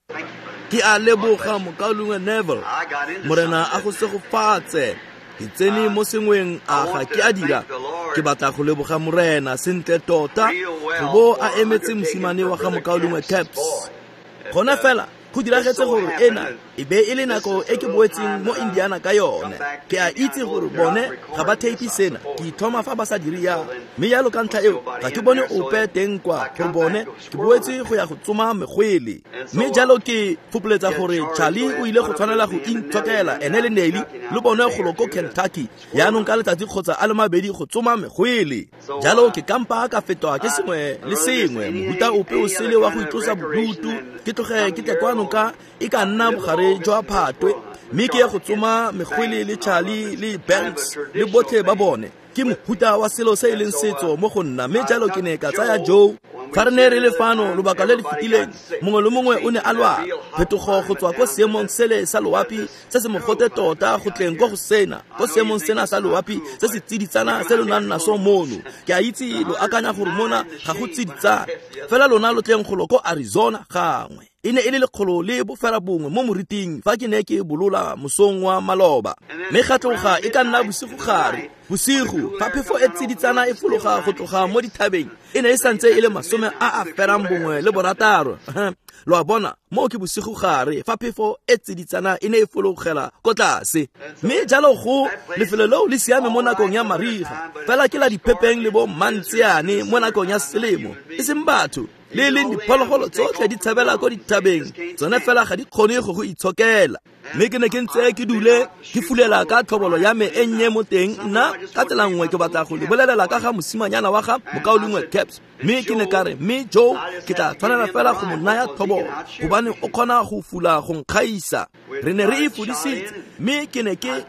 Ke a leboga mokaulengwe Neville. Morena a go segofatse. Ke tsene mo sengweng a ga ke a dira. Ke batla go leboga Morena sentle tota go bo a emetse mosimane wa ga mokaulengwe Caps. Gone fela go diragetse gore ena e be e le nako e ke boetseng mo Indiana ka yone. Ke a itse gore bone ga ba theipi sena, ke ithoma fa ba sa dire jalo. Mme jalo ka ntlha eo ga ke bone ope teng kwa gore bone ke boetse go ya go tsoma megwele. Mme jalo ke fopoletsa gore Charlie o ile go tshwanela go intshokela ene le Nelly le bone golo ko Kentucky jaanong ka letsatsi kgotsa a le mabedi go tsoma megwele. Jalo ke kampa ka fetwa ke sengwe le sengwe, mohuta ope o sele wa go itlosa bodutu, ke tloge ke tle kwano ka e ka nna bogare jwa Phatwe, mme ke ye go tsoma megwele le Charlie le Banks le botlhe ba bone. Ke mohuta wa selo se e leng setso mo go nna, mme jalo ke ne ka tsaya Joe. Fa re ne re le fano lobaka le le fetileng, mongwe le mongwe o ne a lwala. Phetogo go tswa ko seemong sele sa loapi se se mogote tota go tleng ko go sena, ko seemong sena sa loapi se se tsiditsana se lo nang naso mono. Ke a itse lo akanya gore mona ga go tsiditsana, fela lona lo tleng golo ko Arizona gangwe. E ne e le 109 mo moriting fa ke ne ke bolola mosong wa maloba. Mme ga tloga e ka nna bosigo gare. Bosigo fa phefo e tsiditsana e fologa go tloga mo dithabeng, e ne e santse e le 96. Lo a bona, moo ke bosigo gare fa phefo e tsiditsana e ne e fologela ko tlase. Mme jalo go lefelo leo le siame mo nakong ya mariga, fela ke la diphepeng le bo mantseane mo nakong ya selemo, e seng batho. Le leng diphologolo tsotlhe di tshabela ko dithabeng, tsone fela ga di kgone go go itshokela. Mme ke ne ke ntse ke dule ke fulela ka tlhobolo ya me e nnye mo teng. Nna ka tsela nngwe ke batla go le bolelela ka ga mosimanyana wa ga mokaulengwe Caps. Mme ke ne ka re, mme Joe ke tla tshwanela fela go mo naya tlhobolo gobane o kgona go fula go nkgaisa. Re ne re e fudisitse, mme ke ne ke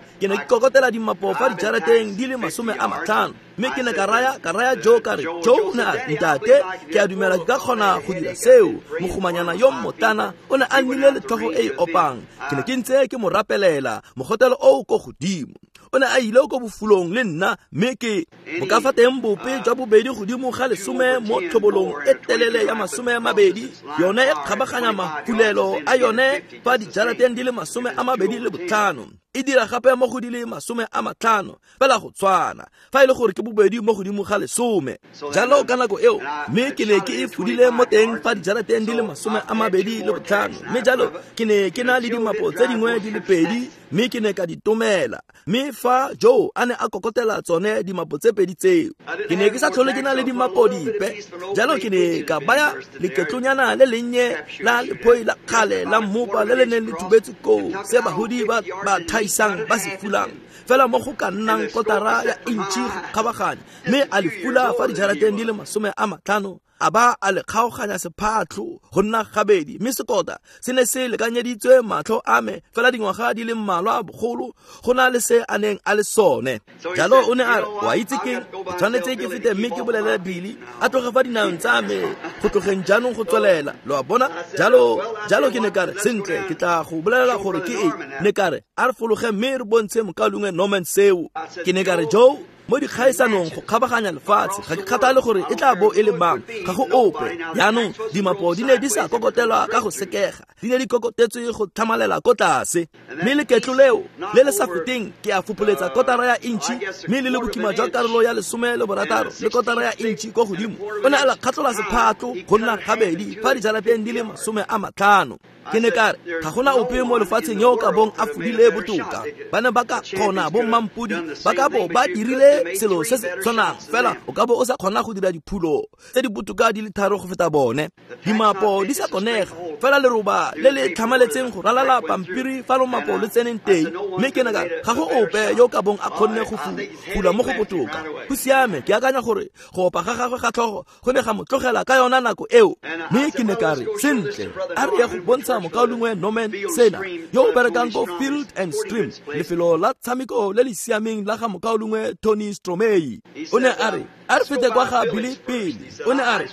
kokotela dimapo fa dijarateng di le 50. Mme ke ne ka raya Joe ka re, Joe o ne a ntate, ke a dumela ke ka kgona go dira seo. Mogomanyana yo mmotlana o ne a nnile le tlhogo e e opang. Ke ne ke ntse ke mo rapelela, mogotelo o ko godimo. O ne a ile ko bofulong le nna, mme ke bo ka fa teng bope jwa bobedi godimo ga 10 mo tlhobolong e telele ya 20, yone e kgabaganya mafulelo a yone fa dijarateng di le 25. E dira gape mo go di le 50, fela go tshwana fa e le gore ke bobedi mo godimo ga 10. Jalo ka nako eo, mme ke ne ke e fudile mo teng fa dijarateng di le 25. Mme jalo ke ne ke na le dimapo tse dingwe di le 2, mme ke ne ka di tomela. Mme fa Joe a ne a kokotela tsone dimapo tse 2 tseo, ke ne ke sa tlhole ke na le dimapo dipe. Jalo ke ne ka baya leketlonyana le lennye la lephoi la kgale la mmopa le le neng le thubetse koo, se bagodi ba thaisang ba se fulang, fela mo go ka nnang kotara ya intšhi go kgabaganya. Mme a le fula fa dijarateng di le 50, a ba a le kgaoganya sephatlho go nna gabedi. Mme sekota se ne se lekanyeditswe matlho a me fela dingwaga di le mmalwa bogolo go na le se a neng a le sone. Jalo o ne a re, wa itse keng, ke tshwanetse ke fete mme ke bolelele Billy a tloge fa dinaong tsa me go tlogeng jaanong go tswelela. Lo a bona? Jalo ke ne ka re, sentle, ke tla go bolelela gore ke eng. Ne ka re, a re fologe mme re bontshe mokaulengwe Norman seo. Ke ne ka re, Joe, mo dikgaisanong go kgabaganya lefatshe, ga ke kgathale gore e tla bo e le mang, ga go ope. Jaanong dimapo di ne di sa kokotelwa ka go sekega, di ne di kokotetswe go tlhamalela ko tlase. Mme leketlo leo le le sa feteng ke a fopoletsa kotara ya intšhi, mme le le bokima jwa karolo ya 16 le kotara ya intšhi ko godimo. O ne a la kgatlola sephatlo go nna gabedi fa dijarateng di le 50. Ke ne ka re, ga gona ope mo lefatsheng yo o ka bong a fudile botoka. Ba ne ba ka kgona bo mmampodi ba ka bo ba dirile selo se se tshwanang, fela o ka bo o sa kgona go dira diphulo tse di botoka di le 3 go feta bone. Dimapo di sa konega, fela leroba le le tlhamaletseng go ralala pampiri fa lomapo le tseneng teng. Mme ke ne ka re, ga go ope yo o ka bong a kgonne go fula mo go botoka. Go siame, ke akanya gore go opa ga gagwe ga tlhogo go ne ga mo tlogela ka yona nako eo. Mme ke ne ka re, sentle, a re ye go bontsha mokaulengwe Norman sena, yo o berekang ko Field and Stream, lefelo la tshameko le le siameng la ga mokaulengwe Tony Stromei. O ne a re, a re fete kwa ga Billy pele. O ne a re,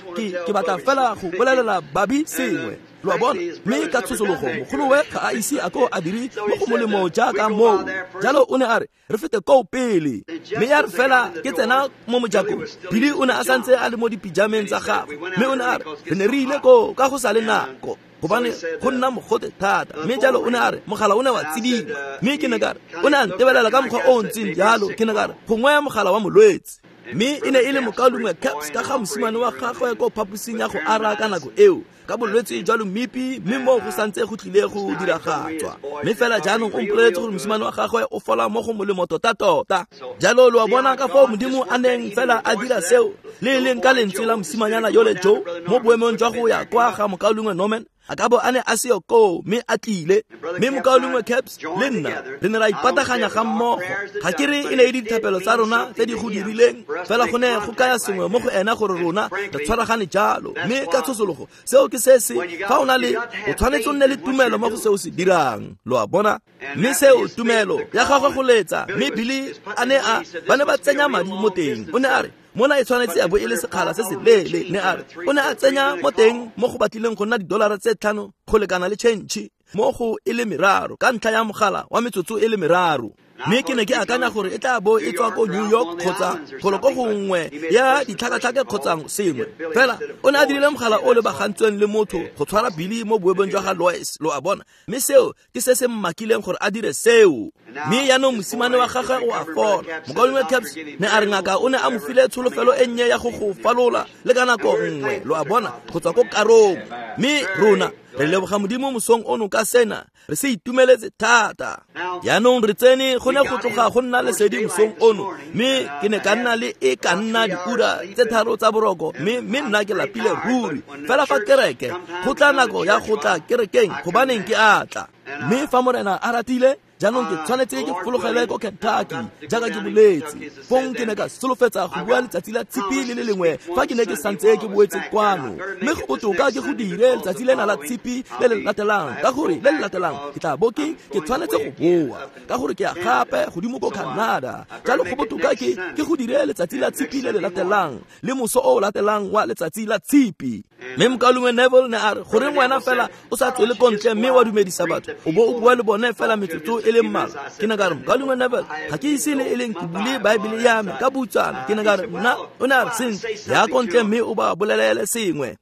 ke batla fela go bolelela Babi sengwe. Lo a bona? Mme ka tshosologo mogolowe ga a ise a ko a dire mo go molemo jaaka moo. Jalo o ne a re, re fete koo pele. Mme ya re fela ke tsena mo mojakong, Billy o ne a santse a le mo dipijameng tsa gagwe. Mme o ne a re, re ne re ile koo ka go sa le nako. Gobane go nna mogote thata. Mme jalo o ne a re mogala o ne wa tsidima. Mme ke ne ka re o ne a ntebelela ka mokgwa o o ntseng jalo. Ke ne ka re gongwe mogala wa molwetse. Mme e ne e le mokaulengwe Caps ka ga mosimane wa gagwe ko phaposing ya go ara ka nako eo ka bolwetse jwa lomipi, mme moo go santse go tlile go diragatswa. Mme fela jaanong o mpoleletse gore mosimane wa gagwe o fola mo go molemo tota-tota. Jalo lo a bona ka foo Modimo a neng fela a dira seo le e leng ka lentswe la mosimanyana yole Joe mo boemong jwa go ya kwa ga mokaulengwe Norman, a ka bo a ne a seo koo mme a tlile. Mme mokaulengwe Caps le nna re ne ra ipataganya ga mmogo. Ga ke re e ne e le dithapelo tsa rona tse di go dirileng, fela go ne go kaya sengwe mo go ena gore rona re tshwaragane jalo. Mme ka tshosologo seo ke se se fa o na le o tshwanetse o nne le tumelo mo go seo se dirang, lo a bona. Mme seo tumelo ya gagwe go letsa, mme Billy a ne a ba ne ba tsenya madi mo teng. O ne a re mona e tshwanetse ya bo e le sekgala se se leele. Ne a re o ne a tsenya mo teng mo go batlileng go nna $5 go lekana le change mo go e le meraro ka ntlha ya mogala wa metsotso e le meraro. Mme ke ne ke akanya gore e tla bo e tswa ko New York kgotsa golo ko gongwe ya ditlhakatlhake kgotsa sengwe. Fela o ne a dirile mogala o lebagantsweng le motho go tshwara Billy mo boemong jwa ga Lois, lo a bona. Mme seo ke se se mmakileng gore a dire seo. Mme jaanong mosimane wa gagwe o a fola. Mokaulengwe Caps ne a re ngaka o ne a mo file tsholofelo e nnye ya go go falola le ka nako nngwe, lo a bona, go tswa ko karong. Mme rona re leboga Modimo mosong ono ka sena, re se itumeletse thata. Jaanong re tsene go ne go tloga go nna lesedi mosong ono, mme ke ne ka nna le e ka nna diura tse 3 tsa boroko, mme nna ke lapile ruri. Fela fa kereke go tla nako ya go tla kerekeng, gobaneng ke a tla. Mme fa Morena a ratile, jaanong ke tshwanetse ke fologele ko Kentucky jaaka ke boletse. Fong ke ne ka solofetsa go bua letsatsi la tshipi le le lengwe fa ke ne ke santse ke boetse kwano. Mme go botoka ke go dire letsatsi lena la tshipi le le latelang, ka gore le le latelang ke tla bo ke tshwanetse go boa, ka gore ke ya gape godimo ko Canada. Jalo go botoka ke go dire letsatsi la tshipi le le latelang le moso o latelang wa letsatsi la tshipi. Mme mokaulengwe Neville ne a re goreng wena fela o sa tswele ko ntle mme wa dumedisa batho o bo o bua le bone fela metsotso e le mmalwa. Ke ne ka re mokaulengwe Neville ga ke ise le e leng ke bule Baebele ya me ka butsana. Ke ne ka re nna, o ne a re sentle ya ko ntle mme o ba bolelele sengwe.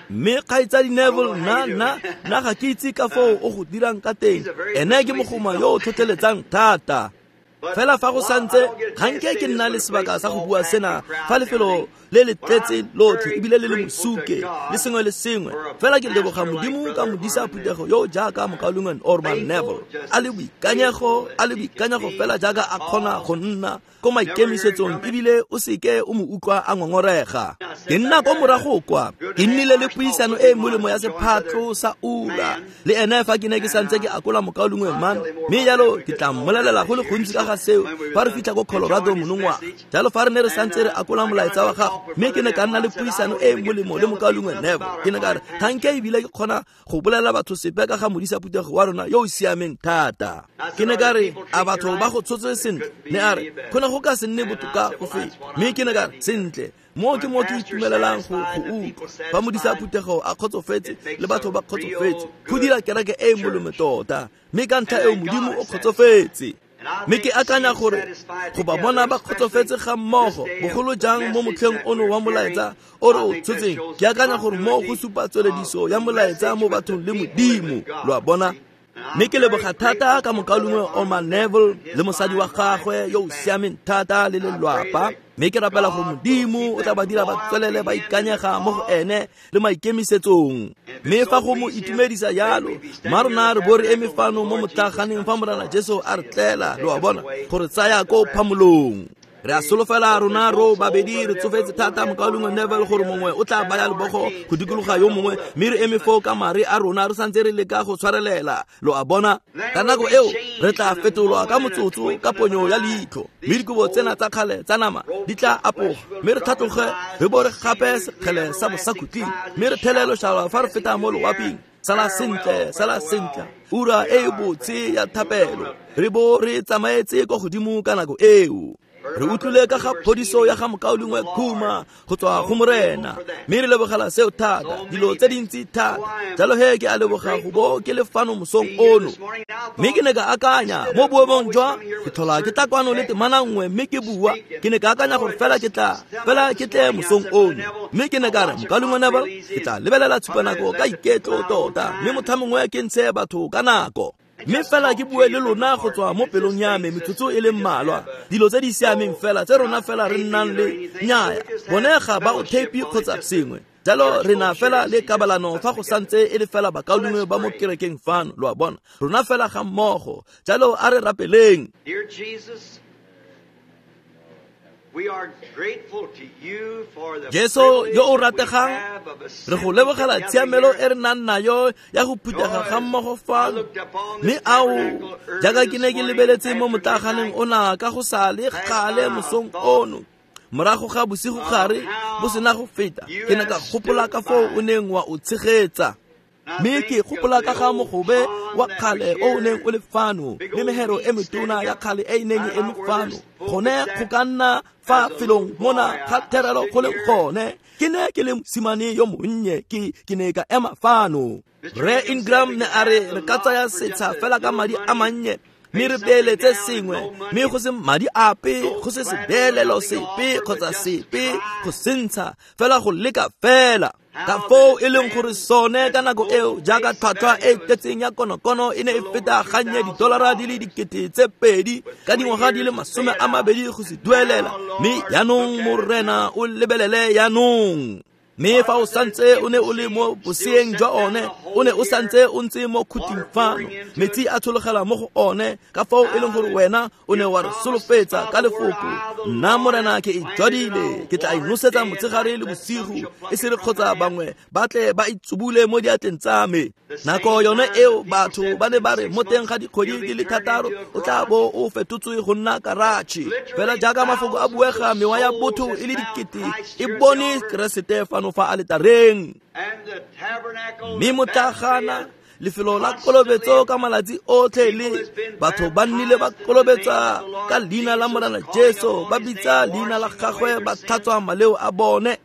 Mme kgaitsadi Neville nna ga ke itse ka foo o go dirang ka teng. Ene ke mogoma yo o tlhotlheletsang thata. Fela fa go santse ga nke ke nna le sebaka sa go bua sena fa lefelo le le tletse lotlhe ebile le le mosuke le sengwe le sengwe. Fela ke leboga Modimo ka modisa phuthego yo jaaka mokaulengwe Orman Neville a le boikanyego fela jaaka a kgona go nna ko maikemisetsong, ebile o seke o mo utlwa a ngongorega. Ke nna ko morago kwa ke nnile le puisano e molemo ya sephatlo sa ura le ene fa ke ne ke santse ke akola mokaulengwe Man. Mme jalo ke tla mmolelela go le gontsi ka ga seo fa re fitlha ko Colorado monongwaga. Jalo fa re ne re santse re akola molaetsa wa gago, mme ke ne ka nna le puisano e molemo le mokaulengwe Neville. Ke ne ka re ga nke ebile ke kgona go bolela batho sepe ka ga modisa phuthego wa rona yo o siameng thata. Ke ne ka re a batho ba go tshotse sentle? Ne a re go ne go ka se nne botoka go feta. Mme ke ne ka re sentle, mo ke mo ke itumelelang go utlwa fa modisa phuthego a kgotsofetse le batho ba kgotsofetse, go dira kereke e molemo tota. Mme ka ntlha eo Modimo o kgotsofetse. Mme ke akanya gore go ba bona ba kgotsofetse ga mmogo, bogolo jang mo motlheng ono wa molaetsa o re o tshotseng, ke akanya gore mo go supa tswelediso ya molaetsa mo bathong le Modimo, lo a bona. Mme ke leboga thata ka mokaulengwe Orman Neville le mosadi wa gagwe yo o siameng thata le lelwapa. Mme ke rapela gore Modimo o tla ba dira ba tswelele ba ikanyega mo go ene le maikemisetsong. Mme fa go mo itumedisa jalo, mma rona re bo re eme fano mo motlaganeng fa Morena Jesu a re tlela, lo a bona, gore tsaya ko phamolong. Re a solofela rona ro babedi re tsofetse thata mokaulengwe Neville gore mongwe o tla baya lebogo go dikologa yo mongwe, mme re eme foo ka mare a rona re santse re leka go tshwarelela, lo a bona. Ka nako eo re tla fetolwa ka motsotso ka ponyo ya leitlho, mme dikobo tsena tsa kgale tsa nama di tla apoga, mme re tlhatloge re bo re gape sekgele sa bosakhutleng, mme re thele lošalwa fa re feta mo loaping. Sala sentle, sala sentle, ura e botse ya thapelo, re bo re tsamaetse kwa godimo ka nako eo. Re utlwile ka ga phodiso ya ga mokaulengwe Khuma go tswa go Morena, mme re lebogela seo thata, dilo tse dintsi thata. Jalo he ke a leboga go bo ke le fano mosong ono. Mme ke ne ka akanya mo boemong jwa ke tlhola ke tla kwano le temana nngwe mme ke bua, ke ne ka akanya gore fela ke tla fela ke tle mosong ono. Mme ke ne ka re, mokaulengwe Neville, ke tla lebelela tshupanako ka iketlo tota, mme motlha mongwe ke ntshe batho ka nako. Mme fela ke bue le lona go tswa mo pelong ya me metsotso e le mmalwa, dilo tse di siameng fela tse rona fela re nnang le nnyaya, bone ga ba o tape kgotsa sengwe. Jalo re na fela le kabalano fa go santse e le fela bakaulengwe ba mo kerekeng fano, lo a bona, rona fela ga mmogo. Jalo a re rapeleng. Jesu yo o rategang, re go lebogela tshiamelo e re nang nayo ya go phuthega ga mmogo fano. Mme ao, jaaka ke ne ke lebeletse mo motlaganeng ona ka go sa le gale mosong ono, morago ga bosigo gare bo sena go feta, ke ne ka gopola ka foo o neng wa o tshegetsa. Mme ke gopola ka ga mogobe wa kgale o o neng o le fano, le mehero e metona ya kgale e e neng e eme fano, gone go ka nna fa felong mona ga therelo go leng gone. Ke ne ke le mosimane yo monnye, ke ne ka ema fano. Rre Ingram ne a re re ka tsaya setsha fela ka madi a mannye, mme re beeletse sengwe, mme go se madi ape, go se sebeelelo sepe kgotsa sepe go sentsha, fela go leka fela. Ka foo e leng gore sone ka nako eo, jaaka tlhwatlhwa e tletseng ya konokono e ne e feta gannye $2,000 ka dingwaga di le 20 go se duelela. Mme jaanong Morena o lebelele jaanong. Mme fa o santse o ne o le mo boseeng jwa one, o ne o santse o ntse mo khuting fano, metsi a tshologela mo go one, ka foo e leng gore wena o ne wa re solofetsa ka lefoko, nna Morena ke e jwadile, ke tla e nosetsa motshegare le bosigo, e se re kgotsa bangwe ba tle ba itsubule mo diatleng tsa me. Nako yone eo batho ba ne ba re mo teng ga dikgwedi di le 6 o tla bo o fetotswe go nna karatšhe. Fela jaaka mafoko a buega, mewa ya botho e le dikete e bone Keresete fano fa aletareng. Mme motlagana, lefelo la kolobetso ka malatsi otlhe, le batho ba nnile ba kolobetsa ka leina la Morena Jesu, ba bitsa leina la gagwe, ba tlhatswa maleo a bone.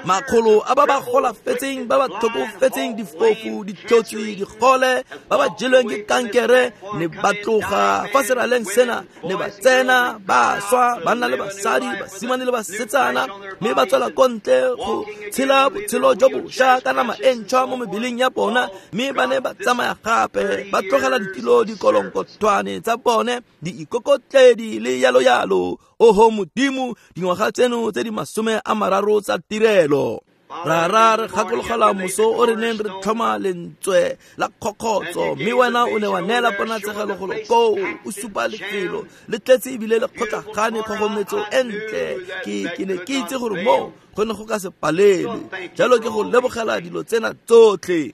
Makgolo a ba ba golafetseng, ba ba tlhokofetseng, difofu, ditlotsi, digole, ba ba jelweng ke kankere, ne ba tloga fa seraleng sena, ne ba tsena, ba swa, banna le basadi, basimane le basetsana, mme ba tswela ko ntle go tshela botshelo jo bošwa ka nama e ntšhwa mo mebeleng ya bona, mme ba ne ba tsamaya gape, ba tlogela ditilo dikolonkothwane tsa bone, di ikokotledi le yalo yalo. Oho Modimo, dingwaga tseno tse di 30 tsa tirelo. Rara, re gakologela moso o re neng re tlhoma lentswe la kgokgotso, mme wena o ne wa neela ponatshegelo golo koo, o supa lefelo le tletse ebile le kgotlagane kgogometso e ntle. Ke ne ke itse gore moo go ne go ka se palelwe. Jalo ke go lebogela dilo tsena tsotlhe.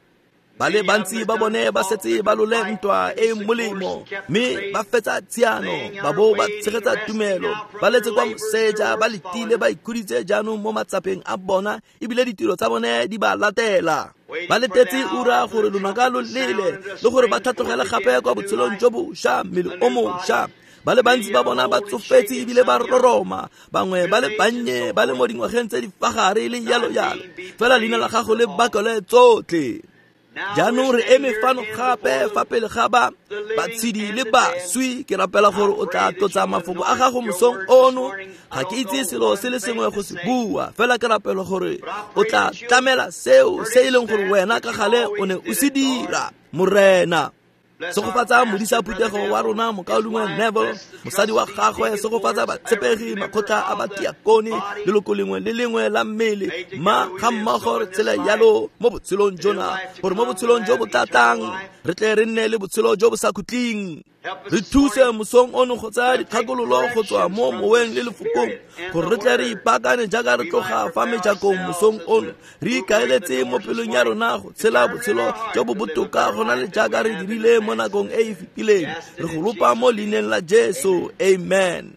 Ba le bantsi ba bone ba setse ba lole ntwa e molemo, mme ba fetsa tshiano, ba bo ba tshegetsa tumelo, ba letse kwa moseja, ba letile, ba ikhuditse jaanong mo matsapeng a bona, ebile ditiro tsa bone di ba latela. Ba letetse ura gore lonaka lo lele, le gore ba tlhatlogele gape kwa botshelong jo bošwa, mmele o mošwa. Ba le bantsi ba bona ba tsofetse ebile ba roroma, bangwe ba le bannye ba le mo dingwageng tse di fa gare le yalo yalo. Fela leina la gago le bakole tsotlhe. Jaanong re eme fano gape fa pele ga ba batshedi le baswi. Ke rapela gore o tla tlotsa mafoko a gago mosong ono. Ga ke itse selo se le sengwe go se bua, fela ke rapela gore o tla tlamela seo se e leng gore wena ka gale o ne o se dira, Morena. Segofatsa modisa phuthego wa rona mokaulengwe Neville, mosadi wa gagwe, segofatsa batshepegi, makgotla a batiakone, leloko lengwe le lengwe la mmele, ma ga mmogo re tshele yalo mo botshelong jona, gore mo botshelong jo bo tlatang re tle re nne le botshelo jo bo sa khutleng. Re thuse mosong ono go tsaya dikgakololo go tswa mo moweng le lefokong, gore re tle re ipaakanye jaaka re tloga fa mejakong mosong ono, re ikaeletse mo pelong ya rona go tshela botshelo jo bo botoka go na le jaaka re dirile mo nakong e e fetileng. Re go lopa mo leineng la Jesu, amen.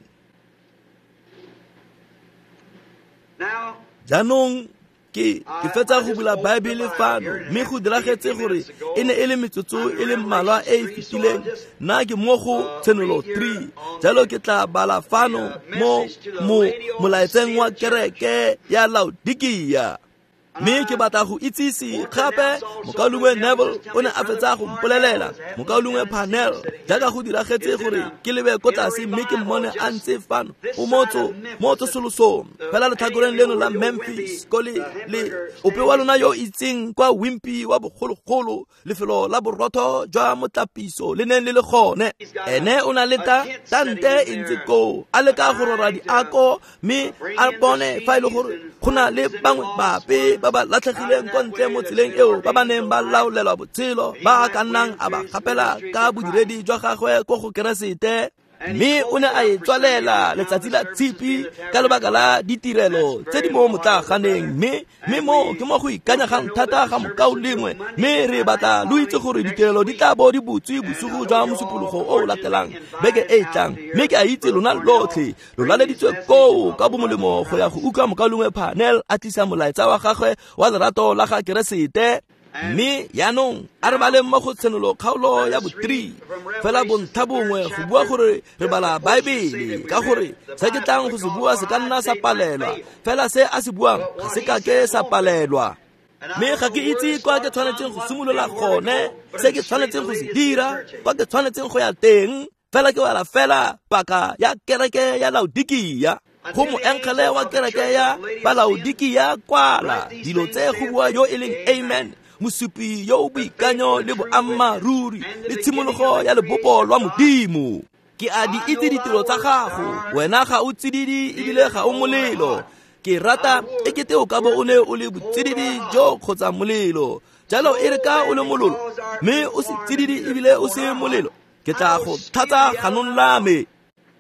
Jaanong Ke fetsa go bula Baebele fano, mme go diragetse gore e ne e le metsotso e le mmalwa e e fetileng. Nna ke mo go Tshenolo 3, jalo ke tla bala fano mo molaetseng wa kereke ya Laodikia. Mme ke batla go itsise gape mokaulengwe Neville o ne a fetsa go mpolelela, mokaulengwe Parnell, jaaka go diragetse gore ke lebe ko tlase mme ke mmone a ntse fano o mo tsosolosong fela letlhakoreng leno la Memphis ko le ope wa lona yo itseng kwa Wimpy wa bogologolo, lefelo la borotho jwa motlapiso le neng le le gone. Ene o na le tante e ntse koo a leka go rora diako mme a bone fa e le gore go na le bangwe bape ba ba latlhegileng ko ntle mo tseleng eo ba ba neng ba laolelwa botshelo ba ka nnang a ba gapela ka bodiredi jwa gagwe ko go Keresete. Mme o ne a e tswalela letsatsi la Tshipi ka lebaka la ditirelo tse di mo motlaganeng, mme mo ke mo go ikanyegang thata ga mokaulengwe. Mme re batla lo itse gore ditirelo di tla bo di butswe bosigo jwa mosupologo o o latelang beke e e tlang. Mme ke a itse lona lotlhe lo laleditswe koo ka bomolemo go ya go utlwa mokaulengwe Parnell a tlisa molaetsa wa gagwe wa lerato la ga Keresete. Mme yaanong a re baleng mo go Tshenolo kgaolo ya bo 3 fela bontlha bongwe go bua gore re bala Baebele, ka gore se ke tlang go se bua se ka nna sa palelwa, fela se a se buang ga se ka ke sa palelwa. Mme ga ke itse kwa ke tshwanetseng go simolola gone, se ke tshwanetseng go se dira, kwa ke tshwanetseng go ya teng, fela ke bala fela paka ya kereke ya Laodikia. Go moengele wa kereke ya Balaodikia kwala dilo tse go bua yo e leng Amen, mosupi yo o boikanyo le boammaaruri le tshimologo ya lebopo lwa Modimo. Ke a di itse ditiro tsa gago, wena ga o tsididi ebile ga o molelo. Ke rata e kete o ka bo o ne o le botsididi jo kgotsa molelo. Jalo e re ka o le mololo mme o se tsididi ebile o se molelo, ke tla go thatsa ganong la me.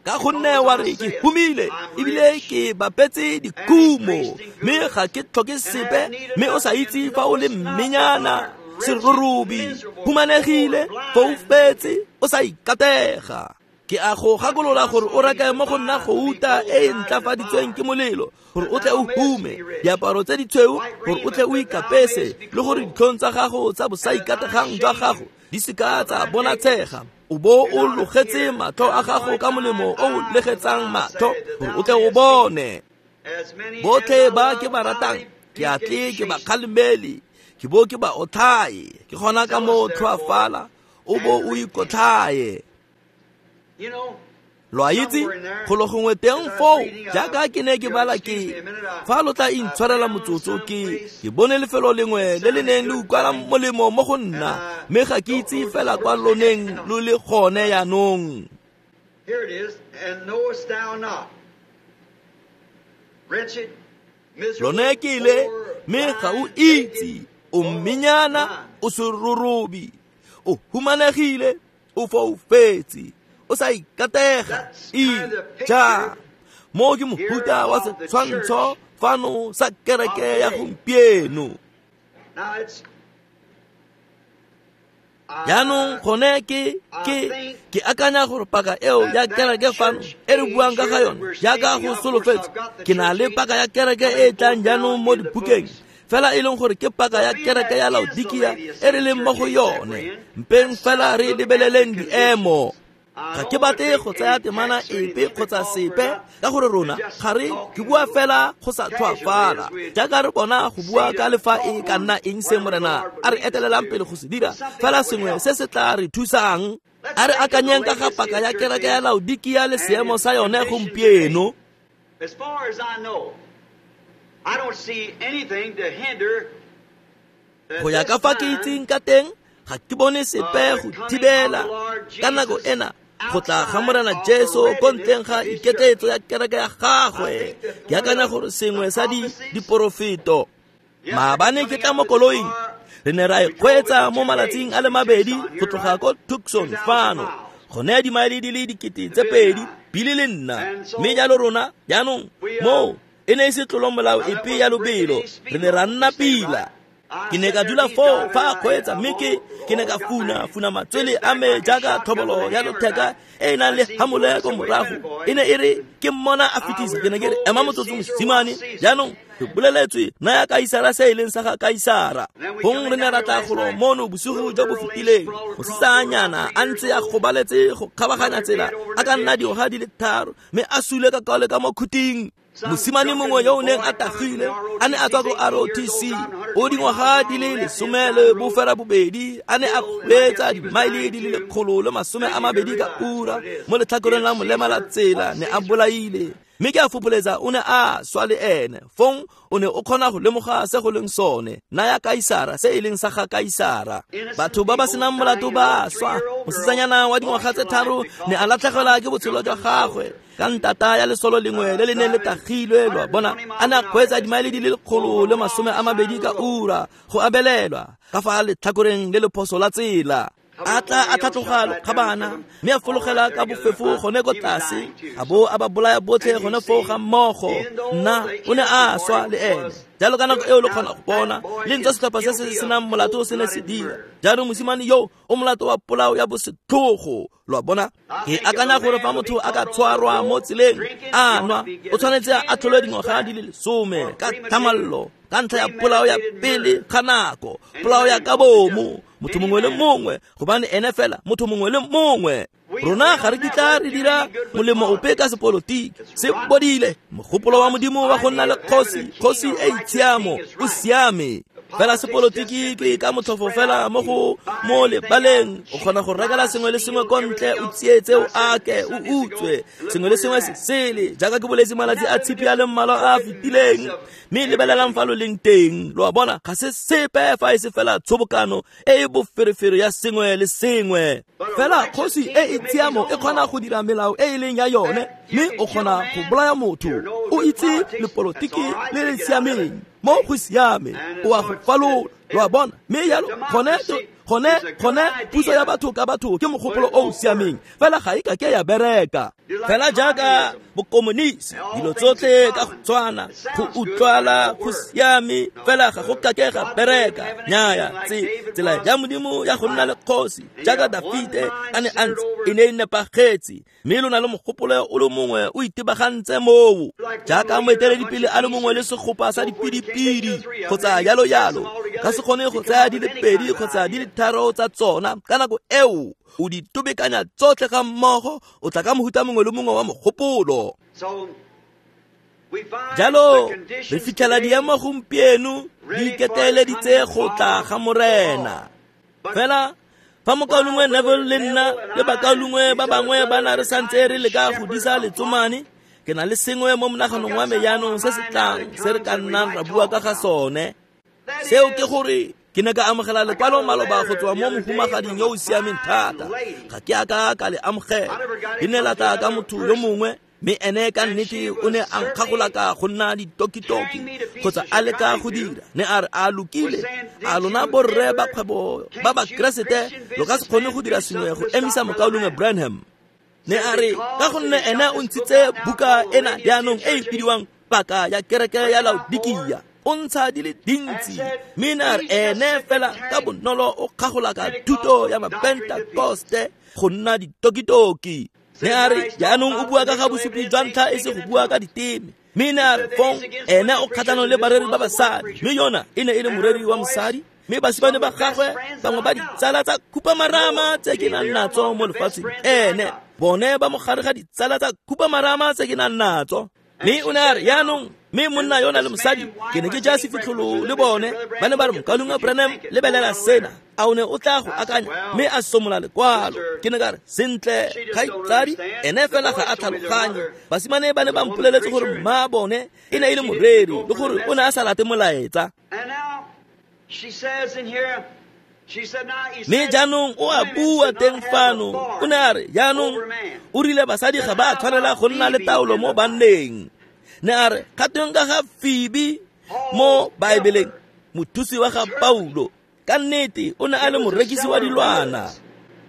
Ka gonne wa re ke humile ebile ke bapetse dikhumo, mme ga ke tlhoke sepe, mme o sa itse fa o le mmenyana, serorobi, humanegile, foufetse, o sa ikatega. Ke a go gakolola gore o reke mo go nna gouta e e ntlafaditsweng ke molelo, gore o tle o hume, diaparo tse ditshweu gore o tle o ikapese, le gore ditlhong tsa gago tsa bosaikategang jwa gago di seka tsa bonatshega. O bo o logetse matlho a gago ka molemo o o legetsang matlho gore o tle o bone. Botlhe ba ke ba ratang ke a tle ke ba kgalemele, ke bo ke ba otlhaye. Ke gona ka mo tlhoafala o bo o ikotlhaye. Lo a itse golo gongwe teng foo, jaaka ke ne ke bala ke fa lo tla intshwarela motsotso, ke bone lefelo lengwe le le neng le utlwala molemo mo go nna, mme ga ke itse fela kwa loneng lo le gone yaanong. Lone ke ile, mme ga o itse, o mmenyana, o serorobi, o humanegile, o foufetse, o sa ikatega. Ja mo ke mohuta wa setshwantsho fano sa kereke ya gompieno. Jaanong gone ke akanya gore paka eo ya kereke fano e re buang ka ga yone jaaka go solofetse, ke na le paka ya kereke e e tlang jaanong mo dibukeng, fela e leng gore ke paka ya kereke ya Laodikia e re leng mo go yone. Mpeng fela re lebeleleng diemo. Ga ke batle go tsaya temana epe kgotsa sepe, ka gore rona ga re ke bua fela go sa tlhoafala, jaaka re bona go bua ka lefa e ka nna eng se Morena a re etelelang pele go se dira, fela sengwe se se tla re thusang. A re akanyeng ka ga paka ya kereke ya Laodikia le seemo sa yone gompieno. Go ya ka fa ke itseng ka teng, ga ke bone sepe go thibela ka nako ena go tla ga Morena Jesu ko ntleng ga iketletso ya kereke ya gagwe. Ke akanya gore sengwe sa diporofeto. Maabane ke tla mo koloing, re ne ra e kgweetsa mo malatsing a le mabedi go tloga ko Tucson fano, go naya dimaele di le 2,000 bile le nna. Mme jalo rona jaanong moo e ne e se tlolo molao epe ya lobelo, re ne ra nna pila. Ke ne ka dula foo fa a kgweetsa, mme ke Ke ne ka funa matswele a me jaaka tlhobolo ya lotheka e e nang le hamole ko morago. E ne e re ke mmona a fetisa, ke ne ke re ema motsotso mosimane, jaanong re boleletswe naya Kaisara se e leng sa ga Kaisara. Gong re ne ra tla golo mono bosigo jo bo fetileng, mosetsanyana a ntse a gobaletse go kgabaganya tsela a ka nna dingwaga di le 3, mme a sule ka kaole ka mo khuting. Mosimane mongwe yo o neng a tagile a ne a tswa ko ROTC, o dingwaga di le 12, a ne a kgweetsa dimaele di le 120 ka ura mo letlhakoreng la molema la tsela, ne a bolaile. Mme ke a fopholetsa o ne a swa le ene. Fong o ne o kgona go lemoga se go leng sone, naya Kaisara se e leng sa ga Kaisara. Batho ba ba senang molato ba swa. Mosetsanyana wa dingwaga tse 3 ne a latlhegelwa ke botshelo jwa gagwe ka ntata ya lesolo lengwe le le neng le tagilwe, lwa bona, a ne a kgweetsa dimaele di le 120 ka ura go abelelwa ka fa letlhakoreng le lephoso la tsela. A tla a tlhatloga lokgabana mme a fologela ka bofefo gone ko tlase, a bo a ba bolaya botlhe gone foo ga mmogo. Nna o ne a swa le ene. Jalo ka nako eo le kgona go bona le ntswa setlhopha se se senang molato se ne se dira. Jaanong mosimane yo o molato wa polao ya bosetlhogo, lo a bona. Ke akanya gore fa motho a ka tshwarwa mo tseleng a nwa, o tshwanetse a atlholwe dingwaga di le 10 ka thamallo ka ntlha ya polao ya pele ga nako, polao ya ka bomo, motho mongwe le mongwe, gobane ene fela motho mongwe le mongwe. Rona ga re kitla re dira molemo ope ka sepolotiki. Se bodile mogopolo wa Modimo wa go nna le kgosi, kgosi e itshiamo, o siame. Fela sepolotiki ke ka motlhofo fela mo go mo lebaleng, o kgona go rekela sengwe le sengwe ko ntle, o tsietse, o ake, o utswe sengwe le sengwe se sele, jaaka ke boletse malatsi a tshipi a le mmalwa a a fetileng. Mme lebelelang fa lo leng teng, lo a bona, ga se sepe fa e se fela tshobokano e e boferefere ya sengwe le sengwe. Fela kgosi e e tshiamo e kgona go dira melao e e leng ya yone, mme o kgona go bolaya motho. O itse lepolotiki le le siameng, mo go siame, o a go falola, lo a bona. Mme jalo gone puso ya batho ka batho ke mogopolo o o siameng, fela ga e ka ke ya bereka. Fela jaaka bokomonisi, dilo tsotlhe ka go tshwana, go utlwala go siame, fela ga go ka ke ga bereka. Nnyaya, tsela ya Modimo ya go nna le kgosi jaaka Dafite a ne a ntse, e ne e nepagetse. Mme lo na le mogopolo o le mongwe o itebagantse moo, jaaka moeteledipele a le mongwe le segopa sa dipidipidi kgotsa jalo jalo. Ka se kgone go tsaya di le 2 kgotsa di le 3 tsa tsona ka nako eo, o di tobekanya tsotlhe ga mmogo, o tla ka mohuta mongwe le mongwe wa mogopolo. Jalo re fitlhela diemo gompieno di iketeleditse go tla ga Morena. Fela fa mokaulengwe Neville le nna le bakaulengwe ba bangwe ba na re santse re leka go disa letsomane, ke na le sengwe mo monaganong wa me jaanong se se tlang se re ka nnang ra bua ka ga sone. Seo ke gore ke ne ka amogela lekwalo maloba go tswa mo mohumagading yo o siameng thata. Ga ke a ka ka le amogela, le ne la tla ka motho yo mongwe, mme ene ka nnete o ne a nkgagolaka go nna ditokitoki kgotsa a leka go dira. Ne a re a lokile, a lona borre ba kgwebo ba Bakeresete lo ka se kgone go dira sengwe go emisa mokaulengwe Branham. Ne a re ka gonne ene o ntshitse buka ena jaanong e e bidiwang Paka ya Kereke ya Laodikia, o ntsha di le dintsi, mme ne a re ene fela ka bonolo o kgagolaka thuto ya Mapentakoste go nna ditokitoki. Ne a re jaanong o bua ka ga bosupi jwa ntlha e se go bua ka diteme. Mme ne a re fong ene o kgatlhanong le bareri ba basadi, mme yona e ne e le moreri wa mosadi, mme basimane ba gagwe bangwe ba ditsala tsa khupamarama tse ke nang natso mo lefatsheng, ene bone ba mogare ga ditsala tsa khupamarama tse ke nang natso. Mme o ne a re jaanong, mme monna yona le mosadi ke ne ke ja sefitlholo le bone, ba ne ba re mokaulengwe Branham lebelela sena, a o ne o tla go akanya, mme a somola lekwalo. Ke ne ka re sentle kgaitsadi, ene fela ga a tlhaloganye. Basimane ba ne ba mpoleletse gore mma bone e ne e le moreri le gore o ne a sa late molaetsa. Mme jaanong o a bua teng fano, o ne a re jaanong o rile basadi ga ba tshwanela go nna le taolo mo banneng. Ne a re kgatong ka ga Phoebe mo Baebeleng, mothusi wa ga Paulo, ka nnete o ne a le morekisi wa dilwana.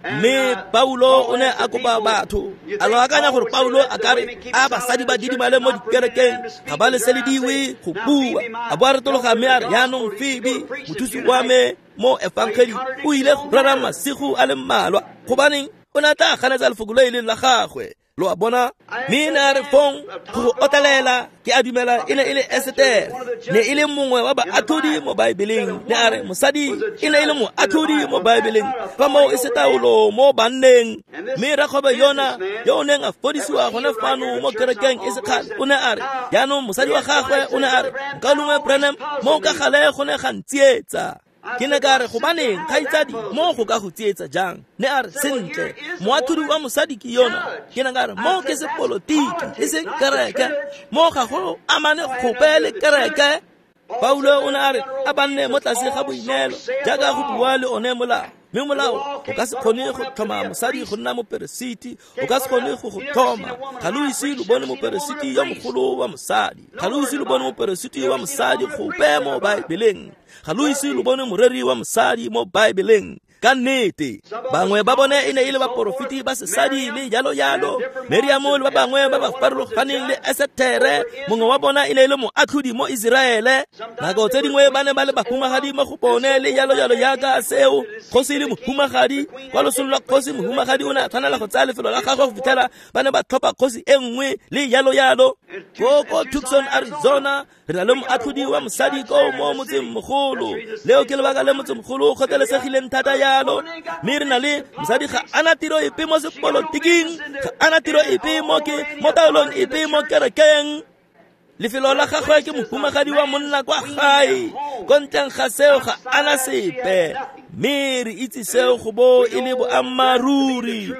Mme Paulo o ne a kopa batho. A lo akanya gore Paulo a ka re a basadi ba didimale mo dikerekeng, ga ba leselediwe go bua. A bo a retologa mme a re, jaanong Phoebe, mothusi wa me mo efangeli, o ile go rera masigo a le mmalwa. Gobaneng o ne a tla ganetsa lefoko le e leng la gagwe. Lo a bona? Mme ne a re fong go go otlelela, ke a dumela e ne e le Esetere, ne e le mongwe wa baatlhodi mo Baebeleng. Ne a re mosadi e ne e le moatlhodi mo Baebeleng, fa moo e se taolo mo banneng. Mme rakgwebo yona yo o neng a fodisiwa gone fano mo kerekeng e sekgale, o ne a re jaanong mosadi wa gagwe o ne a re, Mokaulengwe Branham, mo ka gale go ne ga ntsietsa. Ke ne ka re, gobaneng kgaitsadi, mo go ka go tsietsa jang? Ne a re, sentle, moatlhodi wa mosadi ke yona. Ke ne ka re, mo ke sepolotiki, e seng kereke. Mo ga go amane gope le kereke. Paulo o ne a re a banne mo tlase ga boineelo, jaaka go bua le one molao. Mme molao o ka se kgone go tlhoma mosadi go nna moperesiti, o ka se kgone go go tlhoma. Ga lo ise lo bone moperesiti yo mogolo wa mosadi, ga lo ise lo bone moperesiti wa mosadi gope mo Baebeleng, ga lo ise lo bone moreri wa mosadi mo Baebeleng. Ka nnete, bangwe ba bone e ne e le baporofeti ba sesadi le jalo jalo. Meriamo le ba bangwe ba ba farologaneng le Esetere, mongwe wa bona e ne e le moatlhodi mo Iseraele. Nako tse dingwe ba ne ba le bahumagadi mo go bone le jalo jalo jaaka seo. Kgosi le mohumagadi, kwa losong lwa kgosi mohumagadi o ne a tshwanela go tsaya lefelo la gagwe go fitlhela ba ne ba tlhopha kgosi e nngwe le jalo jalo. Ko Tucson, Arizona, re na le moatlhodi wa mosadi ko mo motsengmogolo. Leo ke lebaka le motsemogolo o kgotlelesegileng thata jalo. Mme re na le mosadi ga ana tiro epe mo sepolotiking, ga ana tiro epe mo ke mo taolong epe mo kerekeng. Lefelo la gagwe ke mohumagadi wa monna kwa gae. Ko ntleng ga seo ga ana sepe. Mme re itse seo go bo e le boammaaruri.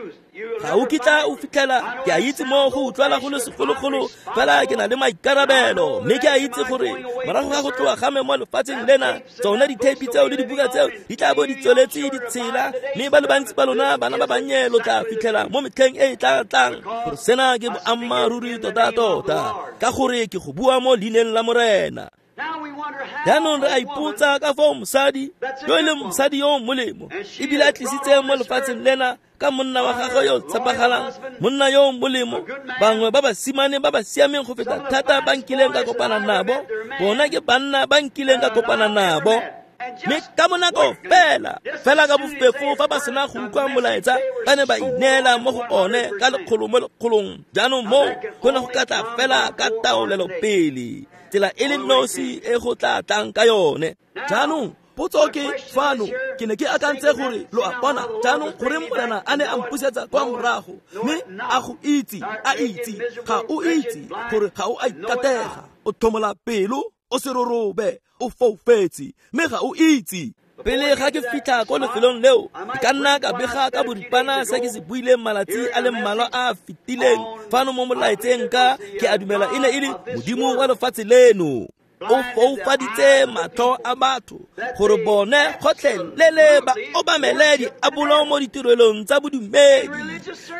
Ga o kitla o fitlhela, ke a itse mo go utlwala go le segologolo, fela ke na le maikarabelo. Mme ke a itse gore morago ga go tloga ga me mo lefatsheng lena, tsone ditheipi tseo le dibuka tseo di tla bo di tsweletse di tshela, mme ba le bantsi ba lona bana ba bannye lo tla fitlhela mo metlheng e e tla tlang gore sena ke boammaaruri tota-tota, ka gore ke go bua mo leineng la Morena. Jaanong re a ipotsa ka foo mosadi yo e leng mosadi yo o molemo ebile a tlisitse mo lefatsheng lena ka monna wa gagwe yo o tshepagalang, monna yo o molemo, bangwe ba basimane ba ba siameng go feta thata ba nkileng ka kopana nabo, bona ke banna ba nkileng ka kopana nabo. Mme ka bonako fela fela ka bofefo fa ba sena go utlwa molaetsa, ba ne ba ineela mo go one ka lekgolo mo lekgolong. Jaanong moo go ne go ka tla fela ka taolelo pele, tsela e le nosi e go tla tlang ka yone. Jaanong potso ke fano, ke ne ke akantse gore lo a bona jaanong gore Morena a ne a mpusetsa kwa morago, mme a go itse, a itse, ga o itse gore ga o a ikatega, o tlhomola pelo, o serorobe, o foufetse, mme ga o itse. Pele ga ke fitlha ko lefelong leo, ke ka nna ka bega ka boripana se ke se buileng malatsi a le mmalwa a a fetileng fano mo molaetseng ka ke a dumela e ne e le Modimo wa lefatshe leno. O foufaditse matlho a batho gore bone gotlhelele ba obamele diabolo mo ditirelong tsa bodumedi.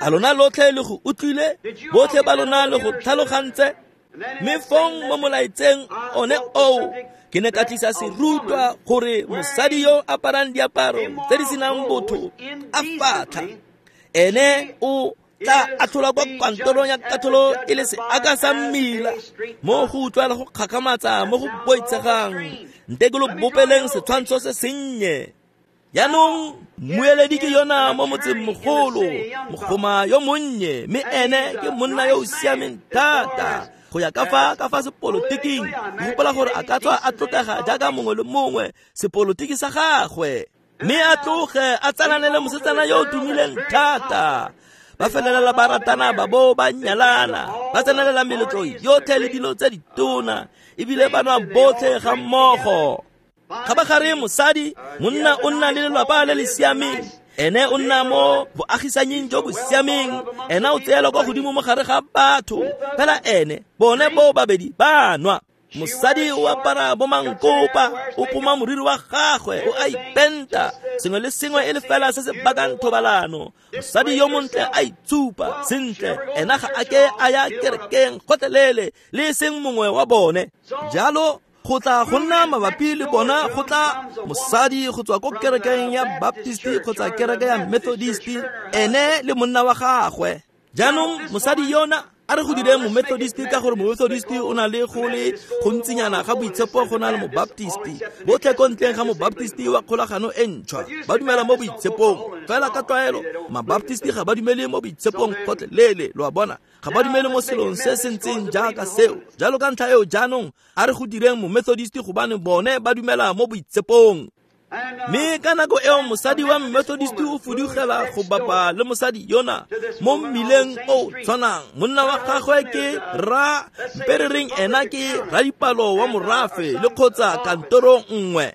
A lona lotlhe le go utlwile? Botlhe ba lona le go tlhalogantse? Mme fong mo molaetseng one oo, ke ne ka tlisa serutwa gore mosadi yo aparang diaparo tse di senang botho a fatlha, ene o tla atlholwa kwa kantorong ya katlholo e le seaka sa mmila, mo go utlwala go kgakgamatsa mo go boitshegang. Nte ke lo bopeleng setshwantsho se sennye. Jaanong mmueledi ke yona mo motsengmogolo, mogoma yo monnye, mme ene ke monna yo o siameng thata go ya ka fa sepolotiking. Ke gopola gore a ka tswa a tlotlega jaaka mongwe le mongwe sepolotiki sa gagwe, mme a tloge a tsalane le mosetsana yo o tumileng thata. Ba felelela ba ratana, ba bo ba nyalana, ba tsenelela meletlo yotlhe le dilo tse ditona, ebile ba nwa botlhe ga mmogo. Kgabagare mosadi, monna o nna le lelapa le le siameng, ene o nna mo boagisanying jo bo siameng, ena o tseelwa kwa godimo mo gare ga batho, fela ene bone bo babedi ba nwa. Mosadi o apara bomankopa, o poma moriri wa gagwe, o a ipenta, sengwe le sengwe e le fela se se bakang thobalano. Mosadi yo montle a itshupa sentle, ena ga a ke a ya kerekeng gotlhelele le e seng mongwe wa bone. Jalo Go tla go nna mabapi le bona go tla mosadi go tswa ko kerekeng ya Baptist kgotsa kereke ya Methodist, ene le monna wa gagwe. Jaanong mosadi yona a re go dire mo-Methodist ka gore mo-Methodist o na le go le gontsinyana ga boitshepo go na le mo-Baptist. Botlhe ko ntleng ga mo-Baptist wa kgolagano e ntšhwa ba dumela mo boitshepong, fela ka tlwaelo ma-Baptist ga ba dumele mo boitshepong gotlhelele, lo a bona, ga ba dumele mo selong se se ntseng jaaka seo. Jalo ka ntlha eo jaanong a re go direng mo-Methodist gobane bone ba dumela mo boitshepong. Mme ka nako eo mosadi wa Methodist o fudugela go bapa le mosadi yona mo mmileng o tshwanang. Monna wa gagwe ke ra mperereng, ena ke radipalo wa morafe le kgotsa kantoro nngwe.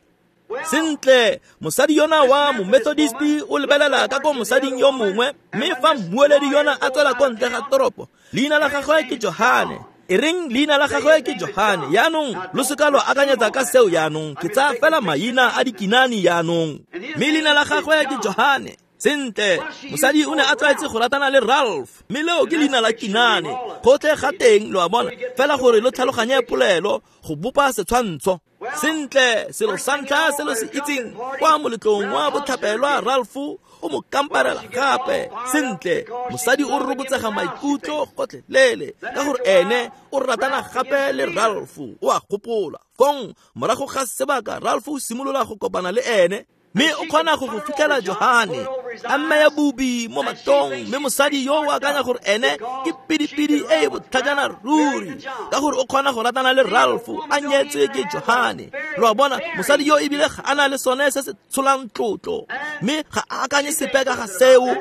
Sentle, mosadi yona wa mo-Methodist o lebelela ka ko mosading yo mongwe, mme fa mmueledi yona a tswela ko ntle ga toropo, leina la gagwe ke Johane. E reng leina la gagwe ke Johane. Yaanong lo seka lo akanyetsa ka seo yaanong, ke tsaya fela maina a dikinane yaanong. Mme leina la gagwe ke Johane. Sentle, mosadi o ne a tlwaetse go ratana le Ralph, mme leo ke leina la kinane. Gotlhe ga teng, lo a bona, fela gore lo tlhaloganye polelo go bopa setshwantsho. Sentle, selo sa ntlha se lo se itseng kwa moletlong wa botlhapelwa, Ralph o mo kamparela gape. Sentle, mosadi o rokotsega maikutlo gotlhelele ka gore ene o ratana gape le Ralph, o a gopola. Fong morago ga sebaka Ralph o simolola go kopana le ene, mme o kgona go go fitlhela Johane a mmeya bubi mo matong, mme mosadi yo o akanya gore ene ke pidipidi e e botlhajana ruri ka gore o kgona go ratana le Ralph a nyetswe ke Johane. Lo a bona, mosadi yo ebile ga a na le sone se se tsholang tlotlo, mme ga a akanye sepe ka ga seo.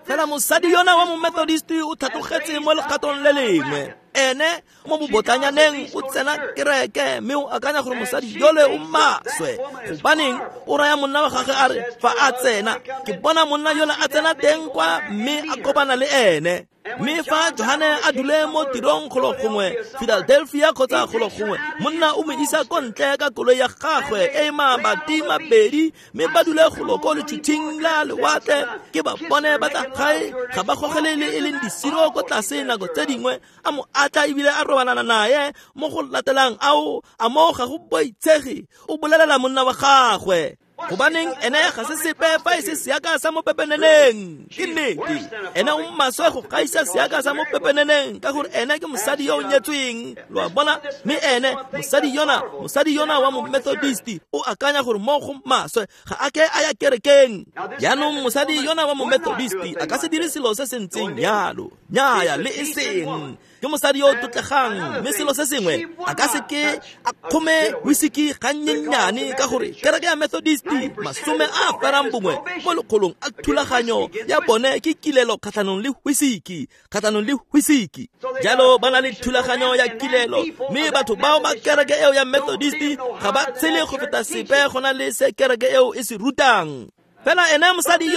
Fela mosadi yona wa mo-Methodist o tlhatlogetse mo legatong le lengwe. Ene mo bobotlanyaneng o tsena kereke, mme o akanya gore mosadi yole o maswe. Gobaneng o raya monna wa gagwe a re fa a tsena, ke bona monna yole a tsena teng kwa mme a kopana le ene. Mme fa Johane a dule mo tirong golo gongwe Philadelphia kgotsa golo gongwe, monna o mo isa ko ntle ka koloi ya gagwe e mabati mabedi, mme ba dule golo ko letšhutšhing la lewatle. Ke ba bone ba tla gae, ga ba gogele le e leng disiro ko tlase nako tse dingwe, a mo atla ebile a robalana naye. Mo go latelang ao a mo ga go boitshege, o bolelela monna wa gagwe. Gobaneng ene ga se sepe fa e se seaka sa mo pepeneneng. Ke nnete, ene o maswe go gaisa seaka sa mo pepeneneng ka gore ene ke mosadi yo o nyetsweng, lo a bona. Mme ene mosadi yona wa mo-Methodist o akanya gore mo go maswe, ga a ke a ya kerekeng. Jaanong mosadi yona wa mo-Methodist a ka se dire selo se se ntseng jalo, nnyaya le e seng. Ke mosadi yo o tlotlegang, mme selo se sengwe a ka se ke a kgome whisky gannyenyane ka gore kereke ya Methodist 91 mo lekgolong a thulaganyo ya bone ke kilelo kgatlhanong le whisky, kgatlhanong le whisky. Jalo ba na le thulaganyo ya kilelo, mme batho bao ba kereke eo ya Methodist ga ba tshele go feta sepe go na le se kereke eo e se rutang. Fela ene mosadi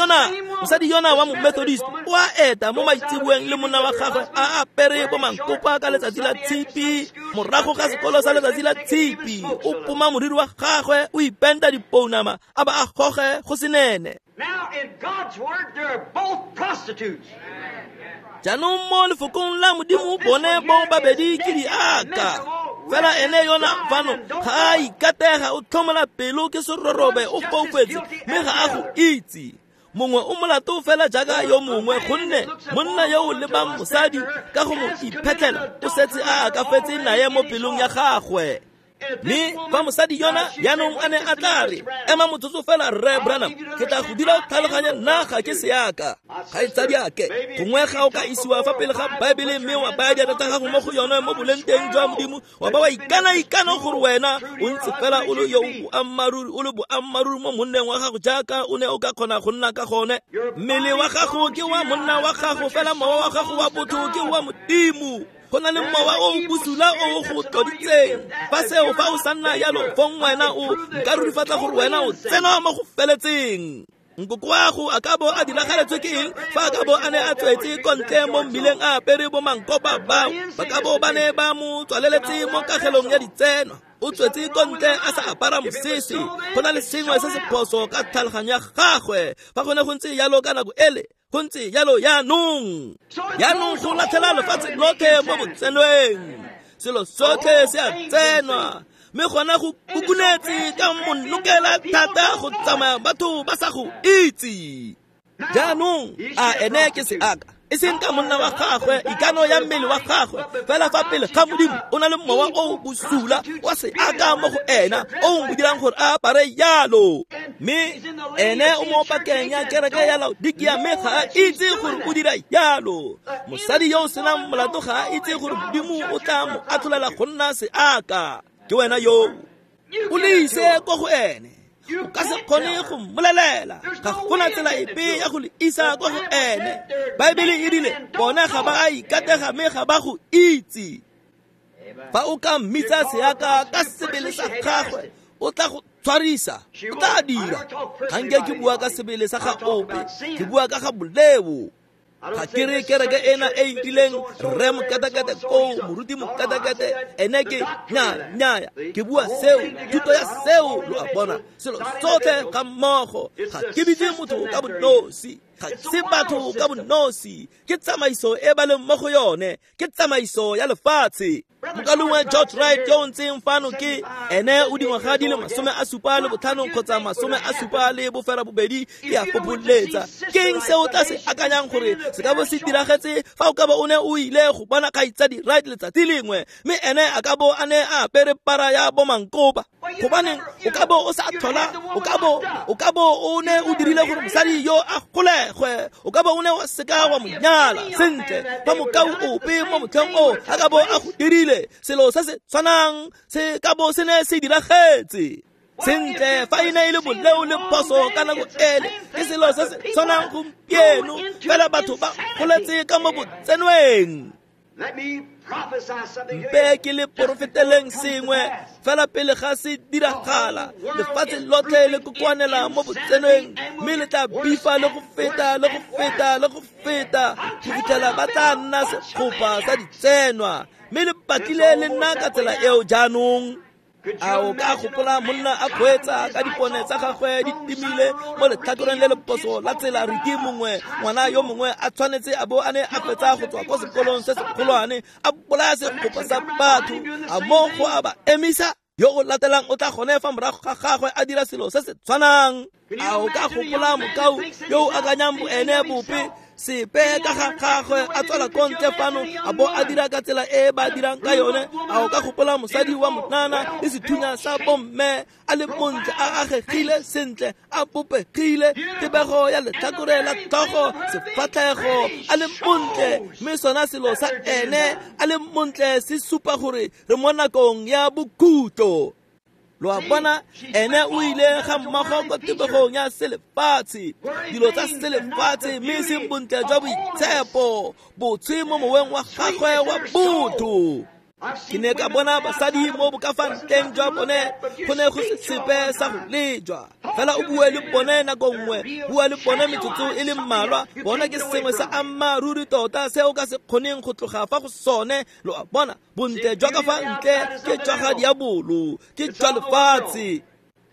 yona wa mo-Methodist o a eta mo maitseboeng le monna wa gagwe a apere bo mankopa ka letsatsi la tshipi, morago ga sekolo sa letsatsi la tshipi, o poma moriri wa gagwe, o ipenta dipounama a ba a goge go senene. Now in God's word, they're both prostitutes. Jaanong mo lefokong la Modimo bone bo babedi ke diaka. Fela ene yona fano ga a ikatega, o tlhomola pelo ke serorobe, o foufetse mme ga a go itse. Mongwe o molato fela jaaka yo mongwe, gonne monna yo o lebang mosadi ka go mo iphetlhela o setse a akafetse naye mo pelong ya gagwe. Mme fa mosadi yona jaanong a ne a tla re, ema motsotso fela Rre Branham, ke tla go dira o tlhaloganye nna ga ke seaka. Kgaitsadiake, gongwe ga o ka isiwa fa pele ga Baebele mme wa baya diatla tsa gago mo go yone mo boleng teng jwa Modimo, wa ba wa ikana-ikana gore wena o ntse fela o le yo boammaaruri, o le boammaaruri mo monneng wa gago jaaka o ne o ka kgona go nna ka gone. Mmele wa gago ke wa monna wa gago, fela mowa wa gago wa botho ke wa Modimo. Go na le mowa o bosula o go tloditseng. Fa seo fa o sa nna jalo, fong wena o nka rurifatsa gore wena o tsena mo go feletseng. Nkoko wa go a ka bo a diragaletswe ke eng fa a ka bo a ne a tswetse ko ntle mo mmileng a apere bo mankopa bao, ba ka bo ba ne ba mo tswaleletse mo kagelong ya ditseno. O tswetse ko ntle a sa apara mosese. Go na le sengwe se se phoso ka tlhaloganyo ya gagwe. Fa go ne go ntse jalo ka nako ele, go ntse jalo jaanong. Jaanong go latlhela lefatshe lotlhe mo botsenweng. Selo sotlhe se a tsenwa. Mme gona go kukunetse ka monokela thata go tsamaya batho ba sa go itse. Jaanong a ene ke seaka, e seng ka monna wa gagwe, ikano ya mmele wa gagwe, fela fa pele ga Modimo o na le mowa o bosula wa seaka mo go ena o mo dirang gore a apare jalo. Mme ene o mo pakeng ya kereke ya Laodikia, mme ga a itse gore o dira jalo. Mosadi yo o senang molato ga a itse gore Modimo o tla mo atlholela go nna seaka. Ke wena yo o le ise ko go ene, o ka se kgone go mmolelela, ga gona tsela epe ya go le isa kwa go ene. Baebele e rile bona ga ba a ikatega mme ga ba go itse. Fa o ka mmitsa seaka ka sebele sa gagwe, o tla go tshwarisa, o tla dira. Ga nke ke bua ka sebele sa ga ope, ke bua ka ga boleo. Ga ke re kereke ena e rileng rre mokatakate koo, moruti mokatakate, ene ke nyaa, ke bua seo, thuto ya seo, lo a bona, selo sotlhe ga mmogo. Ga ke bitse motho ka bonosi, ga se batho ka bonosi, ke tsamaiso e ba leng mo go yone, ke tsamaiso ya lefatshe. Mokalengwe George Wright yo o ntseng fano ke ene o dingwaga di le 75 kgotsa 78, ke a fopholetsa. Ke eng se o tla se akanyang gore se ka bo se diragetse fa o ka bo o ne o ile go bona kgaitsadi Wright letsatsi lengwe, mme ene a ka bo a ne a apere para ya bomankopa? Gobaneng o ka bo o sa tlhola, o ka bo o ne o dirile gore mosadi yo a golegwe, o ka bo o ne wa seka wa mo nyala. Sentle, fa mokau ope mo motlheng o a ka bo a go dirile selo se se tshwanang, se ka bo se ne se diragetse. Sentle, fa e ne e le boleo le phoso ka nako ele, ke selo se se tshwanang gompieno, fela batho ba goletse ka mo botsenweng. Mpe ke le porofeteleng sengwe fela pele ga se diragala. Lefatshe lotlhe le kokoanela mo botsenweng, mme le tla bifa le go feta le go feta le go feta go fitlhela ba tla nna segopa sa ditsenwa, mme le batlile le nna ka tsela eo jaanong. A o ka gopola monna a kgweetsa ka dipone tsa gagwe di timile mo letlhakoreng le leposo la tsela, riki mongwe ngwana yo mongwe a tshwanetse a bo a ne a fetsa go tswa ko sekolong se segolwane, a bolaya segopa sa batho, a mo go a ba emisa? Yo o latelang o tla gone fa morago ga gagwe a dira selo se se tshwanang. A o ka gopola mokau yo o akanyang boene bope sepe ka ga gagwe a tswela ko ntle fano a bo a dira ka tsela e ba dirang ka yone? A o ka gopola mosadi wa monana le sethunya sa bomme a le montle, a agegile sentle, a bopegile, tebego ya letlhakore la tlhogo, sefatlhego, a le montle, mme sona selo sa ene a le montle se supa gore re mo nakong ya bokhutlo. Lo a bona, ene o ile ga mmogo ko tebegong ya selefatshe, dilo tsa selefatshe, mme seng bontle jwa boitshepo, botshwe mo moweng wa gagwe wa botho. Ke ne ka bona basadi mo bokafantleng jwa bone go ne go se sepe sa go lejwa. Fela o bue le bone nako nngwe, bua le bone metsotso e le mmalwa, bona ke sengwe sa ammaaruri tota se o ka se kgoneng go tloga fa go sone. Lo a bona, bontle jwa ka fa ntle ke jwa ga diabolo, ke jwa lefatshe.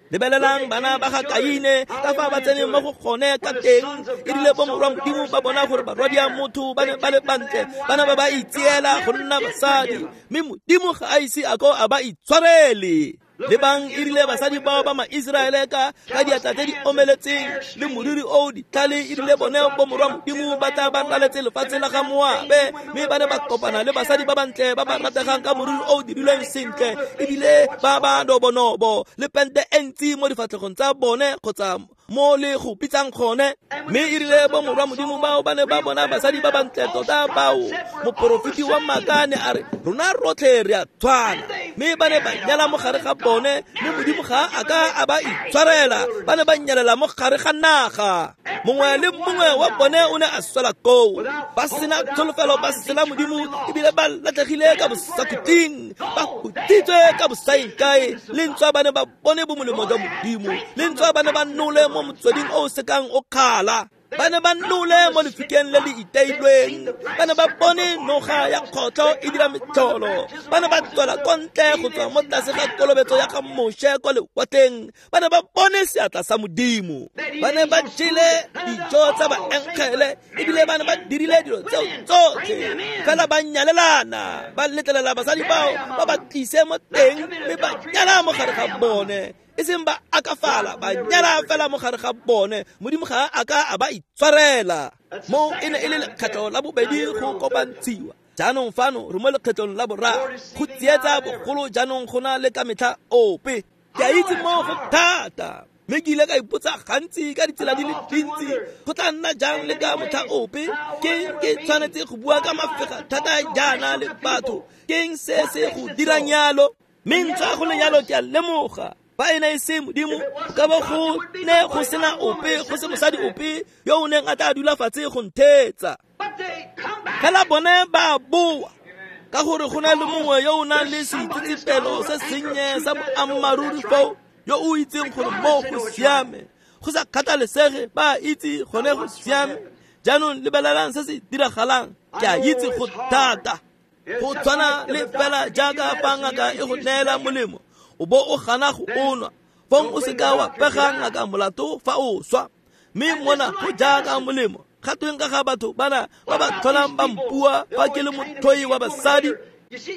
Lebelelang bana ba ga Kaine ka fa ba tseneng mo go gone ka teng. E rile bo morwa Modimo ba bona gore barwadia motho ba ne ba le bantle, bana ba ba itseela go nna basadi, mme Modimo ga a ise a ko a ba itshwarele. Lebang e rile basadi bao ba ma-Iseraele ka diatla tse di omeletseng le moriri o ditlhale, e rile bone bo morwa Modimo ba tla ba raletse lefatshe la ga Moabe, mme ba ne ba kopana le basadi ba bantle ba ba rategang ka moriri o dirilweng sentle, ebile ba ba nobonobo le pente e ntsi mo difatlhegong tsa bone kgotsa mo le go bitsang gone. Mme e rile bo morwa Modimo bao ba ne ba bona basadi ba bantle tota bao, moporofeti wa maaka ne a re, rona rotlhe re a tshwana. Mme ba ne ba nyala mo gare ga bone, mme Modimo ga a ka a ba itshwarela, ba ne ba nyalela mo gare ga naga. Mongwe le mongwe wa bone o ne a swela koo, ba sena tsholofelo, ba sena Modimo, ebile ba latlhegile ka bosakhutleng, ba hutsitswe ka bosaengkae. Le ntswa ba ne ba bone bomolemo jwa Modimo, le ntswa ba ne ba nole mo motsweding o o sekang o kgala. Ba ne ba nole mo lefikeng le le iteilweng, ba ne ba bone noga ya kgotlho e dira metlholo, ba ne ba tswela ko ntle go tswa mo tlase ga kolobetso ya ga Moshe kwa lewatleng, ba ne ba bone seatla sa Modimo, ba ne ba jele dijo tsa baengele, ebile ba ne ba dirile dilo tseo tsotlhe, fela ba nyalelana, ba letlelela basadi bao ba ba tlise mo teng mme ba nyala mo gare ga bone. E seng ba akafala, ba nyala fela mo gare ga bone. Modimo ga a ka a ba itshwarela. Mo e ne e le lekgetlho la bobedi go kopantshiwa. Jaanong fano re mo lekgetlong la boraro go tsietsa bogolo jaanong go na le ka metlha ope. Ke a itse mo go thata, mme ke ile ka ipotsa gantsi ka ditsela di le dintsi go tla nna jang le ka motlha ope. Ke ke tshwanetse go bua ka mafega thata jaana le batho. Keng se se go dirang yalo? Mme ntswa go le yalo ke a lemoga fa e ne e se Modimo, ka bo go ne go sena ope, go se mosadi ope yo o neng a tla dula fatshe go ntheetsa. Fela bone ba boa, ka gore go na le mongwe yo o nang le seitsetsepelo se sennye sa boammaaruri foo, yo o itseng gore mo go siame, go sa kgathalesege ba itse gone go siame. Jaanong lebelelang se se diragalang. Ke a itse go thata, go tshwana le fela jaaka fa ngaka e go neela molemo, o bo o gana go o nwa, fong o seka wa pega ngaka molato fa o swa. Mme mona go jaaka molemo. Ga tweng ka ga batho bana ba ba tlholang ba mpua fa ke le motlhoi wa basadi?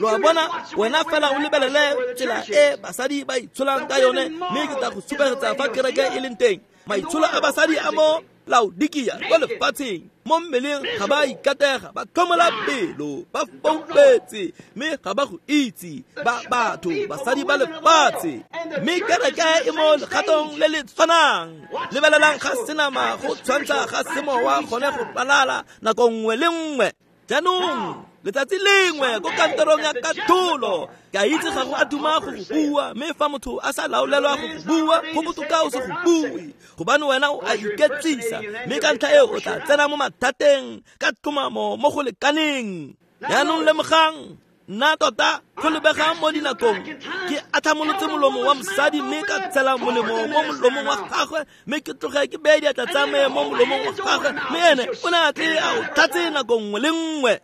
Lo a bona, wena fela o lebelele tsela e basadi ba itsholang ka yone, mme ke tla go supegetsa fa kereke e leng teng. Maitsholo a basadi a mo Laodikia kwa lefatsheng, mo mmeleng ga ba ikatega, ba tlhomola pelo, ba foufetse, mme ga ba go itse ba batho basadi ba lefatshe. Mme kereke e mo legatong le le tshwanang. Lebelelang ga senama go tshwantsha ga semowa gone go ralala nako nngwe le nngwe. Jaanong letsatsi lengwe ko kantorong ya katlholo, ke a itse ga go a duma go go bua, mme fa motho a sa laolelwa go go bua, go botoka o se go bue, gobane wena o a iketsisa, mme ka ntlha eo o tla tsena mo mathateng ka tlhomamo mo go lekaneng. Jaanong lemogang, nna tota go lebegang mo dinakong ke atlhamolotse molomo wa mosadi, mme ka tshela molemo mo molomong wa gagwe, mme ke tloge ke beye diatla tsa me mo molomong wa gagwe, mme ene o ne a tle a o tlhatse nako nngwe le nngwe.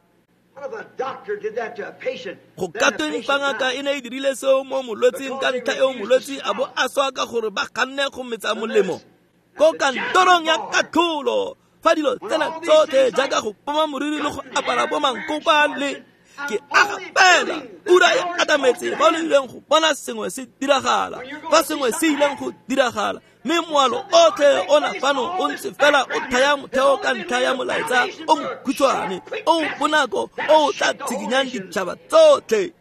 Go ka tweng fa ngaka e ne e dirile seo mo molwetsing ka ntlha eo molwetsi a bo a swa ka gore ba ganne go metsa molemo? Ko kantorong ya katlholo, fa dilo tsena tsotlhe jaaka go poma moriri le go apara bo mankopa le ke aga fela, ura e atametse fa o ileng go bona sengwe se diragala, fa sengwe se ileng go diragala, mme moalo otlhe ona fano o ntse fela o thaya motheo ka ntlha ya molaetsa o mokhutshwane o bonako o tla tshikinyang ditšhaba tsotlhe.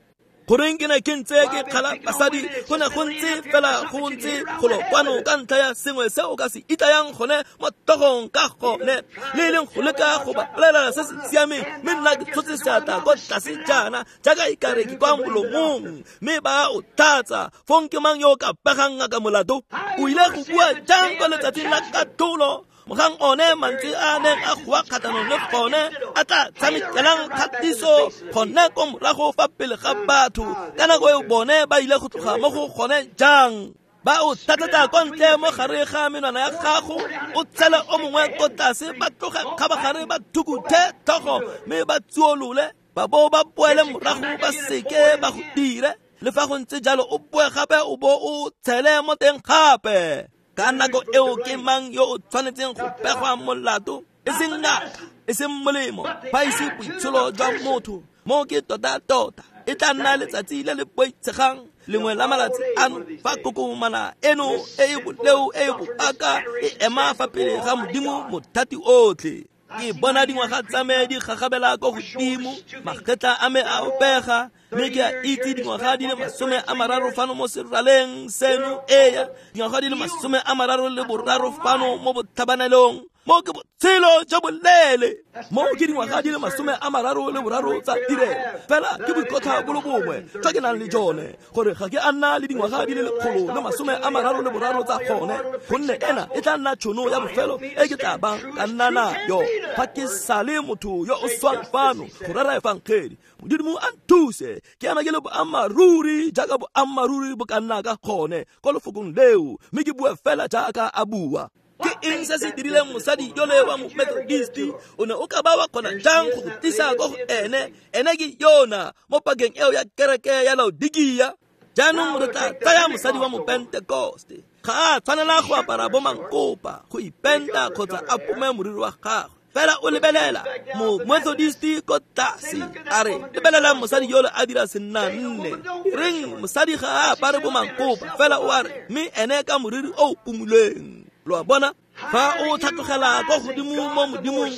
Goreng ke ne ke ntse ke kgala basadi, go ne go ntse fela go ntse golo kwano ka ntlha ya sengwe se o ka se itlayang gone mo tlhogong ka gone, le e leng go leka go ba bolelela se se siameng, mme nna ke tshotse seatla kwa tlase jaana jaaka e kare ke kwa molomong, mme ba o tlhatsa. Fong ke mang yo o ka pegang ngaka molato? O ile go bua jang kwa letsatsing la katlholo? Mogang one mantswe a neng a goa kgatlhanong le gone a tla tshamekelang kgatiso gone ko morago fa pele ga batho. Ka nako eo bone ba ile go tloga mo go gone jang? Ba o tlhatletsa kwa ntle mo gare ga menwana ya gago, o tshele o mongwe ko tlase, ba tloge kgabagare ba thukuthe tlhogo mme ba tsuolole, ba bo ba boele morago ba seke ba go dire. Le fa go ntse jalo o boe gape o bo o tshele mo teng gape. Ka nako eo ke mang yo o tshwanetseng go pegwa molato? E seng ngaka, e seng molemo, fa e se boitsholo jwa motho. Mo ke tota-tota e tla nna letsatsi le le boitshegang lengwe la malatsi ano, fa kokomana eno e e boleo e e boaka e ema fa pele ga Modimo mothati otlhe. Ke bona dingwaga tsa me di gagabela ko godimo, magetla a me a opega, mme ke a itse dingwaga di le 30 fano mo seraleng seno, eya dingwaga di le 33 fano mo botlhabanelong. Mo ke botshelo jo boleele, mo ke dingwaga di le 33 tsa tirelo. Fela ke boikotlha bo le bongwe jwa ke nang le jone, gore ga ke a nna le dingwaga di le 133 tsa gone, gonne ena e tla nna tšhono ya bofelo e ke tla bang ka nna nayo fa ke sale motho yo o swang fano go rera efangedi. Modimo a nthuse ke ema ke le boammaaruri jaaka boammaaruri bo ka nna ka gone ko lefokong leo, mme ke bua fela jaaka a bua. Ke eng se se dirileng mosadi yole wa Methodisti? O ne o ka ba wa kgona jang go go tlisa ko go ene? Ene ke yona mo pakeng eo ya kereke ya Laodikia. Jaanong re tla tsaya mosadi wa Mopentekoste. Ga a tshwanela go apara bo mankopa, go ipenta kgotsa a pome moriri wa gagwe. Fela o lebelela mo Methodisti ko tlase, a re lebelelang mosadi yole a dira senna nne. Reng mosadi ga a apare bo mankopa, fela o a re mme ene ka moriri o pumuleng. Lo a bona? Fa o tlhatlogela kwa godimo mo Modimong,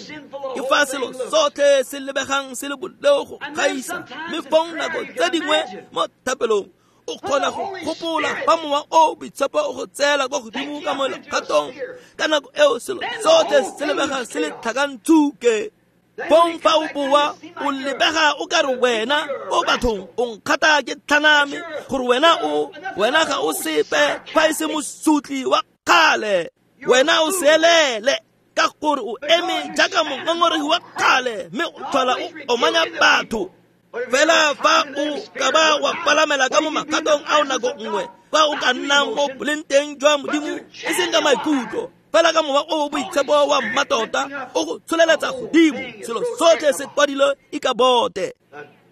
ke fa selo sotlhe se lebegang se le boleo go gaisa. Mme fong nako tse dingwe mo thapelong o kgona go gopola fa mowa o boitshepo o go tseela kwa godimo ka mo legatong. Ka nako eo selo sotlhe se lebega se le tlhakantsuke. Fong fa o boa o lebega o ka re wena o bathong o nkgata ke tlhaname, gore wena ga o sepe fa e se mosutli wa kgale. Wena o seelele ka gore o eme jaaka mongongoregi wa kgale, mme o tlhola o omanya batho. Fela fa o ka ba wa palamela ka mo magatong ao nako nngwe, fa o ka nnang mo boleng teng jwa Modimo, e seng ka maikutlo, fela ka mowa o boitshepo wa mmatota o go tsholeletsa godimo, selo sotlhe se kwadilwe e ka bote.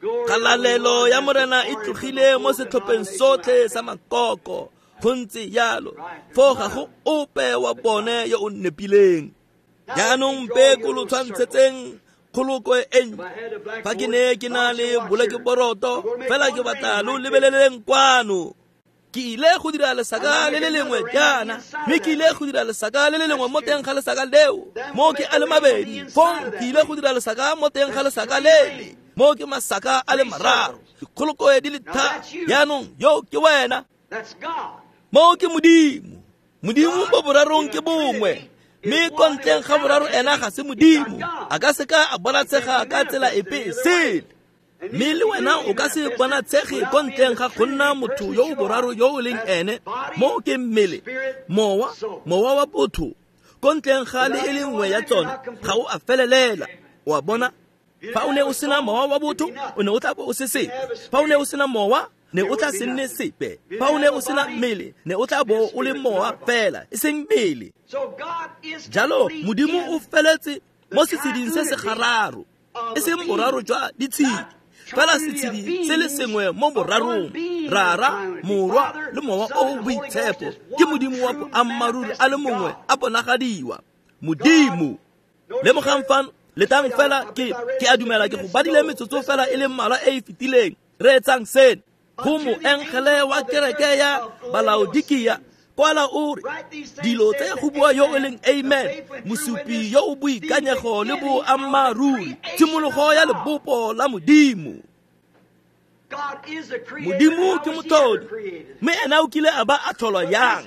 Kgalalelo ya Morena e tlogile mo setlhopheng sotlhe sa makoko. Go ntse jalo, foo ga go ope wa bone yo o nepileng. Jaanong mpe ko lo tshwantshetseng kgolokwe e ntšha. Fa ke ne ke na le bolekeboroto, fela ke batla lo lebeleleng kwano. Ke ile go dira lesaka le le lengwe jaana, mme ke ile go dira lesaka le le lengwe mo teng ga lesaka leo, mo ke a le mabedi. Fong ke ile go dira lesaka mo teng ga lesaka lele, mo ke masaka a le mararo, dikgolokwe di le tharo. Jaanong yo ke wena. Mo ke Modimo. Modimo mo borarong ke bongwe, mme ko ntleng ga boraro ena ga se Modimo. A ka seka a bonatshega ka tsela epe e sele. Mme le wena o ka se bonatshege ko ntleng ga go nna motho yo o boraro yo o leng ene. Mo ke mmele, mowa, mowa wa botho. Ko ntleng ga le e le nngwe ya tsone ga o a felelela. O a bona? Fa o ne o sena mowa wa botho, o ne o tla bo o se sepe. Fa o ne o sena mowa, ne o tla se nne sepe. Fa o ne o sena mmele, ne o tla bo o le mowa fela, e seng mmele. Jalo Modimo o feletse mo setsheding se se gararo, e seng boraro jwa ditshedi, fela setshedi se le sengwe mo borarong, Rara, Morwa le Mowa o o Boitshepo. Ke Modimo wa boammaaruri a le mongwe a bonagadiwa. Modimo. Lemogang fano, letang fela, ke a dumela ke go badile metsotso fela e le mmalwa e e fetileng. Reetsang seno. Go moengele wa kereke ya Balaodikia, kwala o re, dilo tse go bua yo o leng Amen, mosupi yo o boikanyego le boammaaruri, tshimologo ya lebopo la Modimo. Modimo ke motlhodi, mme ena o kile a ba a tlholwa yang?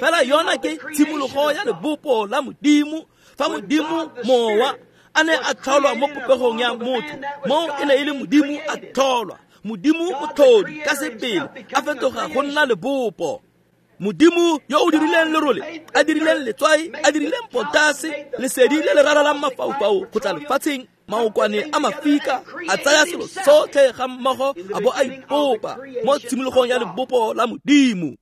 Fela yona ke tshimologo ya lebopo la Modimo. Fa Modimo mowa a ne a tlholwa mo popegong ya motho, mo e ne e le Modimo a tlholwa. Modimo motlhodi ka sebele a fetoga go nna lebopo. Modimo yo o dirileng lerole, a dirileng letswai, a dirileng potase, lesedi le le raralang mafaufau go tla lefatsheng, maokwane a mafika, a tsaya selo sotlhe ga mmogo a bo a ipopa mo tshimologong ya lebopo la Modimo.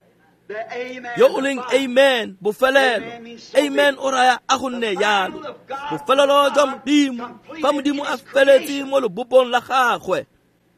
Yo o leng Amen, bofelelo. Amen o raya a go nne jalo. Bofelelo jwa Modimo, fa Modimo a feletse mo lebopong la gagwe.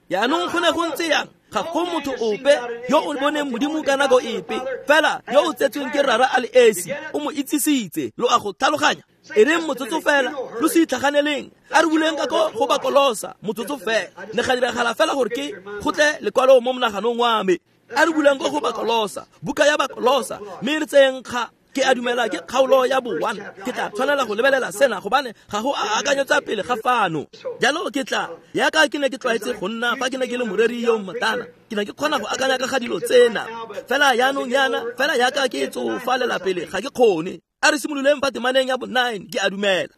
Jaanong go ne go ntse yang? Ga go motho ope yo o boneng Modimo ka nako epe, fela yo o tsetsweng ke Rara a le esi o mo itsisitse. Lo a go tlhaloganya? E reng motsotso fela, lo se itlhaganeleng. A re buleng ka ko go Bakolosa motsotso fela. Ne ga diragala fela gore ke go tle lekwalo mo monaganong wa me. A re buleng ko go Bakolosa, buka ya Bakolosa, mme re tseyeng kga. Ke a dumela ke kgaolo ya bo 1. Ke tla tshwanela go lebelela sena gobane ga go a akanyetsa pele ga fano. Jalo ke tla, yaka ke ne ke tlwaetse go nna fa ke ne ke le moreri yo mmotlana, ke ne ke kgona go akanya ka ga dilo tsena. Fela jaanong yana, fela yaka ke tsofalela pele ga ke kgone. A re simololeng fa temaneng ya bo 9, ke a dumela.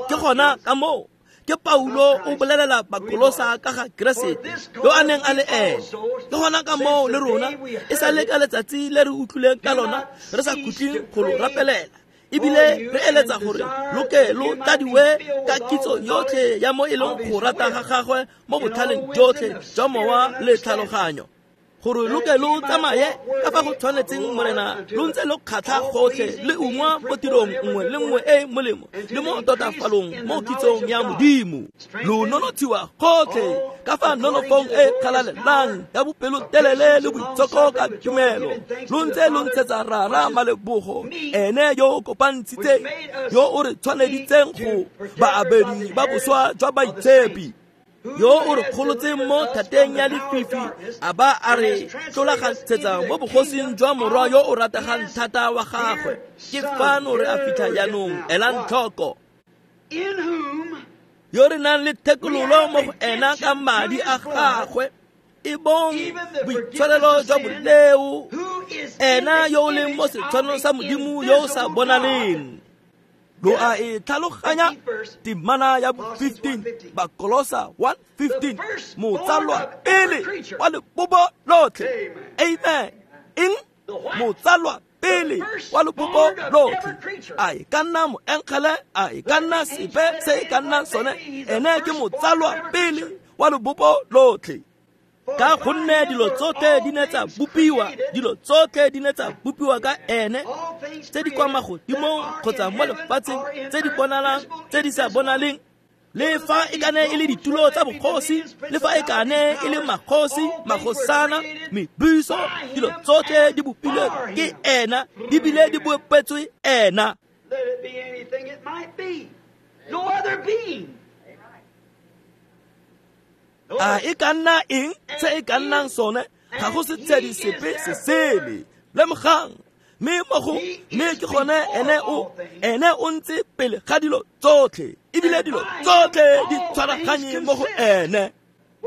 Ke gona ka moo ke Paulo o bolelela Bakolosa ka ga Keresete yo a neng a le ene. Ke gona ka moo le rona e sa le ka letsatsi le re utlwileng ka lona re sa khutleng go lo rapelela, ebile re eletsa gore lo ke lo tladiwe ka kitso yotlhe ya mo e leng go rata ga gagwe mo botlhaleng jotlhe jwa mowa le tlhaloganyo. Gore lo ke lo tsamaye ka fa go tshwanetseng Morena, lo ntse lo kgatlha gotlhe le ungwa mo tirong nngwe le nngwe e molemo le mo totafalong mo kitsong ya Modimo. Lo nonotshiwa gotlhe ka fa nonofong e kgalalelang ya bopelotelele le boitshoko ka tumelo. Lo ntse lo ntshetsa Rara malebogo, ene yo o kopantshitseng, yo o re tshwaneditseng go baabedi ba boswa jwa baitshepi, yo o re kgolotseng mo thateng ya lefifi a ba a re tlolagantshetsa mo bogosing jwa morwa yo o rategang thata wa gagwe. Ke fano re a fitlha jaanong, elang tlhoko. Yo re nang le thekololo mo go ena ka madi a gagwe, e bong boitshwarelo jwa boleo, ena yo o leng mo setshwanong sa Modimo yo o sa bonaleng. Lo a e tlhaloganya temana ya 15, Bakolosa 1:15, motsalwa pele wa lebopo lotlhe. Amen. Eng? Motsalwa pele wa lebopo lotlhe. A e ka nna moengele, a e ka nna sepe se e ka nnang sone, ene ke motsalwa pele wa lebopo lotlhe. Ka gonne dilo tsotlhe di ne tsa bopiwa, dilo tsotlhe di ne tsa bopiwa ka ene, tse di kwa magodimong kgotsa mo lefatsheng, tse di bonalang, tse di sa bonaleng, le fa e ka ne e le ditulo tsa bogosi, le fa e ka ne e le magosi, magosana, mebuso, dilo tsotlhe di bopilwe ke ena, di bile di bopetswe ena. Let it be anything it might be. No other being. A e ka nna eng se e ka nnang sone, ga go setshedi sepe se sele. Lemogang, mme mo go mme ke gone ene o ntse pele ga dilo tsotlhe, ebile dilo tsotlhe di tshwaraganye mo go ene.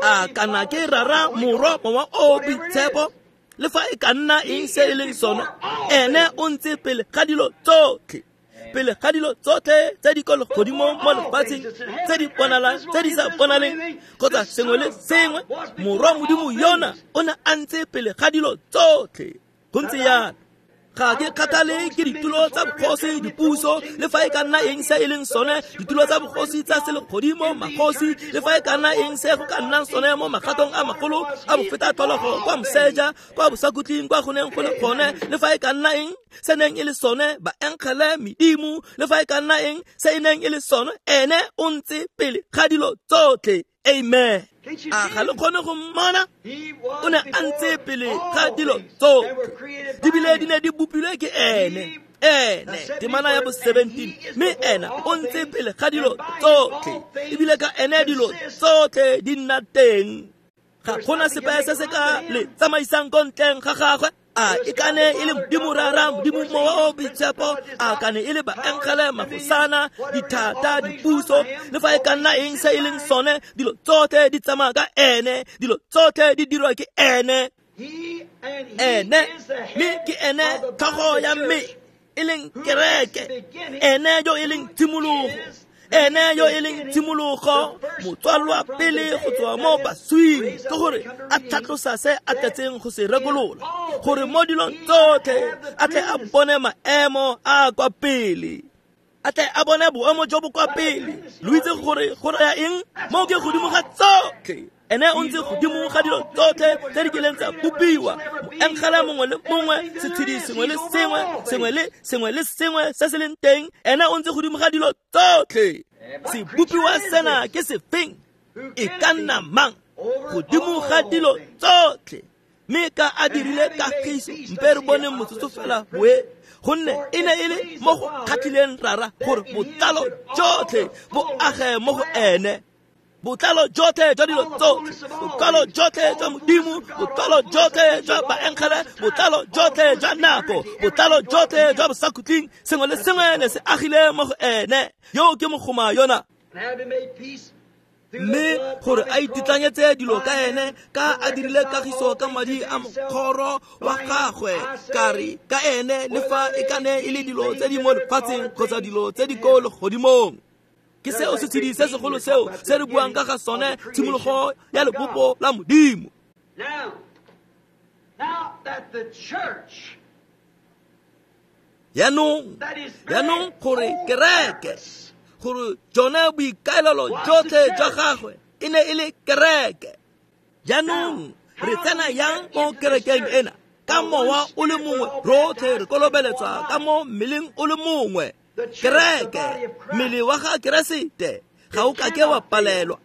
A kana ke Rara, Morwa, Mowa o Boitshepo, le fa e ka nna eng se e leng sone, ene o ntse pele ga dilo tsotlhe. Pele ga dilo tsotlhe tse di ko legodimong mo lefatsheng, tse di bonalang, tse di sa bonaleng, kgotsa sengwe le sengwe, Morwa Modimo yona o ne a ntse pele ga dilo tsotlhe. Go ntse jalo. Ga ke kgathale ke ditulo tsa bogosi, dipuso, le fa e ka nna eng se e leng sone, ditulo tsa bogosi tsa selegodimo, magosi, le fa e ka nna eng se go ka nnang sone mo magatong a magolo a bofeta tlholego kwa moseja, kwa bosakhutleng, kwa go neng go le gone, le fa e ka nna eng se neng e le sone, baengele, medimo, le fa e ka nna eng se e neng e le sone, ene o ntse pele ga dilo tsotlhe. Amen. A ga le kgone go mmona? O ne a ntse pele ga dilo tsotlhe, di bile di ne di bopilwe ke ene. Ene, temana ya bo 17, mme ena o ntse pele ga dilo tsotlhe, ebile ka ene dilo tsotlhe di nna teng. Ga gona sepe se se ka le tsamaisang ko ntleng ga gagwe. A e ka ne e le Modimo Rara, Modimo Mowa o Boitshepo, a ka ne e le baengele, magosana, dithata, dipuso, le fa e ka nna eng se e leng sone, dilo tsotlhe di tsamaya ka ene, dilo tsotlhe di dirwa ke ene. Ene, mme ke ene tlhogo ya mme, e leng kereke, ene yo e leng tshimologo, ene yo e leng tshimologo, motswalwa pele go tswa mo baswing, ke gore a tlhatlosa se a tletseng go se rekolola, gore mo dilong tsotlhe a tle a bone maemo a kwa pele, a tle a bone boemo jo bo kwa pele. Lo itse gore go raya eng? Mo ke godimo ga tsotlhe. Ene o ntse godimo ga dilo tsotlhe tse di kileng tsa bopiwa, moengele mongwe le mongwe, setshedi sengwe le sengwe, sengwe le sengwe se se leng teng, ene o ntse godimo ga dilo tsotlhe. Sebopiwa sena ke sefeng? E ka nna mang? Godimo ga dilo tsotlhe. Mme ka a dirile kagiso, mpe re boneng motsotso fela boe, gonne e ne e le mo go kgatlhileng Rara gore botlalo jotlhe bo age mo go ene. Botlalo jotlhe jwa dilo tsotlhe, botlalo jotlhe jwa Modimo, botlalo jotlhe jwa baengele, botlalo jotlhe jwa nako, botlalo jotlhe jwa bosakhutleng, sengwe le sengwe ne se agile mo go ene. Yo ke mogoma yona. Mme gore a ititlanyetse dilo ka ene, ka a dirile kagiso ka madi a mokgoro wa gagwe, ka re ka ene le fa e ka ne e le dilo tse di mo lefatsheng kgotsa dilo tse di ko legodimong. Ke seo setshedi se segolo seo se re buang ka ga sone, tshimologo ya lebopo la Modimo. Jaanong gore kereke, gore jone boikaelelo jotlhe jwa gagwe e ne e le kereke. Jaanong Re tsena yang mo kerekeng ena ka mowa o le mongwe, rotlhe re kolobeletswa ka mo mmeleng o le mongwe. Kereke, mmele wa ga Keresete, ga o kake wa palelwa.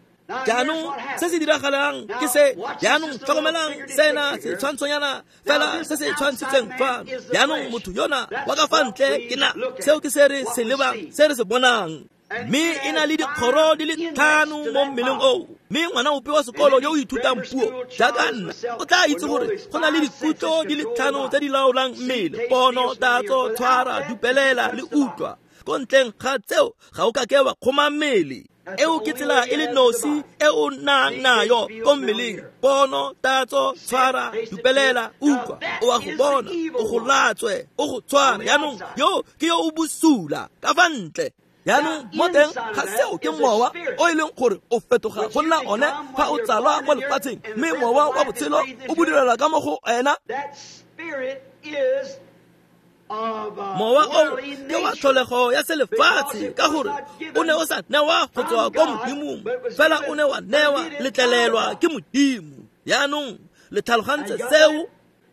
Jaanong se se diragalang ke se. Jaanong tlhokomelang sena setshwantshonyana fela se se tshwantshitseng fano. Jaanong motho yona wa ka fa ntle ke na, seo ke se re se lebang, se re se bonang. Mme e na le dikgoro di le 5 mo mmeleng oo. Mme ngwana ope wa sekolo yo o ithutang puo jaaka nna o tla itse gore go na le dikutlo di le 5 tse di laolang mmele: pono, tatso, tshwara, dupelela le utlwa. Ko ntleng ga tseo ga o kake wa kgoma mmele. Eo ke tsela e le nosi e o nang nayo ko mmeleng: pono, tatso, tshwara, dupelela, utlwa. O a go bona, o go latswe, o go tshwara. Jaanong yo ke yo o bosula ka fa ntle. Jaanong mo teng ga seo ke mowa o e leng gore o fetoga go nna one fa o tsalwa mo lefatsheng, mme mowa wa botshelo o bodirela ka mo go ena. Mowa o ke wa tlholego ya selefatshe, ka gore o ne o sa newa go tswa ko Modimong, fela o ne wa newa letlelelwa ke Modimo. Jaanong le tlhalogantse seo?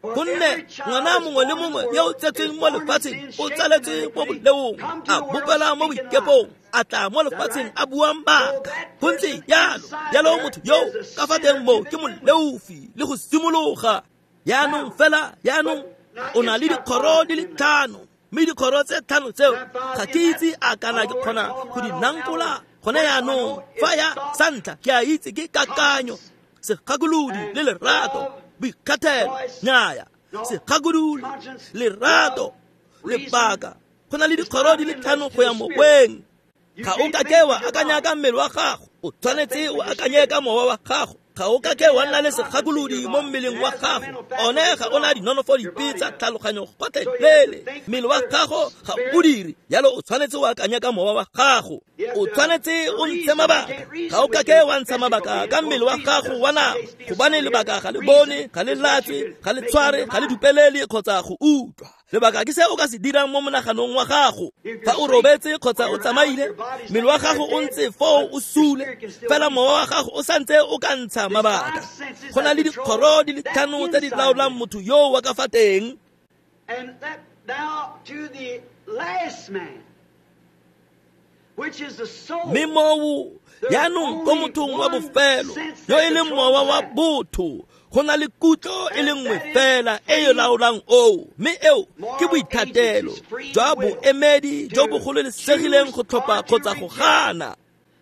Gonne ngwana mongwe le mongwe yo o tsetsweng mo lefatsheng o tsaletswe mo boleong, a bopela mo boikepong, a tla mo lefatsheng a bua maaka. Go ntse jalo, jalo motho yo ka fa teng mo ke moleofi le go simologa. Jaanong fela, jaanong o na le dikgoro di le 5, mme dikgoro tse 5 tseo ga ke itse a kana ke kgona go di nankola gone jaanong. Fa ya sa ntlha ke a itse ke kakanyo, segakolodi le lerato, boikgathelo, nnyaya, segakolodi, lerato, lebaka. Go na le dikgoro di le 5 go ya moweng. Ga o kake wa akanya ka mmele wa gago, o tshwanetse o akanye ka mowa wa gago. Ga o kake wa nna le segakolodi mo mmeleng wa gago, one ga o na dinonofo dipe tsa tlhaloganyo gotlhelele. Mmele wa gago ga o dire jalo, o tshwanetse o akanye ka mowa wa gago. O tshwanetse o ntshe mabaka. Ga o kake wa ntsha mabaka ka mmele wa gago wa nama, gobane lebaka ga le bone, ga le latswe, ga le tshware, ga le dupelele kgotsa go utlwa. Lebaka ke se o ka se dirang mo monaganong wa gago. Fa o robetse kgotsa o tsamaile, mmele wa gago o ntse foo o sule, fela mowa wa gago o santse o ka ntsha mabaka. Go na le dikgoro di le 5 tse di laolang motho yo wa ka fa teng. Mme moo jaanong ko mothong wa bofelo yo e leng mowa wa botho, go na le kutlo e le nngwe fela e e laolang oo, mme eo ke boithatelo jwa boemedi jo bo gololesegileng go tlhopha kgotsa go gana.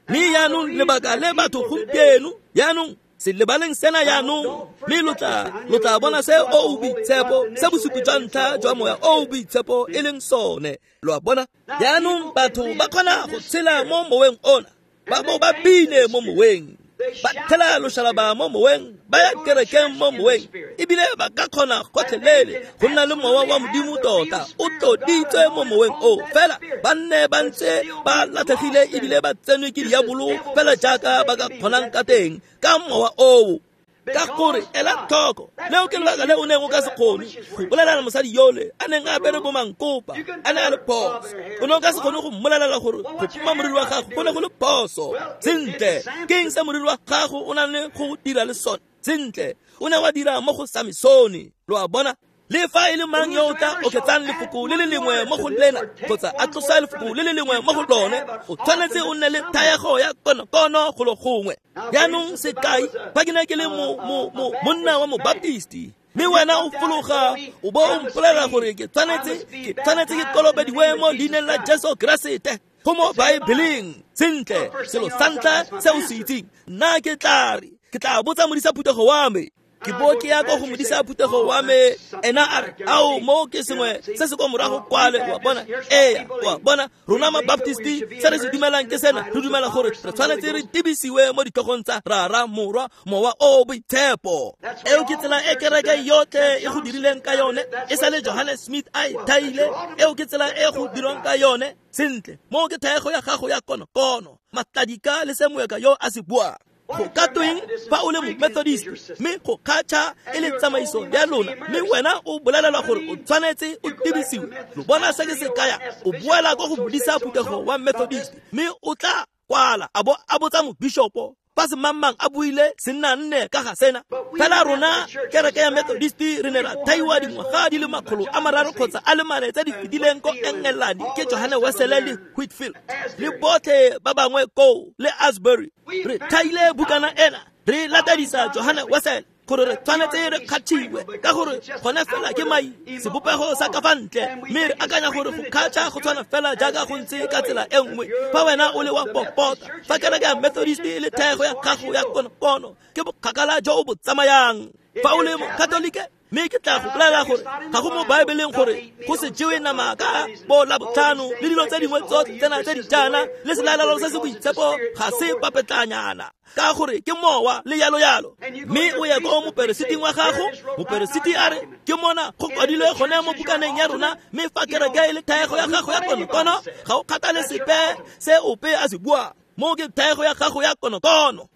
Mme jaanong lebaka le batho gompieno, jaanong se lebaleng sena jaanong, mme lo tla bona se o boitshepo, se bosupi jwa ntlha jwa moya o boitshepo e leng sone. Lo a bona? Jaanong batho ba kgona go tshela mo moweng ona, ba bo ba bine mo moweng, ba thela loshalaba mo moweng, ba ya kerekeng mo moweng, ebile ba ka kgona gotlhelele go nna le mowa wa Modimo tota o tloditswe mo moweng o. Fela ba nne ba ntse ba latlhegile ebile ba tsenwe ke diabolo fela jaaka ba ka kgonang ka teng ka mowa oo. Ka gore ela tlhoko, leo ke lebaka le o neng o ka se kgone go bolelela mosadi yole a neng a apere bo mankopa, a ne a le phoso. O ne o ka se kgone go mmolelela gore go poma moriri wa gago go ne go le phoso. Sentle, ke eng se moriri wa gago o nang le go dira le sone? Sentle, o ne wa dira mo go Samesone. Lo a bona? Le fa e le mang yo o tla oketsang lefoko le le lengwe mo go lena kgotsa a tlosa lefoko le le lengwe mo go lone, o tshwanetse o nne le thaego ya konokono golo gongwe. Jaanong sekai, fa ke ne ke le monna wa mobaptisti, mme wena o fologa o bo o mpolelela gore ke tshwanetse ke kolobediwe mo leineng la Jesu Keresete go mo Baebeleng. Sentle, selo sa ntlha se o se itseng, nna ke tla re ke tla botsa modisa phuthego wa me. Ke bo ke ya ko go modisa phuthego wa me, ena a re, ao, mo ke sengwe se se kwa morago kwale. Wa bona? Ee, wa bona, rona mabaptisti se re se dumelang ke sena. Re dumela gore re tshwanetse re tebisiwe mo ditlhogong tsa Rara, Morwa, Mowa o Boitshepo. Eo ke tsela e kereke yotlhe e go dirileng ka yone, e sa le Johannes Smith a e thaile. Eo ke tsela e go dirwang ka yone. Sentle, mo ke thaego ya gago ya konokono, matladika le se moeka yo a se buang. Go ka tweng fa o le momethodist, mme go kgatšha e le tsamaiso ya lona, mme wena o bolelelwa gore o tshwanetse o tebisiwe. Lo bona se ke se kaya? O boela ko go modisa phuthego wa Methodist, mme o tla kwala a bo a botsa mobishopo Fa semangmang a buile senna nne ka ga sena. Fela rona kereke ya Methodist re ne ra thaiwa dingwaga di le 300 kgotsa a le 4 tse di fetileng ko Engelane ke Johanne Wesley le Whitfield le botlhe ba bangwe koo le Asbury. Re thaile bukana ena re latedisa Johanne Wesley gore re tshwanetse re kgathiwe ka gore gone fela ke mai sebopego sa ka fa ntle, mme re akanya gore go kgatšha go tshwana fela jaaka go ntse ka tsela e nngwe. Fa wena o le wa popota, fa kereke ya Methodist e le thego ya gago ya konokono, ke bokgakala jo o bo tsamayang. Fa o le Mokatolike, mme ke tla go bolela gore ga go mo Baebeleng gore go se jewe nama ka bo Labotlhano le dilo tse dingwe tsotlhe tsena tse di jaana le selalelo se se boitshepo ga se papetlanyana, ka gore ke mowa le yalo yalo. Mme o ye ko moperesiting wa gago, moperesiti a re ke mona go kwadilwe gone mo bukaneng ya rona, mme fa kereke e le thaego ya gago ya konokono, ga o kgathale sepe se ope a se buang, mo ke thaego ya gago ya konokono.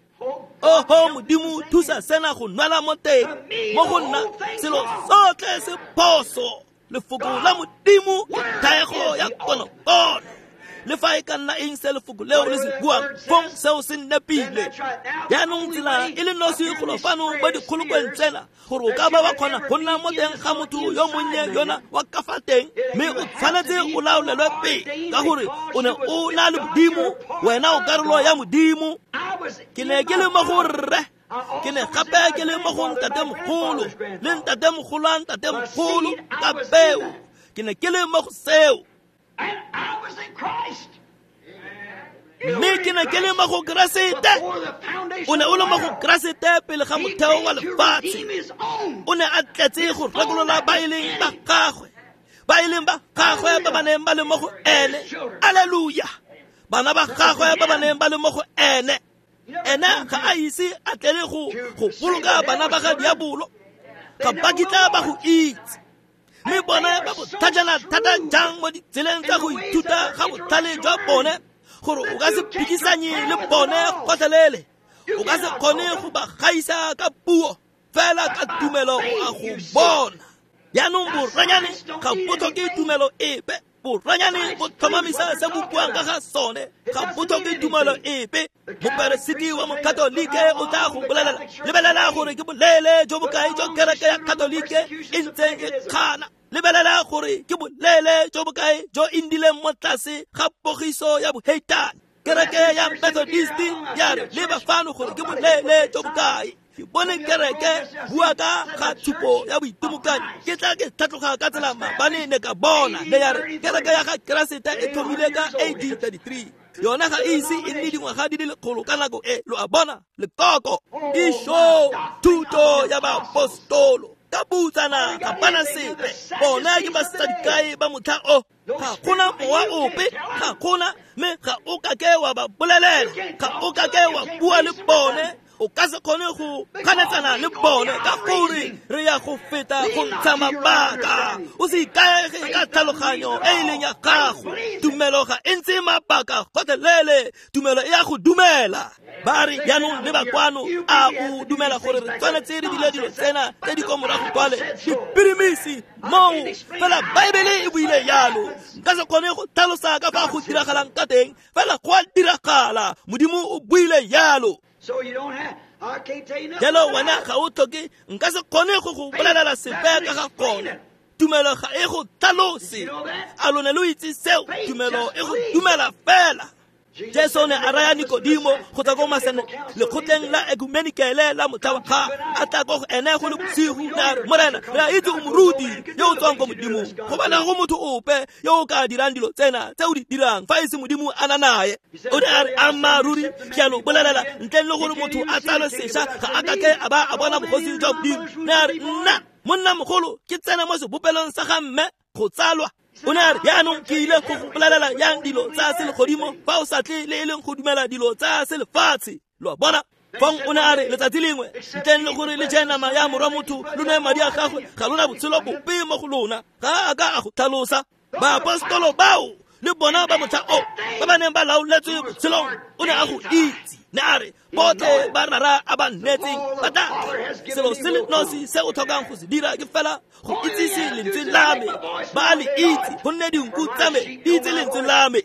Oho Modimo, thusa sena go nwela mo teng mo go nna selo sotlhe se phoso. Lefoko la Modimo ke thaego ya konokono. Le fa e ka nna eng se lefoko leo le se buang, fong seo se nepile. Jaanong tsela e le nosi golo fano mo dikgolokweng tsena gore o ka ba wa kgona go nna mo teng ga motho yo monnye yona wa ka fa teng, mme o tshwanetse o laolelwe pele ka gore o ne o na le Modimo, wena o karolo ya Modimo. Ke ne ke le mo go rre, ke ne gape ke le mo go ntatemogolo le ntatemogolo a ntatemogolo ka peo. Ke ne ke le mo go seo. Mme ke ne ke le mo go Keresete. O ne o le mo go Keresete pele ga motheo wa lefatshe. O ne a tletse go rekolola ba e leng ba gagwe, ba e leng ba gagwe ba ba neng ba le mo go ene. Alleluia! Bana ba gagwe ba ba neng ba le mo go ene. Ene ga a ise a tlele go boloka bana ba ga diabolo, ga ba kitla ba go itse. Mme bone ba botlhajana thata jang mo ditseleng tsa go ithuta ga botlhale jwa bone gore o ka se phikisanye le bone gotlhelele, o ka se kgone go ba gaisa ka puo, fela ka tumelo o a go bona. Jaanong boranyane ga bo tlhoke tumelo epe, boranyane bo tlhomamisa se bo buang ka ga sone, ga bo tlhoke tumelo epe. Moperesiti wa Mokatolike o tla go bolelela, lebelela gore ke bolele jo bokae jo kereke ya Katolike e ntseng e kgana, lebelela gore ke bolele jo bokae jo e ndileng mo tlase ga pogiso ya boheitane. Kereke ya Methodist ya re leba fano gore ke bolele jo bokae. Ke bone kereke bua ka ga tshupo ya boitimokanyi, ke tla ke tlhatloga ka tsela maabane ne ka bona ne ya re kereke ya ga Keresete e thomile ka AD 33. Yona ga e ise e nne dingwaga di le 100 ka nako e, lo a bona, lekoko. Išo thuto ya baapostolo ka butsana ga bana sepe, bona ke basadikae ba motlha o. Ga gona mowa ope, ga gona, mme ga o kake wa ba bolelela, ga o kake wa bua le bone, o ka se kgone go ganetsana le bone ka gore re ya go feta go ntsha mabaka. O se ikaege ka tlhaloganyo e e leng ya gago. Tumelo ga e ntse mabaka gotlhelele, tumelo e ya go dumela. Ba re jaanong le bakwano, a o dumela gore re tshwanetse re dile dilo tsena tse di ko morago kwale dipirimisi moo, fela Baebele e buile jalo. Nka se kgone go tlhalosa ka fa go diragalang ka teng, fela go a diragala, Modimo o buile jalo. Jalo wena ga o tlhoke, nka se kgone go go bolelela sepe ka ga gone. Tumelo ga e go tlhalose. A lone lo itse seo? Tumelo e go dumela fela. Jesu ne a raya Nikodimo go tswa ko masene lekgotleng la ekumenikele la motlha wa ga a tla ko go ene go le bosigo, ne a re, Morena, re a itse o moruti yo o tswang ko Modimong, gobane ga go motho ope yo o ka dirang dilo tsena tse o di dirang fa e se Modimo a na naye. O ne a re, ammaaruri ke a lo bolelela, ntleng le gore motho a tsalwe sešwa ga a kake a ba a bona bogosi jwa Modimo. Ne a re, nna monna mogolo ke tsena mo sebopelong sa ga mme go tsalwa. O ne a re, jaanong ke ile go go bolelela yang dilo tsa selegodimo fa o sa tle le e leng go dumela dilo tsa selefatshe. Lo a bona? Fong o ne a re, letsatsi lengwe ntleng le gore le je nama ya morwa motho lo nwe madi a gagwe, ga lona botshelo bope mo go lona. Ga a ka a go tlhalosa. Baapostolo bao le bona ba motlha o ba ba neng ba laoletswe botshelong, o ne a go itse. Ne a re, botlhe ba rara a ba nnetseng ba tla. Selo se le nosi se o tlhokang go se dira ke fela go itsise lentswe la me. Ba le itse, gonne dinku tsa me di itse lentswe la me.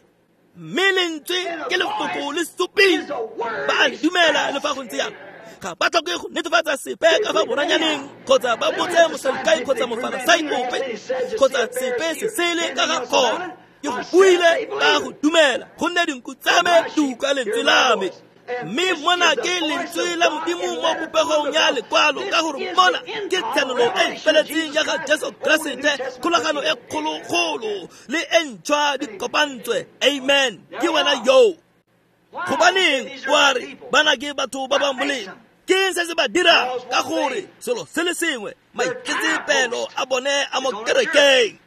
Mme lentswe ke lefoko le supile. Ba a le dumela le fa go ntse jalo. Ga ba tlhoke go netefatsa sepe ka fa boranyaneng kgotsa ba botse mosadukai kgotsa mofarasai ope kgotsa sepe se sele ka ga gone. Ke go buile ba go dumela gonne dinku tsa me di utlwa lentswe la me. Mme mona ke lentswe la Modimo mo popegong ya lekwalo, ka gore mona ke tshenolo e feletseng ya ga Jesu Keresete, kgolagano e kgologolo le e ntšhwa di kopantswe. Amen. Ke wena yo. Gobaneng wa re bana ke batho ba ba molemo? Ke eng se se ba dirang? Ka gore selo se le sengwe, maitsetsepelo a bone a mo kerekeng.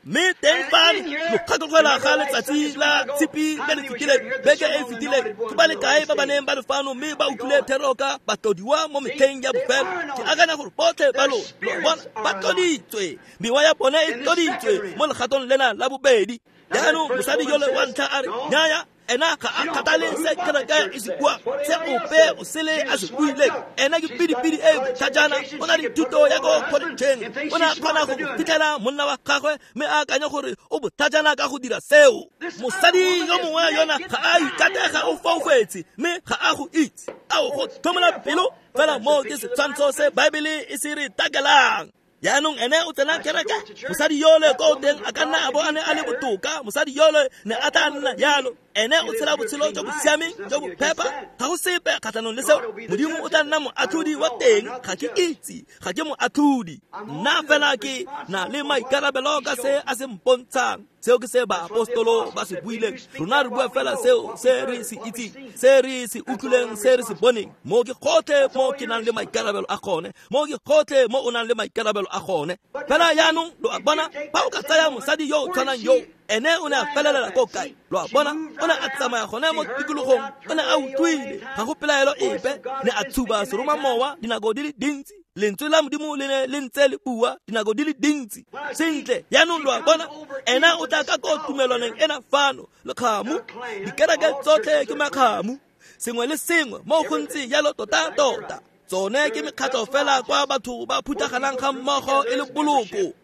Mme teng fano lo kgatlhogela ga letsatsi la tshipi le le fetileng, beke e fetileng, ke ba le kae ba ba neng ba le fano mme ba utlwile thero ka batlodiwa mo metlheng ya bofelo? Ke akanya gore botlhe ba lona lo bona ba tloditswe, mewa ya bone e tloditswe mo legatong lena la bobedi. Jaanong mosadi yole wa ntlha a re, nnyaya, ena ga a kgathale se kereke e se buang, se ope o sele a se buileng. Ena ke pidipidi e botlhajana, o na le thuto ya ko kgoletšheng, o ne a kgona go fitlhela monna wa gagwe mme a akanya gore o botlhajana ka go dira seo. Mosadi yo mongwe yona ga a ikatega, o foufetse mme ga a go itse. A o go tlhomola pelo? Fela moo ke setshwantsho se Baebele e se re takelang. Jaanong ene o tsena kereke, mosadi yole ko teng a ka nna a bo a ne a le botoka, mosadi yole ne a tla nna jalo. Ene o tshela botshelo jo bo siameng, jo bo phepa, ga go sepe kgatlhanong le seo. Modimo o tla nna moatlhodi wa teng, ga ke itse, ga ke moatlhodi. Nna fela ke na le maikarabelo ka se a se mpontshang. Seo ke se baapostolo ba se buileng. Rona re bua fela seo se re se itseng, se re se utlwileng, se re se boneng. Mo ke gotlhe mo ke nang le maikarabelo a gone, mo ke gotlhe mo o nang le maikarabelo a gone. Fela jaanong lo a bona, fa o ka tsaya mosadi yo o tshwanang yo, ene o ne a felelela ko kae? Lo a bona, o ne a tsamaya gone mo tikologong, o ne a utlwile, ga go pelaelo epe, ne a tshuba seromamowa dinako di le dintsi. Lentswe la Modimo le ne le ntse le bua dinako di le dintsi. Sentle, jaanong lo a bona, ena o tla ka ko tumelwaneng ena fano, lekgamu, dikereke tsotlhe ke makgamu, sengwe le sengwe mo go ntse jalo tota-tota. Tsone ke mekgatlho fela kwa batho ba phuthaganang ga mmogo e le boloko.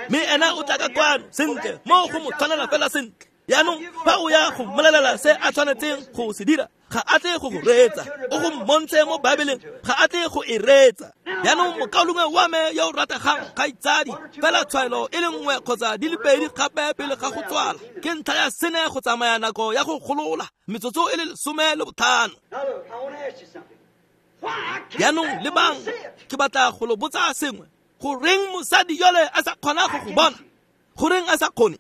Mme ena o tla ka kwano, sentle, mo go mo tshwanela fela sentle. Jaanong fa o ya go mmolelela se a tshwanetseng go se dira, ga a tle go go reetsa. O go mmontshe mo Baebeleng, ga a tle go e reetsa. Jaanong mokaulengwe wa me yo o rategang, kgaitsadi, fela tshwaelo e le nngwe kgotsa di le pedi gape pele ga go tswala, ke ntlha ya sene go tsamaya nako ya go golola, metsotso e le 15. Jaanong lebang, ke batla go lo botsa sengwe. Goreng mosadi yole a sa kgona go go bona? Goreng a sa kgone?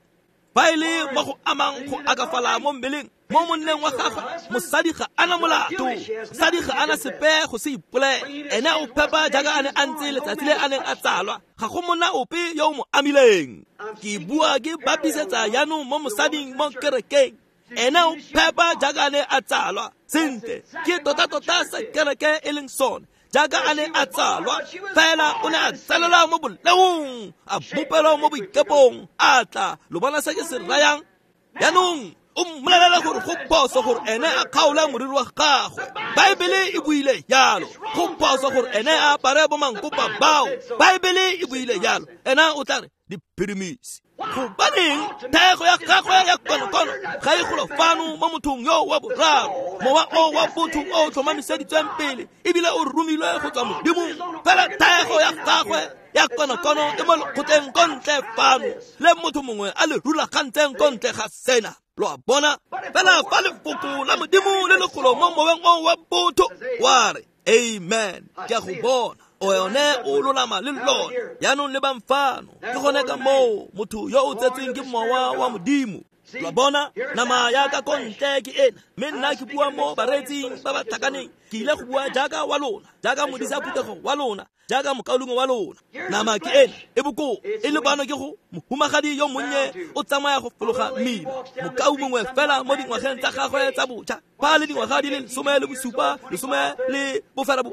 Fa e le mo go amang go akafala mo mmeleng, mo monneng wa gagwe, mosadi ga ana molato, mosadi ga ana sepe go se ipolele. Ene o phepa jaaka a ne a ntse letsatsi le a neng a tsalwa, ga go monna ope yo o mo amileng. Ke bua ke bapisetsa jaanong mo mosading mo kerekeng. Ene o phepa jaaka a ne a tsalwa. Sentle, ke tota-tota se kereke e leng sone. Jaaka a ne a tsalwa, fela o ne a tsalelwa mo boleong, a bopelwa mo boikepong, a tla. Lo bona se ke se rayang? Jaanong o mmolelela gore go phoso gore ene a kgaole moriri wa gagwe. Baebele e buile jalo. Go phoso gore ene a apare bomankopa bao. Baebele e buile jalo. Ena o tla re diphirimisi. Gobaneng thego ya gagwe ya konokono ga e golo fano mo mothong yo wa boraro, mowa o wa botho o tlhomamiseditsweng pele ebile o romilwe go tswa Modimong. Fela thego ya gagwe ya konokono e mo lekgotleng ko ntle fano, le motho mongwe a le rulagantseng ko ntle ga sena. Lo a bona? Fela fa lefoko la Modimo le le golo mo moweng o wa botho, wa re amen, ke a go bona, o yone o lolama le lone. Jaanong lebang fano, ke gone ka moo motho yo o tsetsweng ke mowa wa Modimo. Lo a bona, nama ya ka ko ntle ke ena, mme nna ke bua mo bareetsing ba ba tlhakaneng. Ke ile go bua jaaka wa lona, jaaka modisa phuthego wa lona, jaaka mokaulengwe wa lona. Nama ke ena e bokoa, e lebano ke go mohumagadi yo monnye o tsamaya go fologa mmila, mokau mongwe fela mo dingwageng tsa gagwe tsa botjha, fa le dingwaga di le 17, 18, 20, 25,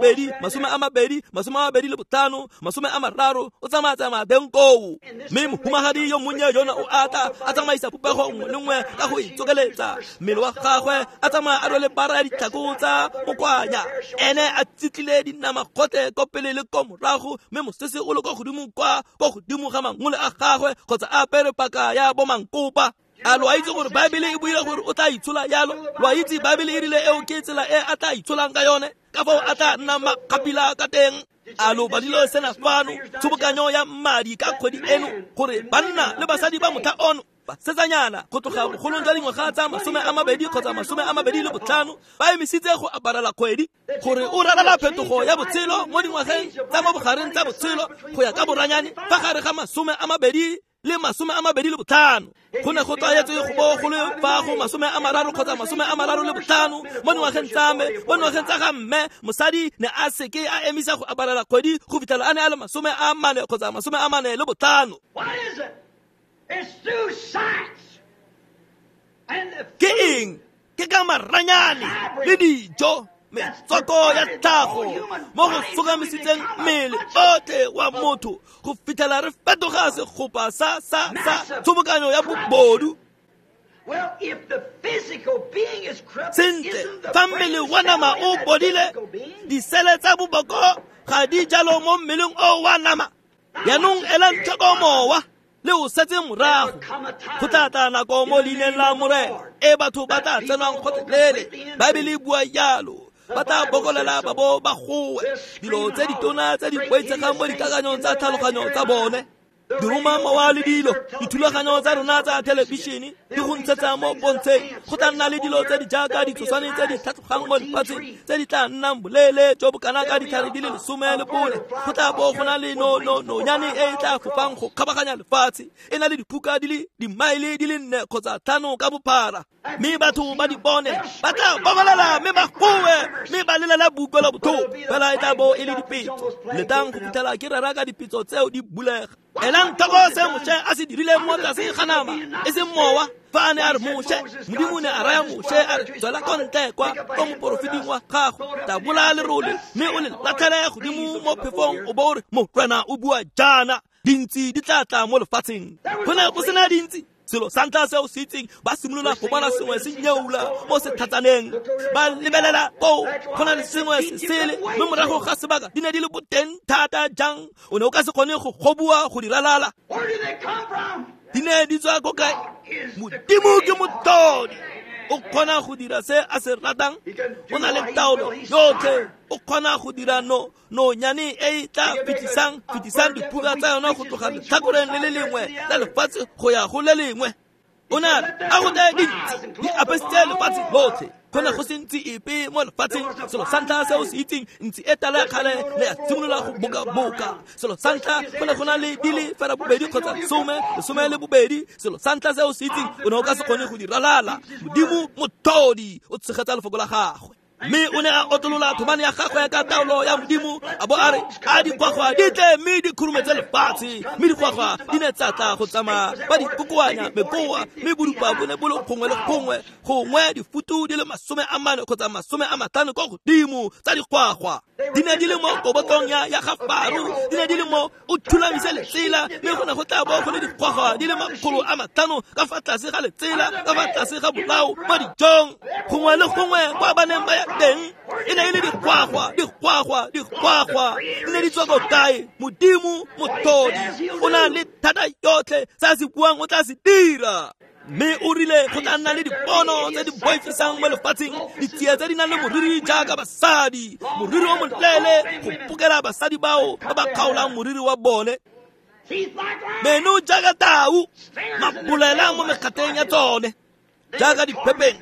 30, o tsamaya-tsamaya teng koo. Mme mohumagadi yo monnye yona o atla a tsamaisa popego nngwe le nngwe ka go itsokeletsa mmele wa gagwe, a tsamaya a rwele bara ya ditlhako tsa mokwanya, ene a tsitlile dinama gotlhe ko pele le ko morago, mme mosese o le ko godimo kwa ko godimo ga mangole a gagwe, kgotsa a apere paka ya bomankopa. A lo a itse gore Baebele e buile gore o tla itshola yalo? Lo a itse Baebele e rile eo ke tsela e a tla itsholang ka yone, ka fao a tla nna makgapila ka teng. A lo badilo sena fano, tshobokanyo ya madi ka kgwedi eno, gore banna le basadi ba motlha ono, basetsanyana go tloga bogolong jwa dingwaga tsa 20 kgotsa 25 ba emisitse go aparela kgwedi, gore o ralala phetogo ya botshelo mo dingwageng tsa mo bogareng tsa botshelo go ya ka boranyane fa gare ga 20 le 25. Go ne go tlwaetswe go bo go le fa go 30 kgotsa 35 mo dingwageng tsa me, mo dingwageng tsa ga mme, mosadi ne a seke a emisa go aparela kgwedi go fitlhela a ne a le 40 kgotsa 45. What is it? It's through science. And the Ke eng? Ke ka maranyane le dijo, metswako ya tlhago mo go sokamisitseng mmele otlhe wa motho go fitlhela re fetoga segopa sa sa sa tshobokanyo ya bobodu. Well, if the physical being is corrupt, Sentle, isn't the fa mmele brain wa nama cell o in that bodile, physical being? disele tsa boboko ga di jalo mo mmeleng o wa nama. Yaanong elang tlhoko mowa le o setse morago. Go tla tla nako mo leineng la Morena e batho ba tla tsenwang gotlhelele. Baebele e bua jalo. Ba tla bokolela ba bo ba goe dilo tse ditona tse di boitshegang mo dikakanyong tsa tlhaloganyo tsa bone. Diroma mowa le dilo, dithulaganyo tsa rona tsa thelebišene di go ntshetsa mo pontsheng. Go tla nna le dilo tse di jaaka ditshoswane tse di tlhatlhogang mo lefatsheng tse di tla nnang boleele jo bo kana ka ditlhare di le 14. Go tla bo go na le nonyane e e tla fofang go kgabaganya lefatshe, e na le diphuka di le dimaele di le 4 kgotsa 5 ka bophara. Mme batho ba di bone, ba tla bokolela mme ba goe, mme ba lelela boutlwelo botlhoko. Fela e tla bo e le dipetso. Letang go fitlhela ke rera ka dipetso tseo di bulega. Elang tlhoko se Moshe a se dirileng mo tlase ga nama, e seng mowa. Fa a ne a re Moshe, Modimo ne a raya Moshe a re, tswela ko ntle kwa ko moporofeting wa gago, tabola lerole mme o le latlhele godimo mo phefong, o bo o re, Morena o bua jaana, dintsi di tla tla mo lefatsheng. Go ne go sena dintsi. Selo sa ntlha se o se itseng, ba simolola go bona sengwe se nyeula mo sethatsaneng. Ba lebelela koo, go na le sengwe se sele, mme morago ga sebaka di ne di le boteng thata jang, o ne o ka se kgone go goboa go di ralala. Where do they come from? Di ne di tswa ko kae? Modimo ke motlhodi. O kgona go dira se a se ratang, o na le taolo yotlhe. O kgona go dira nonyane e e tla fetisang diphuka tsa yona go tloga letlhakoreng le le lengwe la lefatshe go ya go le lengwe. O ne a re, a go tle dintsi di apesitse lefatshe lotlhe. Go ne go se ntsi epe mo lefatsheng. Selo sa ntlha se o se itseng, ntsi e tala ya kgale ne ya simolola go bokaboka. Selo sa ntlha go ne go na le di le 8 kgotsa 10, 12. Selo sa ntlha se o se itseng, o ne o ka se kgone go di ralala. Modimo motlhodi o tshegetsa lefoko la gagwe. Mme o ne a otolola thobane ya gagwe ka taolo ya Modimo, a bo a re, a digwagwa di tle mme di khurumetse lefatshe. Mme digwagwa di ne tsa tla go tsamaya ba di kokoanya mekoa, mme bodupa bo ne bo le gongwe le gongwe, gongwe difutu di le 40 kgotsa 50 kwa godimo tsa digwagwa. Di ne di le mo kobotlong ya ga Faro, di ne di le mo o thulamise letsela, mme go ne go tla bo go le digwagwa di le 500 ka fa tlase ga letsela, ka fa tlase ga bolao mo dijong. Gongwe le gongwe kwa ba neng ba ya teng e ne e le digwagwa, digwagwa, digwagwa. Di ne di tswa ko kae? Modimo motlhodi o na le thata yotlhe, se a se buang o tla se dira. Mme o rile go tla nna le dipono tse di boifisang mo lefatsheng, ditsie tse di nang le moriri jaaka basadi, moriri o moleele go pokela basadi bao ba ba kgaolang moriri wa bone, meno jaaka tau, mabolela mo mekgateng ya tsone jaaka diphepeng,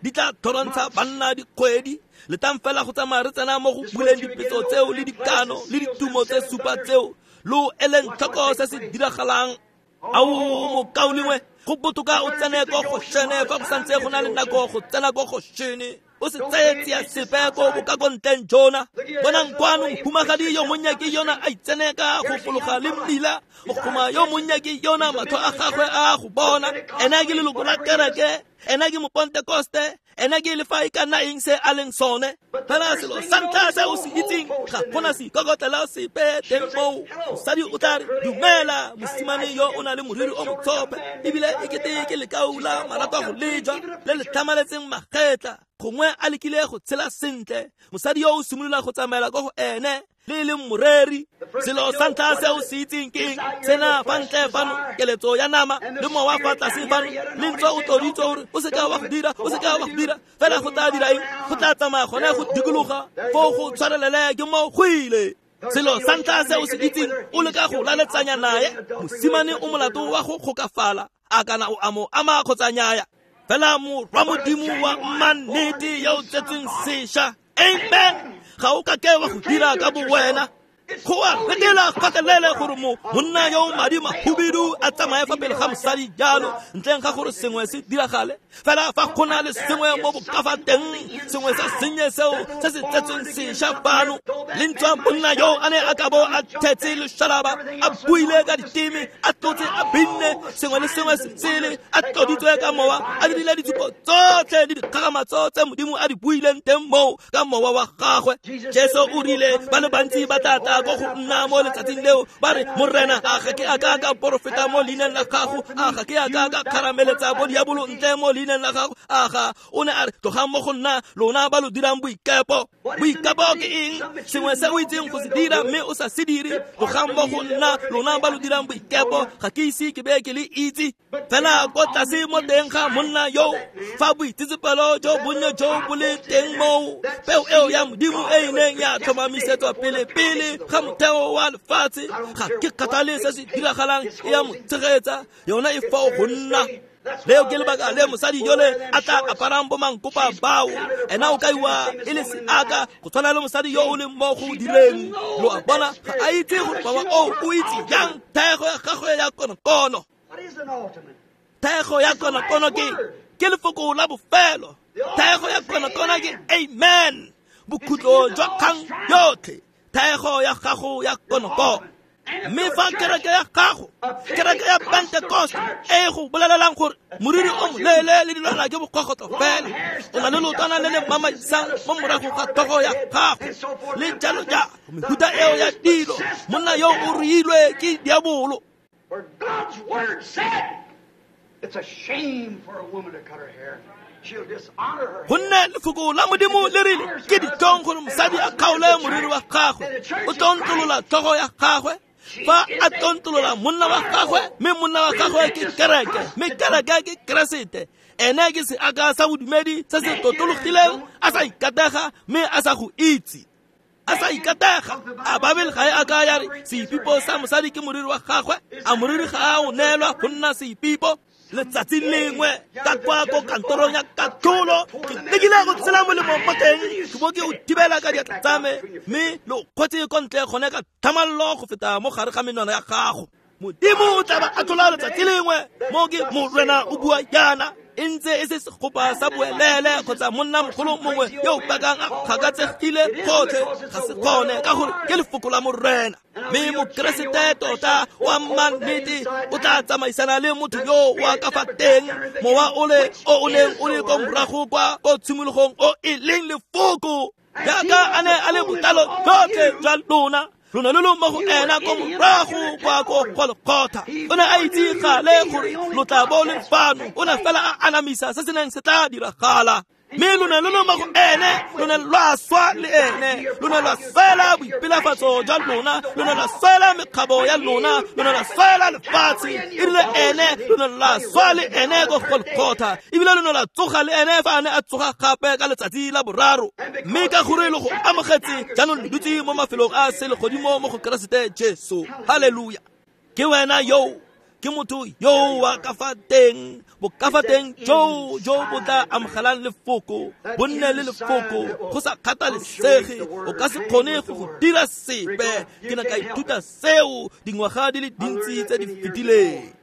di tla tlhorontsha banna dikgwedi. Letang fela go tsamaya re tsena mo go buleng dipetso tseo le dikano le ditumo tse 7 tseo, lo eleng tlhoko se se diragalang. Ao mokaulengwe, go botoka o tsene ko Goshene fa go santse go na le nako go tsena ko Goshene. O se tseye tsia sepe ko bokakontleng jona. Bonang kwano, mohumagadi yo monnye ke yona a itsene ka go fologa le mmila. Mogoma yo monnye ke yona, matlho a gagwe a go bona. Ena ke leloko la kereke, ena ke mopentekoste, ena ke le fa e ka nna eng se a leng sone. Fela selo sa ntlha se o se itseng, ga gona seikokotlela sepe teng moo. Mosadi o tla re, dumela, mosimane yo o na le moriri o motsope, ebile e kete ke lekau la marato a go lejwa le le tlhamaletseng magetla. Gongwe a lekile go tshela sentle, mosadi yo o simolola go tsamaela ko go ene. le e leng moreri. Selo sa ntlha se o se itseng ke eng? Sena fa ntle fano keletso ya nama le mowa fa tlase fano le ntswa o tloditswe gore o seka wa go dira, o seka wa go dira, fela go tla dira eng? Go tla tsamaya gone go dikologa foo go tshwarelele ke mo go ile. Selo sa ntlha se o se itseng o leka go laletsanya naye, mosimane o molato wa go kgokafala, a kana o a mo ama kgotsa nnyaya. Fela morwa Modimo wa mannete yo o tsetsweng sešwa, amen, ga o ka ke wa go dira ka bowena. Go a retela kgatelele gore monna yo o madi mahubidu a tsamaye fa pele ga mosadi jalo ntleng ga gore sengwe se diragale. Fela fa go na le sengwe mo bokafa teng, sengwe se sennye seo se se tsetsweng sešwa fano, le ntswa monna yo a ne a ka bo a thetse lešalaba, a buile ka diteme, a tlotse, a binne, sengwe le sengwe se sele, a tloditswe ka mowa, a dirile ditshupo tsotlhe le dikgakgamatso tse Modimo a di buileng teng moo ka mowa wa gagwe. Jesu o rile ba le bantsi ba tla tla ko go nna mo letsatsing leo ba re, Morena, a ga ke a ka ka porofeta mo leineng la gago? A ga ke a ka ka kgarameletsa bo diabolo ntle mo leineng la gago? A ga o ne a re, tlogang mo go nna lona ba lo dirang boikepo. Boikepo ke eng? Sengwe se o itseng go se dira mme o sa se dire. Tlogang mo go nna lona ba lo dirang boikepo, ga ke ise ke be ke le itse. Fela ko tlase mo teng ga monna yo, fa boitsetsepelo jo bonnye jo bo le teng moo, peo eo ya Modimo e e neng ya tlhomamisetswa pele pele ga motheo wa lefatshe, ga ke kgathale se se diragalang, e ya mo tshegetsa, yona e fao go nna. Leo ke lebaka le mosadi yole a tla aparang bo mankopa bao, ena o kaiwa e le seaka go tshwana le mosadi yo o leng mo go direng. Lo a bona, ga a itse gore mowa oo o itse jang thaego ya gagwe ya konokono. Thaego ya konokono ke lefoko la bofelo. Thaego ya konokono ke amen, bokhutlo jwa kgang yotlhe. Thaego ya gago ya konokono. Mme fa kereke ya gago, kereke ya Pentecost, e go bolelelang gore moriri o moleele le dilwana ke bokgogotlo fela, o na le leotwana le le mamaisang mo morago ga tlhogo ya gago le jalo jalo, mehuta eo ya dilo, monna yo o ruilwe ke diabolo. For God's word said, it's a shame for a woman to cut her hair. She'll dishonor her. Gonne lefoko la Modimo le rile ke ditlhong gore mosadi a kgaole moriri wa gagwe, o tlontolola tlhogo ya gagwe. Fa a tlontolola monna wa gagwe, mme monna wa gagwe ke kereke, mme kereke ke Keresete. Ene ke seaka sa bodumedi se se totologileng, a sa ikatega mme a sa go itse. A sa ikatega. A Babele ga e a ka ya re seipipo sa mosadi ke moriri wa gagwe? A moriri ga a o neelwa go nna seipipo? Letsatsi lengwe ka kwa ko kantorong ya katlholo, ke lekile go tshela molemo mo teng, ke bo ke o thibela ka diatla tsa me, mme lo kgotse ko ntle gone ka tlhamallo go feta mo gare ga menwana ya gago. Modimo o tla ba atlhola letsatsi lengwe, mo ke Morena o bua jaana, e ntse e se segopa sa boelele kgotsa monna mogolo mongwe yo o bakang a kgakatsegile gotlhe, ga se gone, ka gore ke lefoko la Morena. Mme Mokeresete tota wa mannete o tla tsamaisana le motho yo wa ka fa teng, mowa o le o o neng o le ko morago kwa ko tshimologong o e leng lefoko, jaaka a ne a le botlalo jotlhe jwa lona. Lona lo lo mo go ena ko morago kwa ko Golgotha. O ne a itse gale gore lo tla bo le fano, o ne fela a anamisa se se neng se tla diragala. Mme lo ne lo le mo go ene, lo ne lwa swa le ene, lo ne lwa swela boipelafatso jwa lona, lo ne lwa swela mekgabo ya lona, lo ne lwa swela lefatshe. E rile ene, lo ne lwa swa le ene ko Golgotha, ebile lo ne lwa tsoga le ene fa a ne a tsoga gape ka letsatsi la boraro. Mme ka gore lo go amogetse, jaanong lo dutse mo mafelong a selegodimo mo go Keresete Jesu. Haleluya! Ke wena yo, ke motho yo wa ka fa teng, bokafa teng jo jo bo tla amogelang lefoko, bo nne le lefoko, go sa kgathalesege, o ka se kgone go go dira sepe. Ke ne ka ithuta seo dingwaga di le dintsi tse di fetileng.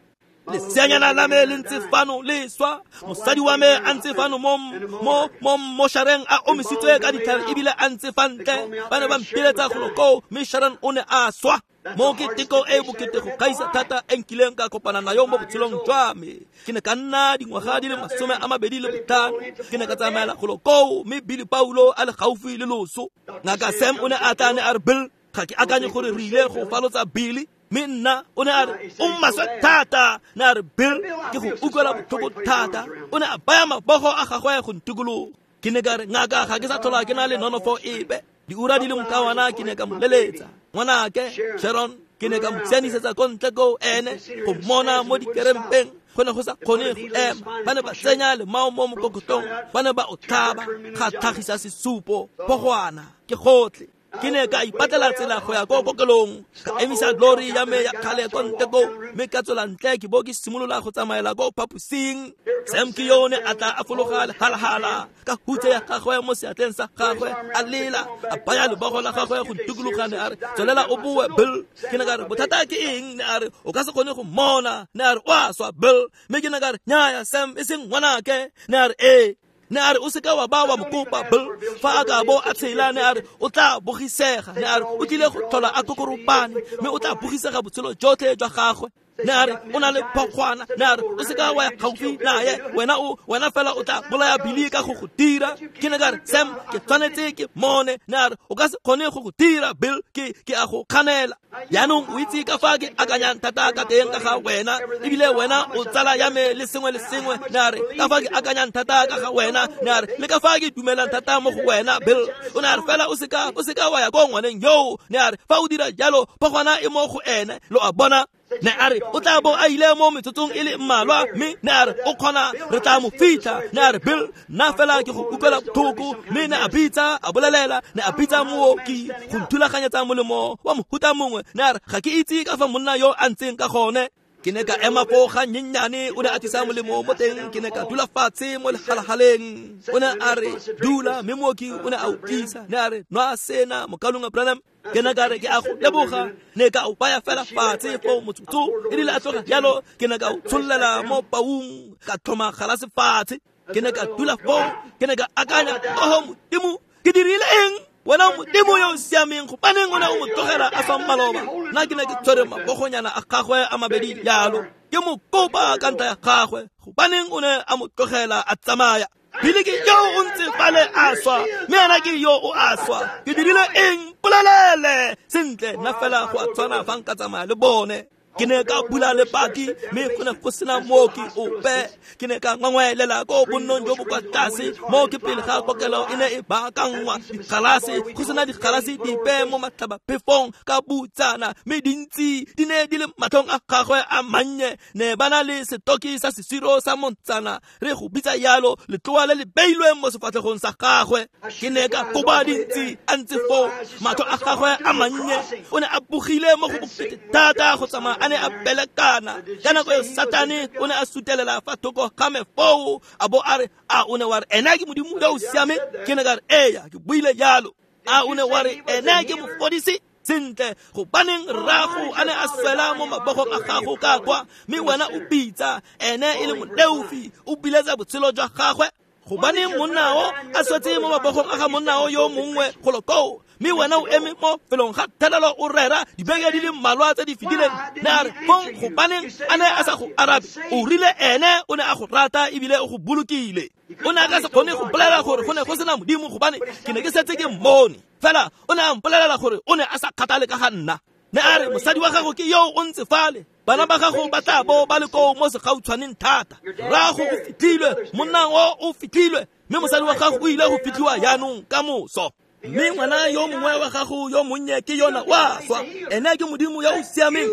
Leseanyana la me le ntse fano le swa, mosadi wa me a ntse fano mo mo moshareng a omisitswe ka ditlhare ebile a ntse fa ntle. Ba ne ba mpiletsa golo koo, mme Sharon o ne a swa. Mo ke teko e bokete go gaisa thata e nkileng ka kopana nayo mo botshelong jwa me. Ke ne ka nna dingwaga di le 25, ke ne ka tsamaela golo koo, mme Billy Paulo a le gaufi le loso. Ngaka Sam o ne a tla ne a re, Bill, ga ke akanye gore re ile go falotsa Billy. Mme nna o ne a re, o maswe thata. Ne a re, Bill, ke go utlwela botlhoko thata. O ne a baya mabogo a gagwe go ntikologa. Ke ne ka re, ngaka, ga ke sa tlhola ke na le nonofo epe. Diura di le mokawana ke ne ka mo leletsa. Ngwanake Sharon ke ne ka mo sianisetsa ko ntle ko ene go mmona mo dikerempeng. Go ne go sa kgone go ema. Ba ne ba tsenya lemao mo mokokotlong, ba ne ba o tlhaba, ga tlhagisa sesupo, phogwana, ke gotlhe. Ke ne ka ipatlela tsela go ya ko kokelong, ka emisa lori ya me ya kgale ko ntle koo, mme ka tswela ntle ke bo ke simolola go tsamaela ko phaposing. Sam ke yo ne a tla a fologa lehalahala ka hutse ya gagwe mo seatleng sa gagwe, a lela, a baya lebogo la gagwe go ntukuloga, ne a re, tswelela o boe Bill. Ke ne ka re, bothata ke eng? Ne a re, o ka se kgone go mmona. Ne a re, o a swa Bill. Mme ke ne ka re, nnyaya Sam, e seng ngwanake. Ne a re, ee. Ne a re, o seka wa ba wa mo kopa Bill, fa a ka bo a tshela. Ne a re, o tla bogisega. Ne a re, o tlile go tlhola a kokoropane, mme o tla bogisega botshelo jotlhe jwa gagwe. Ne a re, o na le phogwana. Ne a re, o seka wa ya gaufi naye, wena fela o tla bolaya Billy ka go go dira. Ke ne ka re, Sam, ke tshwanetse ke mmone. Ne a re, o ka se kgone go go dira Bill, ke a go kganela. Jaanong o itse ka fa ke akanyang thata ka teng ka ga wena, ebile wena o tsala ya me le sengwe le sengwe. Ne a re, ka fa ke akanyang thata ka ga wena. Ne a re, le ka fa ke dumelang thata mo go wena Bill. O ne a re, fela o seka wa ya ko ngwaneng yoo. Ne a re, fa o dira jalo, phogwana e mo go ene. Lo a bona? Ne a re, o tla bo a ile mo metsotsong e le mmalwa, mme ne a re, o kgona, re tla mo fitlha. Ne a re, Bill, nna fela ke go utlwela botlhoko. Mme ne a bitsa, a bolelela, ne a bitsa mooki go nthulaganyetsa molemo wa mohuta mongwe. Ne a re, ga ke itse ka fa monna yo a ntseng ka gone. Ke ne ka ema foo ga nnyennyane, o ne a tlisa molemo mo teng. Ke ne ka dula fatshe mo lehalahaleng. O ne a re, dula, mme mooki o ne a o tlisa. Ne a re, nwa sena, mokalong Branham. Ke ne ka re, ke a go leboga. Ne ka o baya fela fatshe foo motsotso. E rile a tloga jalo, ke ne ka o tshollela mo paung, ka tlhoma galase fatshe. Ke ne ka dula foo, ke ne ka akanya, oho Modimo, ke dirile eng? Wena Modimo yo o siameng, gobaneng o ne o mo tlogela a swa maloba? Nna ke ne ke tshwere mabogonyana a gagwe a mabedi jalo, ke mo kopa ka ntlha ya gagwe, gobaneng o ne a mo tlogela a tsamaya? Billy ke yo o ntse fale a swa, mme ena ke yo o a swa. Ke dirile eng? Polelele sentle, nna fela go a tshwana fa nka tsamaya le bone. Ke ne ka bula lebati, mme go ne go sena mooki ope. Ke ne ka ngwangwaelela ko bonnong jo bo kwa tlase, moo ke pele ga kokelo e ne e baakanngwa digalase, go sena digalase dipe mo matlhabaphefong ka butsana, mme dintsi di ne di le matlhong a gagwe a mannye. Ne ba na le setoki sa sesiro sa montsana, re go bitsa yalo, letloa le le beilweng mo sefatlhegong sa gagwe. Ke ne ka koba dintsi a ntse foo, matlho a gagwe a mannye. O ne a bogile mo go bokete thata go tsamaya a ne a belekana. Ka nako eo Satane o ne a sutelela fa thoko ga me foo, a bo a re, a o ne wa re ena ke Modimo yo o siameng? Ke ne ka re, eya, ke buile jalo. A o ne wa re ena ke mofodisi? Sentle, gobaneng rrago a ne a swela mo mabogong a gago ka kwa, mme wena o bitsa ene e le moleofi, o biletsa botshelo jwa gagwe? Gobaneng monna o a swetse mo mabogong a ga monna o yo mongwe golo koo, mme wena o eme mo felong ga thelelo o rera dibeke di le mmalwa tse di fetileng? Ne a re, fong gobaneng a ne a sa go arabe? O rile ene o ne a go rata ebile o go bolokile. O ne a ka se kgone go bolela gore go ne go sena Modimo, gobane ke ne ke setse ke mmone. Fela o ne a mpolelela gore o ne a sa kgathale ka ga nna. Ne a re, mosadi wa gago ke yo o ntse fale, bana ba gago ba tla bo ba le koo mo segautshwaneng thata. Rrago o fitlhilwe, monna o o fitlhilwe, mme mosadi wa gago o ile go fitlhiwa jaanong ka moso. Mme ngwana yo mongwe wa gago yo monnye ke yona wa swa. Ene ke Modimo yo o siameng,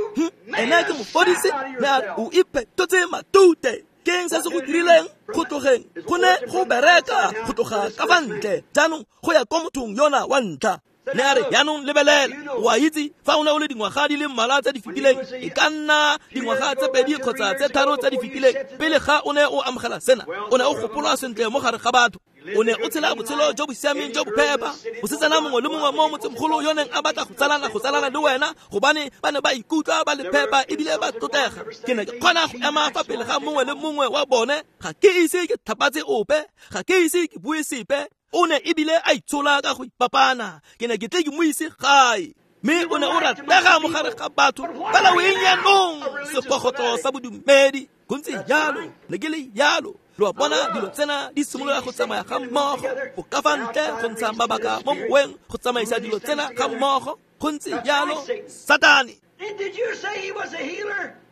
ene ke mofodisi. Ne a re, o iphetotse matute. Ke eng se se go dirileng go tlogeng? Go ne go bereka go tloga ka fa ntle jaanong go ya ko mothong yona wa ntlha. Ne a re, jaanong lebelela, o a itse fa o ne o le dingwaga di le mmalwa tse di fetileng, e ka nna dingwaga tse 2 kgotsa tse 3 tse di fetileng, pele ga o ne o amogela sena, o ne o gopolwa sentle mo gare ga batho. O ne o tshela botshelo jo bo siameng jo bo phepa. Mosetsana mongwe le mongwe mo motsemogolo yo neng a batla go tsalana le wena, gobane ba ne ba ikutlwa ba le phepa ebile ba tlotlega. Ke ne ke kgona go ema fa pele ga mongwe le mongwe wa bone, ga ke ise ke tlhapatse ope, ga ke ise ke bue sepe. O ne ebile a itshola ka go ipapana. Ke ne ke tle ke mo ise gae. Mme o ne o ratega mo gare ga batho, fela o eng jaanong? Segogotlo sa bodumedi. Go ntse jalo, ne ke le jalo. Lo a bona, dilo tsena di simolola go tsamaya ga mmogo, go ka fa ntle go ntsha mabaka mo moweng go tsamaisa dilo tsena ga mmogo. Go ntse jalo, Satane.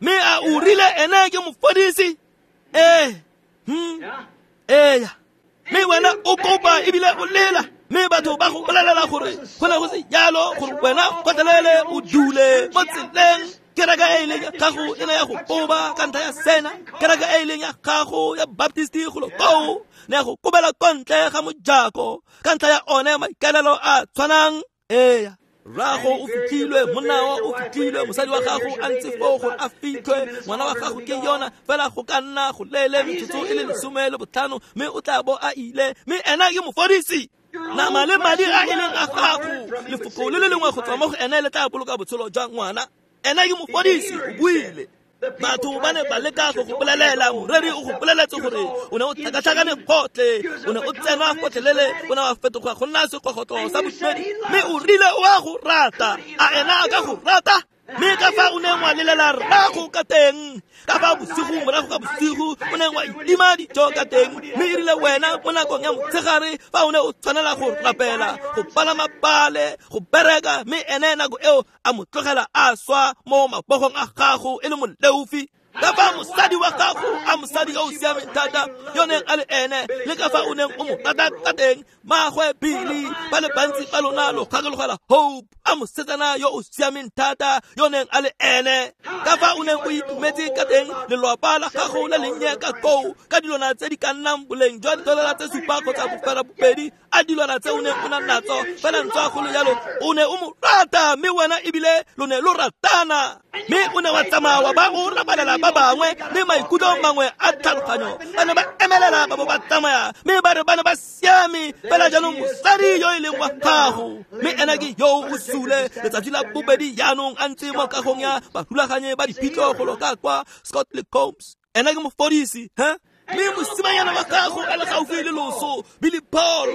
Mme a o rile ene ke mofodisi? Ee. Eya. Mme wena o kopa ebile o lela. Mme batho ba go bolelela gore go ne go se jalo gore wena gotlhelele o dule mo tseleng. Kereke e leng ya gago e ne ya go koba ka ntlha ya sena. Kereke e leng ya gago ya Baptist golo koo ne ya go kobela ko ntle ga mojako ka ntlha ya one maikaelelo a tshwanang. Eya, rrago o fitlhilwe, monna wa o fitlhilwe, mosadi wa gago a ntse foo gore a fitlhwe, ngwana wa gago ke yona fela go ka nna go leele metsotso e le 15, mme o tla bo a ile, mme ena ke mofodisi. Nama le madi a e leng a gago, lefoko le le lengwe go tswa mo go ene le tla boloka botshelo jwa ngwana. Ena ke mofodisi, o buile. Batho ba ne ba leka go go bolelela, moreri o go boleletse gore o ne o tlhakatlhakane gotlhe, o ne o tsenwa gotlhelele, o ne wa fetoga go nna segogotlo sa bodumedi, mme o rile o a go rata. A ena a ka go rata? Mme ka fa o neng wa lelela rrago ka teng, ka fa bosigo morago ga bosigo o neng wa itima dijo ka teng, mme e rile wena mo nakong ya motshegare fa o ne o tshwanela go rapela, go palama pale, go bereka, mme ene nako eo a mo tlogela a swa mo mabogong a gago e le moleofi. Ka fa mosadi wa gago a mosadi yo o siameng thata yo neng a le ene, le ka fa o neng o mo rata ka teng, maagwe Billy ba le bantsi ba lona lo gakologela Hope a mosetsana yo o siameng thata yo neng a le ene. Ka fa o neng o itumetse ka teng, lelwapa la gago le lennye ka koo ka dilwana tse di ka nnang boleng jwa $7 kgotsa 2.5 a dilwana tse o neng o na natso, fela ntswa go le jalo o ne o mo rata, mme wena ebile lo ne lo ratana. Mme o ne wa tsamaya wa ba o rabalela ba bangwe le maikutlo mangwe a tlhaloganyo, ba ne ba emelela ba bo ba tsamaya, mme ba re ba ne ba siame fela jaanong mosadi yo e leng wa gago, mme ena ke yo o sule letsatsi la bobedi jaanong a ntse mo kagong ya barulaganye ba diphitlho golo ka kwa Scott le Combs. Ena ke mofodisi, he? Mme mosimanyana wa gago a le gaufi le loso, Billy Paul,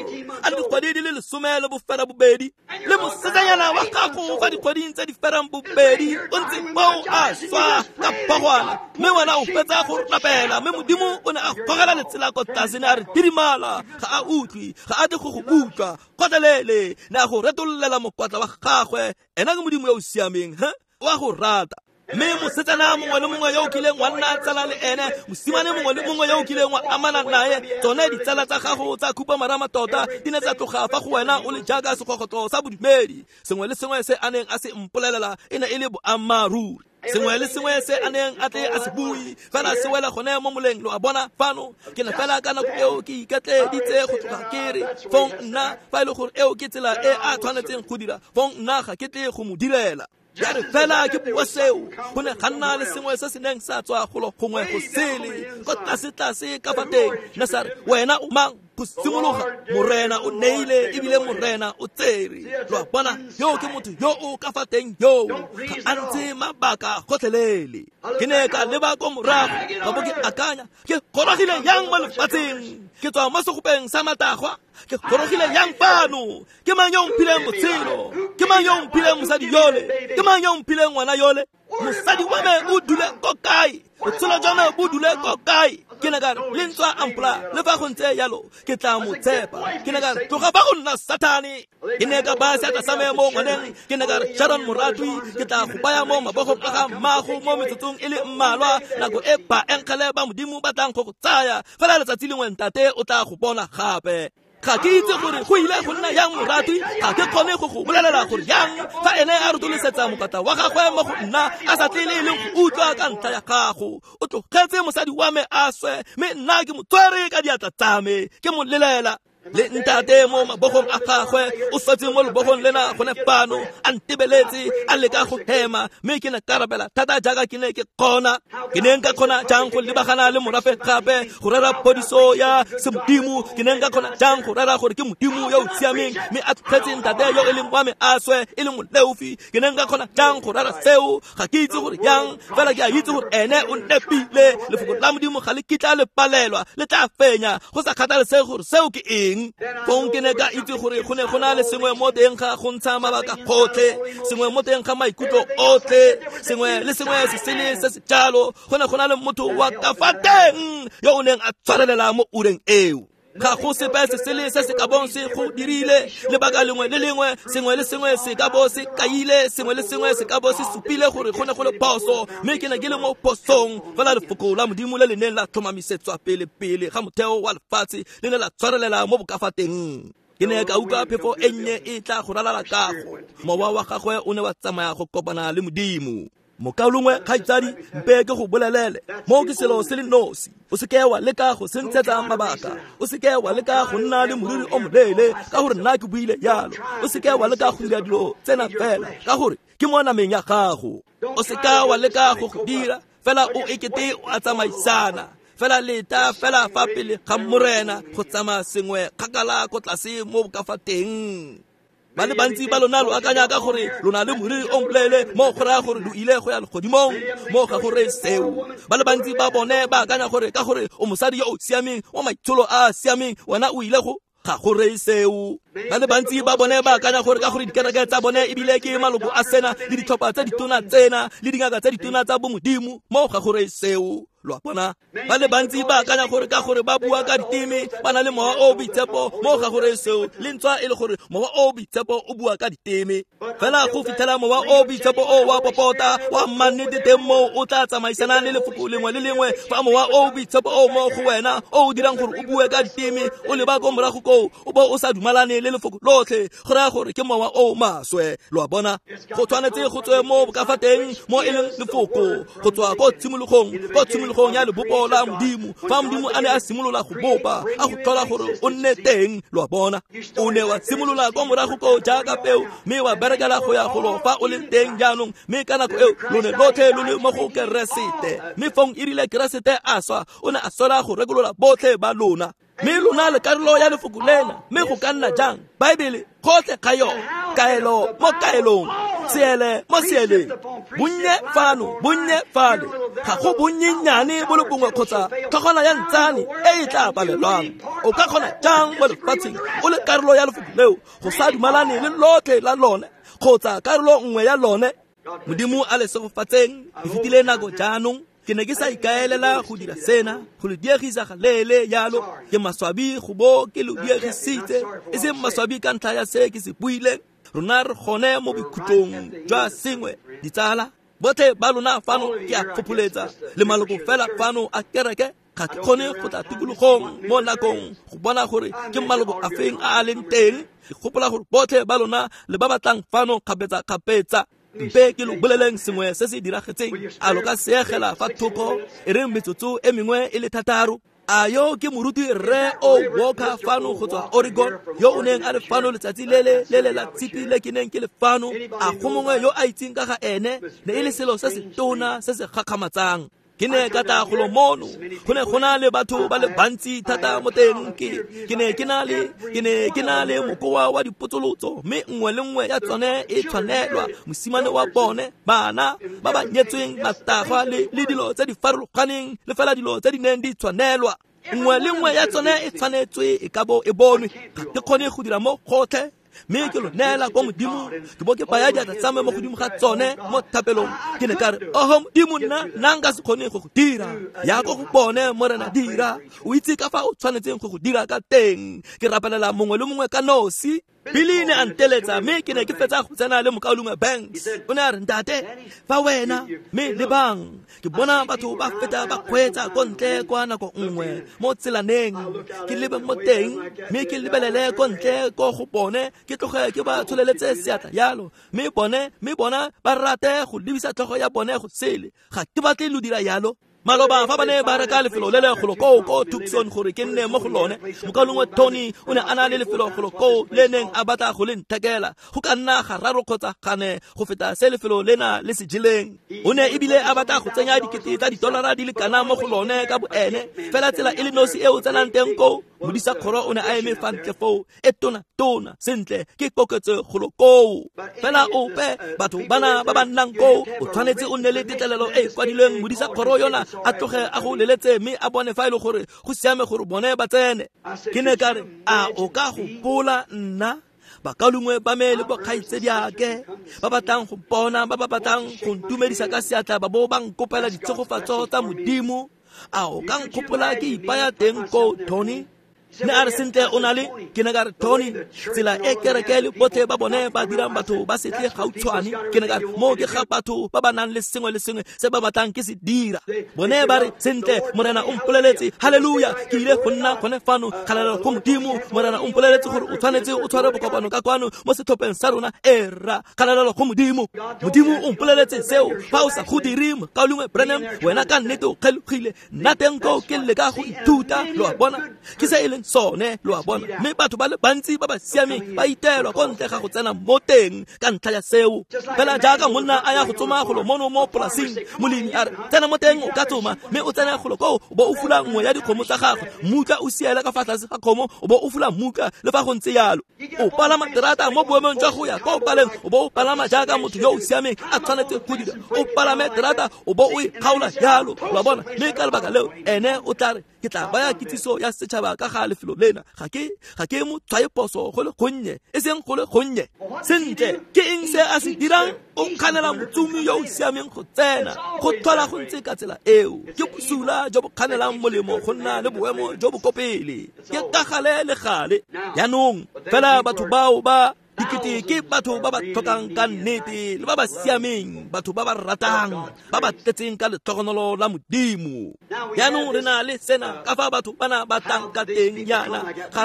a le dikgwedi di le 12, le mosetsanyana wa gago fa dikgweding tse di ferang bobedi o ntse foo a swa ka phogwana, mme wena o fetsa go rapela, mme Modimo o ne a gogela letsela ko tlase, ne a re didimala, ga a utlwe, ga a tle go go utlwa gotlhelele, ne a go retololela mokwatla wa gagwe. Ena ke Modimo yo o siameng, he? O a go rata. Mme mosetsana mongwe le mongwe yo o kileng wa nna tsala le ene, mosimane mongwe le mongwe yo o kileng wa amana naye, tsone ditsala tsa gago tsa khupamarama tota di ne tsa tloga fa go wena o le jaaka segogotlo sa bodumedi. Sengwe le sengwe se a neng a se mpolelela e ne e le boammaaruri. Sengwe le sengwe se a neng a tle a se bue fela se wela gone mo moleng. Lo a bona fano, ke ne fela ka nako eo ke iketleeditse go tloga ke re fong nna, fa e le gore eo ke tsela e a tshwanetseng go dira, fong nna ga ke tle go mo direla. Ya re fela ke bua seo, go ne ga nna le sengwe se se neng sa tswa golo gongwe go sele ko tlase-tlase ka fa teng, ne sa re, wena o mang? Go simologa, Morena o neile ebile Morena o tsere. Lo a bona, yo ke motho yo o ka fa teng yo ga a ntse mabaka gotlhelele. Ke ne ka leba ko morago ka bo ke akanya, ke gorogile yang mo lefatsheng? Ke tswa mo segopeng sa matagwa, ke gorogile yang fano? Ke mang yo o mphileng botshelo? Ke mang yo o mphileng mosadi yole? Ke mang yo o mphileng ngwana yole? Mosadi wa me o dule ko kae? Botshelo jwa me bo dule ko kae? Ke ne ka re, le ntswa a mpolaya, le fa go ntse jalo ke tla mo tshepa. Ke ne ka re, tloga fa go nna Satane. Ke ne ka baya seatla sa me mo ngwaneng, ke ne ka re, Sharon moratwi, ke tla go baya mo mabogong a ga mmago mo metsotsong e le mmalwa, nako e baengele ba Modimo ba tlang go go tsaya. Fela letsatsi lengwe ntate o tla go bona gape. Ga ke itse gore go ile go nna yang moratwi, ga ke kgone go go bolelela gore yang fa ene a rotolosetsa mokata wa gagwe mo go nna a sa tle le e leng go utlwa ka ntlha ya gago. O tlogetse mosadi wa me a swe, mme nna ke mo tshwere ka diatla tsa me, ke mo lelela. Le ntate mo mabogong a gagwe o swetse mo lebogong lena gone fano, a ntebeletse a leka go hema, mme ke ne ka rapela thata jaaka ke ne ke kgona. Ke ne nka kgona jang go lebagana le morafe gape go rera phodiso ya semodimo? Ke ne nka kgona jang go rera gore ke Modimo yo o siameng, mme a tlogetse ntate yo e leng wa me a swe e le moleofi? Ke ne nka kgona jang go rera seo? Ga ke itse gore yang, fela ke a itse gore ene o nepile. Lefoko la Modimo ga le kitla le palelwa, le tla fenya, go sa kgathalesege gore seo ke eng. Fong ke ne ka itse gore go ne go na le sengwe mo teng ga go ntsha mabaka gotlhe, sengwe mo teng ga maikutlo otlhe, sengwe le sengwe se sele se se jalo. Go ne go na le motho wa ka fa teng yo o neng a tshwarelela mo ureng eo. Ga go sepe se sele se se ka bong se go dirile. Lebaka lengwe le lengwe, sengwe le sengwe se ka bo se kaile, sengwe le sengwe se ka bo se supile gore go ne go le phoso, mme ke ne ke le mo phosong. Fela lefoko la Modimo le le neng la tlhomamisetswa pele pele ga motheo wa lefatshe le ne la tshwarelela mo bokafateng. Ke ne ka utlwa phefo e nnye e tla go ralala kago. Mowa wa gagwe o ne wa tsamaya go kopana le Modimo. Mokaulengwe kgaitsadi, mpe ke go bolelele, mo ke selo se le nosi. O seke wa leka go sentshetsa mabaka, o seke wa leka go nna le moriri o moleele ka gore nna ke buile jalo. O seke wa leka go dira dilo tsena fela ka gore ke mo nameng ya gago. O seka wa leka go go dira fela o ekete o a tsamaisana. Fela leta fela fa pele ga Morena go tsamaya sengwe kgakala ko tlase mo ka fa teng. Ba le bantsi ba lona lo akanya ka gore lona le moriri o moleele mo go raya gore lo ile go ya legodimong, mo ga gore seo. Ba le bantsi ba bone ba akanya gore ka gore o mosadi yo o siameng, o maitsholo a a siameng, wena o ile go ga gore seo. Ba le bantsi ba bone ba akanya gore ka gore dikereke tsa bone ebile ke maloko a sena le ditlhopha tsa ditona tsena le dingaka tsa ditona tsa bomodimo, mo ga gore seo. Lo a bona? Ba le bantsi ba akanya gore ka gore ba bua ka diteme ba na le mowa o boitshepo, mo ga gore seo. Le ntswa e le gore mowa o boitshepo o bua ka diteme, fela go fitlhela mowa o boitshepo o wa popota wa mannete teng moo o tla tsamaisana le lefoko lengwe le lengwe. Fa mowa o boitshepo o mo go wena o o dirang gore o bue ka diteme, o leba ko morago koo o bo o sa dumalane le lefoko lotlhe, go raya gore ke mowa o maswe. Lo a bona? Go tshwanetse go tswe mo ka fa teng mo e leng lefoko, go tswa ko tshimologong, ko tshimologong ya lebopo la Modimo. Fa Modimo a ne a simolola go bopa, a go tlhola gore o nne teng. Lo a bona? O ne wa simolola ko morago ko jaaka peo, mme wa berekela go ya golo fa o leng teng jaanong. Mme ka nako eo lo ne lotlhe lo le mo go Keresete. Mme fong e rile Keresete a swa, o ne a swela go rekolola botlhe ba lona. Mme lona le karolo ya lefoko lena. Mme go ka nna jang? Baebele gotlhe ga yone, kaelo mo kaelong, seele mo seeleng, bonnye fano, bonnye fale, ga go bonnyenyane bo le bongwe kgotsa tlhogwana ya ntsane e e tla palelwang. O ka kgona jang mo lefatsheng o le karolo ya lefoko leo go sa dumalane le lotlhe la lone kgotsa karolo nngwe ya lone? Modimo a le segofatseng. E fetile nako jaanong. Ke ne ke sa ikaelela go dira sena, go le diegisa ga leele jalo. Ke maswabi go bo ke lo diegisitse, e seng maswabi ka ntlha ya se ke se buileng. Rona re gone mo bokhutlong jwa sengwe, ditsala. Botlhe ba lona fano ke a fopholetsa, le maloko fela fano a kereke. Ga ke kgone go tla tikologong mo nakong go bona gore ke maloko a feng a a leng teng. Ke gopola gore botlhe ba lona le ba batlang fano kgapetsa-kgapetsa. Mpe ke lo boleleng sengwe se se diragetseng. A lo ka seegela fa thoko e reng metsotso e mengwe e le 6? A yo ke moruti Rre O Walker fano go tswa Oregon, yo o neng a le fano letsatsi le le la tshipi le ke neng ke le fano? A go mongwe yo a itseng ka ga ene? Ne e le selo se se tona se se gakgamatsang. Ke ne ka tla golo mono, go ne go na le batho ba le bantsi thata mo teng. Ke ne ke na le mokoa wa dipotsolotso, mme nngwe le nngwe ya tsone e tshwanelwa mosimane wa bone, bana ba ba nyetsweng, matagwa le dilo tse di farologaneng, le fela dilo tse di neng di tshwanelwa. Nngwe le nngwe ya tsone e tshwanetswe e ka bo e bonwe. Ga ke kgone go dira mo gotlhe, mme ke lo neela ko Modimo, ke bo ke baya diatla tsa me mo godimo ga tsone mo thapelong. Ke ne ka re, oho Modimo, nna nka se kgone go go dira. Ya ko go bone, Morena, dira. O itse ka fa o tshwanetseng go go dira ka teng. Ke rapelela mongwe le mongwe ka nosi. Billy ne a nteletsa, mme ke ne ke fetsa go tsena le mokaulengwe Banks. O ne a re, ntate, fa wena mme lebang, ke bona batho ba feta ba kgweetsa ko ntle kwa nako nngwe mo tselaneng. Ke lebe mo teng, mme ke lebelele ko ntle ko go bone, ke tloge ke ba tsholeletse seatla yalo, mme bona ba rate go lebisa tlhogo ya bone go sele. Ga ke batle lo dira yalo. Maloba fa ba ne ba reka lefelo le le golo koo ko Tucson gore ke nne mo go lone, mokaulengwe Tony o ne a na le lefelo golo koo le neng a batla go le nthekela, go ka nna gararo kgotsa gane go feta se lefelo lena le se jeleng. O ne ebile a batla go tsenya dikete tsa didolara di le kana mo go lone ka boene, fela tsela e le nosi e o tsenang teng koo, modisa kgoro o ne a eme fa ntle foo, e tona sentle ke koketso golo koo. Fela ope batho bana ba ba nnang koo, o tshwanetse o nne le tetlelelo e kwadilweng modisa kgoro yona a tloge a go leletse mme a bone fa e le gore go siame gore bone ba tsene. Ke ne ka re, a o ka gopola nna bakaulengwe ba me le bokgaitsediake ba batlang go mpona, ba ba batlang go ntumedisa ka seatla ba bo ba nkopela ditshegofatso tsa Modimo? A o ka nkgopola ke ipaya teng ko, Tony? Ne a re sentle o na le ke ne ka re Tony tsela e kereke le botlhe ba bone ba dirang batho ba setle gautshwane ke ne ka re moo ke ga batho ba ba nang le sengwe le sengwe se ba batlang ke se dira bone ba re sentle morena o mpoleletse haleluya ke ile go nna gone fano kgalalelo go modimo morena o mpoleletse gore o tshwanetse o tshware bokopano ka kwano mo setlhopheng sa rona era kgalalelo go modimo modimo o mpoleletse seo fa o sa go dire mokaulengwe Branham wena ka nnete o kgelogile nna teng koo ke leka go ithuta lo a bona ke se e leng sone lo a bona mme batho ba le bantsi ba ba siameng ba itelwa ko ntle ga go tsena mo teng ka ntlha ya seo fela jaaka monna a ya go tsoma golo mono mo polasing molemi a re tsena mo teng o ka tsoma mme o tsena golo koo o bo o fula nngwe ya dikgomo tsa gagwe mmutla o siela ka fa tlase ga kgomo o bo o fula mmutla le fa go ntse yalo o palama terata mo boemong jwa go ya ko paleng o bo o palama jaaka motho yo o siameng a tshwanetse go dira o palame terata o bo o e kgaola jalo lo a bona mme ka lebaka leo ene o tla re ke tla baya kitsiso ya setšhaba ka ga lefelo lena ga ke mo tshwaye phoso go le gonnye e seng go le gonnye sentle ke eng se a se dirang o kganela motsomi yo o siameng go tsena go tlhola go ntse ka tsela eo ke bosula jo bo kganelang molemo go nna le boemo jo bo ko pele ke ka gale le gale jaanong fela batho bao ba dikete ke batho ba ba tlhokang ka nnete le ba ba siameng batho ba ba ratang ba ba tletseng ka letlhogonolo la modimo jaanong re na le sena ka fa batho bana ba tlang ka teng yana ga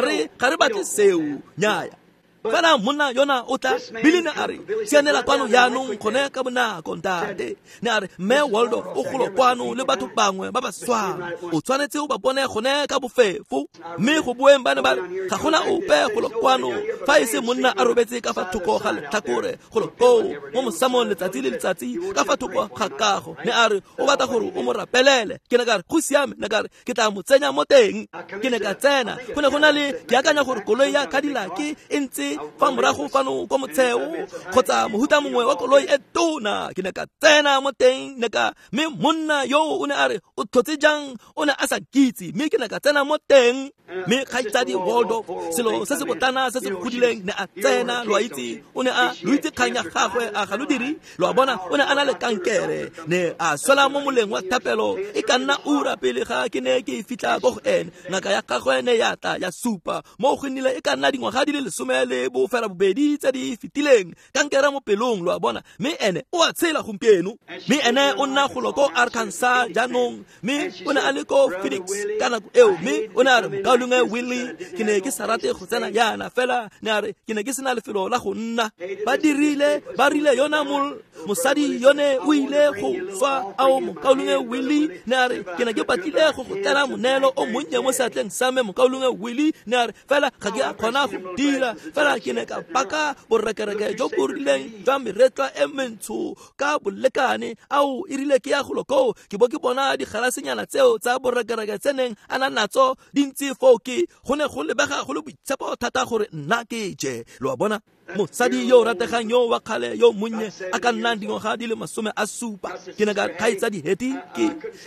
re batle seo nyaya fela monna yona o tla Billy ne a re sianela kwano jaanong gone ka bonako ntate ne a re mme Waldorf o golo kwano le batho bangwe ba ba swang o tshwanetse o ba bone gone ka bofefo mme go boeng ba ne ba re ga gona ope golo kwano fa e se monna a robetse ka fa thoko ga letlhakore golo koo mo mosamong letsatsi le letsatsi ka fa thoko ga kago ne a re o batla gore o mo rapelele ke ne ka re go siame ne ka re ke tla mo tsenya mo teng ke ne ka tsena go ne go na le ke akanya gore koloi ya Cadillac e ntse fa morago fano ko motsheo kgotsa mohuta mongwe wa koloi e tona ke ne ka tsena mo teng ne ka mme monna yo o ne a re o tlhotse jang o ne a sa kitse mme ke ne ka tsena mo teng mme kgaitsadi Waldorf selo se se botlana se se godileng ne a tsena lo a itse o ne a lo itse kgang ya gagwe a ga lo dire lo a bona o ne a na le kankere ne a swela mo moleng wa thapelo e ka nna ura pele ga ke ne ke fitlha ko go ene ngaka ya gagwe ne ya tla ya supa mo go nnile e ka nna dingwaga di le 18 tse di fetileng kankere mo pelong lo a bona mme ene o a tshela gompieno mme ene o nna golo ko Arkansas jaanong mme o ne a le ko Phoenix ka nako eo mme o ne a re mokaulengwe Willie ke ne ke sa rate go tsena yana fela ne a re ke ne ke sena lefelo la go nna ba dirile ba rile yona mosadi yone o ile go swa ao mokaulengwe Willie ne a re ke ne ke batlile go go tlela moneelo o monnye mo seatleng sa me mokaulengwe Willie ne a re fela ga ke a kgona go dira fela ke ne ka baka borekereke jo bo rileng jwa meretlwa e mentsho ka bolekane ao e rile ke ya golo koo ke bo ke bona digalasenyana tseo tsa borekereke tse neng a na natso di ntse foo ke go ne go lebega go le boitshepo thata gore nna ke je lo a bona mosadi yo o rategang yo wa kgale yo monnye a ka nnang dingwaga di le 70 ke ne ka kgaitsadi Heti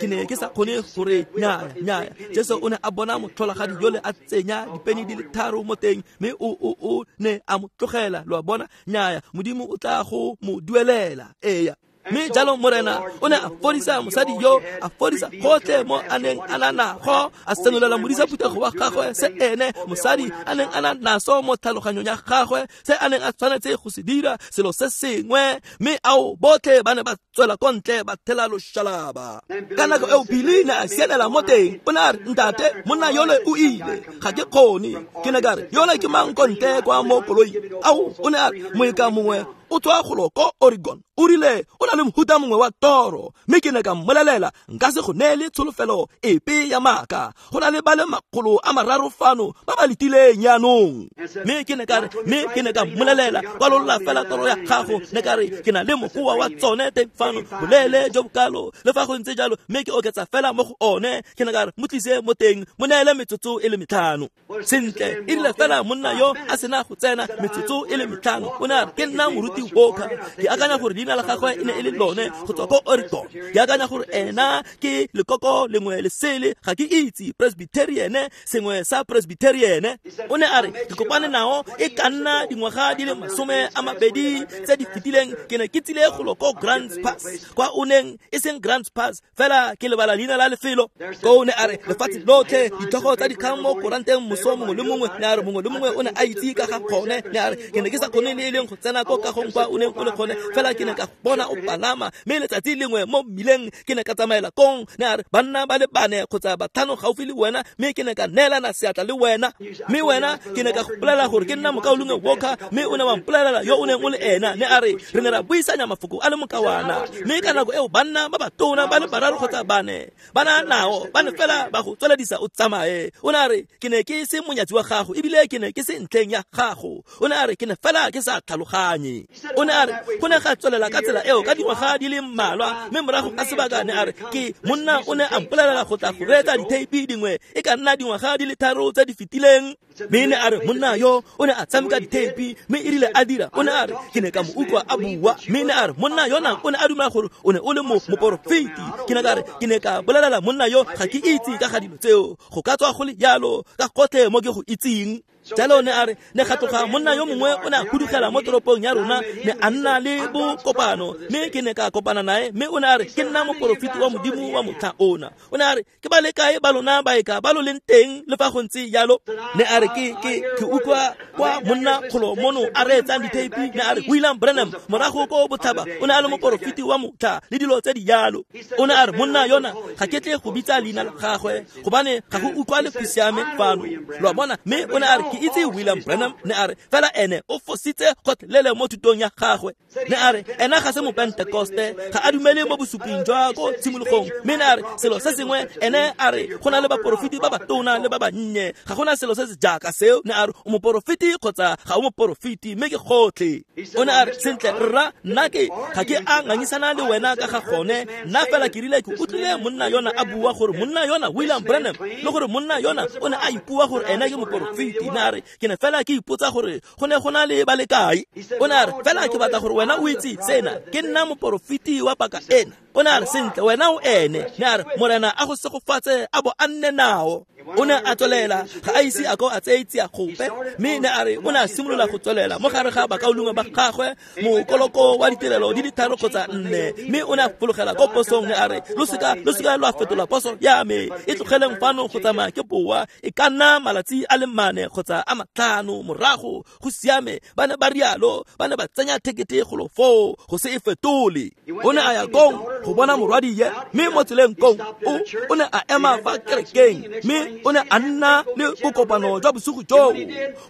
ke ne ke sa kgone gore nyaya Jesu o ne a bona motlholagadi yole a tsenya dipeni di le 3 mo teng mme o ne a mo tlogela lo a bona nyaya modimo o tla go mo duelela eya mme jalo morena o ne a fodisa mosadi yo a fodisa gotlhe mo a neng a na nago a senolela modisa phuthego wa gagwe se ene mosadi a neng a na naso mo tlhaloganyong ya gagwe se a neng a tshwanetse go se dira selo se sengwe mme ao botlhe ba ne ba tswela ko ntle ba thela loshalaba ka nako eo Billy ne a sianela mo teng o ne a re ntate monna yole o ile ga ke kgone ke ne ka re yole ke mang ko ntle kwa mo koloing ao o ne a re moeka mongwe o tswa golo ko Oregon o rile o na le mohuta mongwe wa toro mme ke ne ka mmolelela nka se go neele tsholofelo epe ya maaka go na le ba le 300 fano ba ba letileng jaanong mme ke ne ka re mme ke ne ka mmolelela kwalolla fela toro ya gago ne ka re ke na le mogoa wa tsone teng fano boleele jo bokalo le fa go ntse jalo mme ke oketsa fela mo go one ke ne ka re mo tlise mo teng mo neele metsotso e le 5 sentle e rile fela monna yo a sena go tsena metsotso e le 5 o ne a re ke nna moruti Moporofiti Walker, ke akanya gore leina la gagwe e ne e le lone go tswa ko Oregon. Ke akanya gore ena ke lekoko lengwe le sele, ga ke itse, Presbyterian, sengwe sa Presbyterian. O ne a re ke kopane nao e ka nna dingwaga di le 20 tse di fetileng, ke ne ke tsile go ko Grants Pass, kwa o neng e seng Grants Pass fela ke lebala leina la lefelo. Ko o ne a re lefatshe lotlhe ditlhogo tsa dikgang mo koranteng moso mongwe le mongwe, ne a re mongwe le mongwe o ne a itse ka ga gone. Ne a re ke ne ke sa kgone le e leng go tsena ko kagong kwa o neng o le gone, fela ke ne ka bona o palama, mme letsatsi lengwe mo mmileng ke ne ka tsamaela kong. Ne a re banna ba le 4 kgotsa 5 gaufi le wena, mme ke ne ka neelana seatla le wena, mme wena ke ne ka go bolelela gore ke nna mokaulengwe Walker, mme o ne wa mpolelela yo o neng o le ena. Ne a re re ne ra buisanya mafoko a le mokawana, mme ka nako eo banna ba batona ba le 3 kgotsa 4 ba na nao ba ne fela ba go tsweledisa o tsamaye. O ne a re ke ne ke se monyatsi wa gago ebile ke ne ke se ntlheng ya gago. O ne a re ke ne fela ke sa tlhaloganye. O ne a re go ne ga tswelela ka tsela eo ka dingwaga di le mmalwa, mme morago ga sebaka ne a re ke monna o ne a mpolelela go tla go reetsa ditheipi dingwe e ka nna dingwaga di le 3 tse di fetileng. Mme ne a re monna yo o ne a tshameka ditheipi, mme e rile a dira o ne a re ke ne ka mo utlwa a bua, mme ne a re monna yona o ne a dumela gore o ne o le moporofeti. Ke ne ka re ke ne ka bolelela monna yo ga ke itse ka ga dilo tseo, go ka tswa go le jalo ka gotlhe mo ke go itseng. Jalo ne a re ne ga tloga monna yo mongwe o ne a hudugela mo toropong ya rona, ne a nna le bokopano, mme ke ne ka kopana nae, mme o ne a re ke nna moporofeti wa Modimo wa motlha ona. O ne a re ke ba le kae ba lona baeka ba lo leng teng le fa go ntse jalo? Ne a re ke utlwa kwa monna kgolo mono a reetsang ditheipi. Ne a re William Branham morago ko botlhaba o ne a le moporofeti wa motlha le dilo tse di jalo. O ne a re monna yona ga ke tle go bitsa leina la gagwe gobane ga go utlwa le go siame fano, lo a bona. Mme o ne a re ke itse William Branham, ne a re fela ene o fositse gotlhelele mo thutong ya gagwe. Ne a re ena ga se mopentekoste, ga a dumele mo bosuping jwa ko tshimologong, mme ne a re selo se sengwe ene a re go na le baporofeti ba batona le ba bannye, ga gona selo se se jaaka seo. Ne a re o moporofeti kgotsa ga o moporofeti, mme ke gotlhe. O ne a re sentle rra, nna ke ga ke a ngangisana le wena ka ga gone, nna fela ke rile ke utlwile monna yona a bua gore monna yona William Branham le gore monna yona o ne a ipua gore ena ke moporofeti. Ne a re ke ne fela ke ipotsa gore go ne go na le ba le kae. O ne a re fela ke batla gore wena o itse sena, ke nna moporofeti wa paka ena. O ne a re sentle wena o ene. Ne a re Morena a go segofatse a bo a nne nao. O ne a tswelela, ga a ise a ko a tseye tsia gope, mme ne a re o ne a simolola go tswelela mo gare ga bakaulengwe ba gagwe mokoloko wa ditirelo di le 3 kgotsa 4, mme o ne a fologela ko posong. Ne a re lo seka lwa fetola poso ya me, e tlogeleng fano go tsamaya ke boa, e ka nna malatsi a le 4 kgotsa a 5 morago, go siame. Ba ne ba rialo, ba ne ba tsenya thekete golo foo go se e fetole. O ne a ya kong go bona morwadie, mme mo tseleng kong o ne a ema fa kerekeng, mme o ne a nna le bokopano jwa bosigo joo.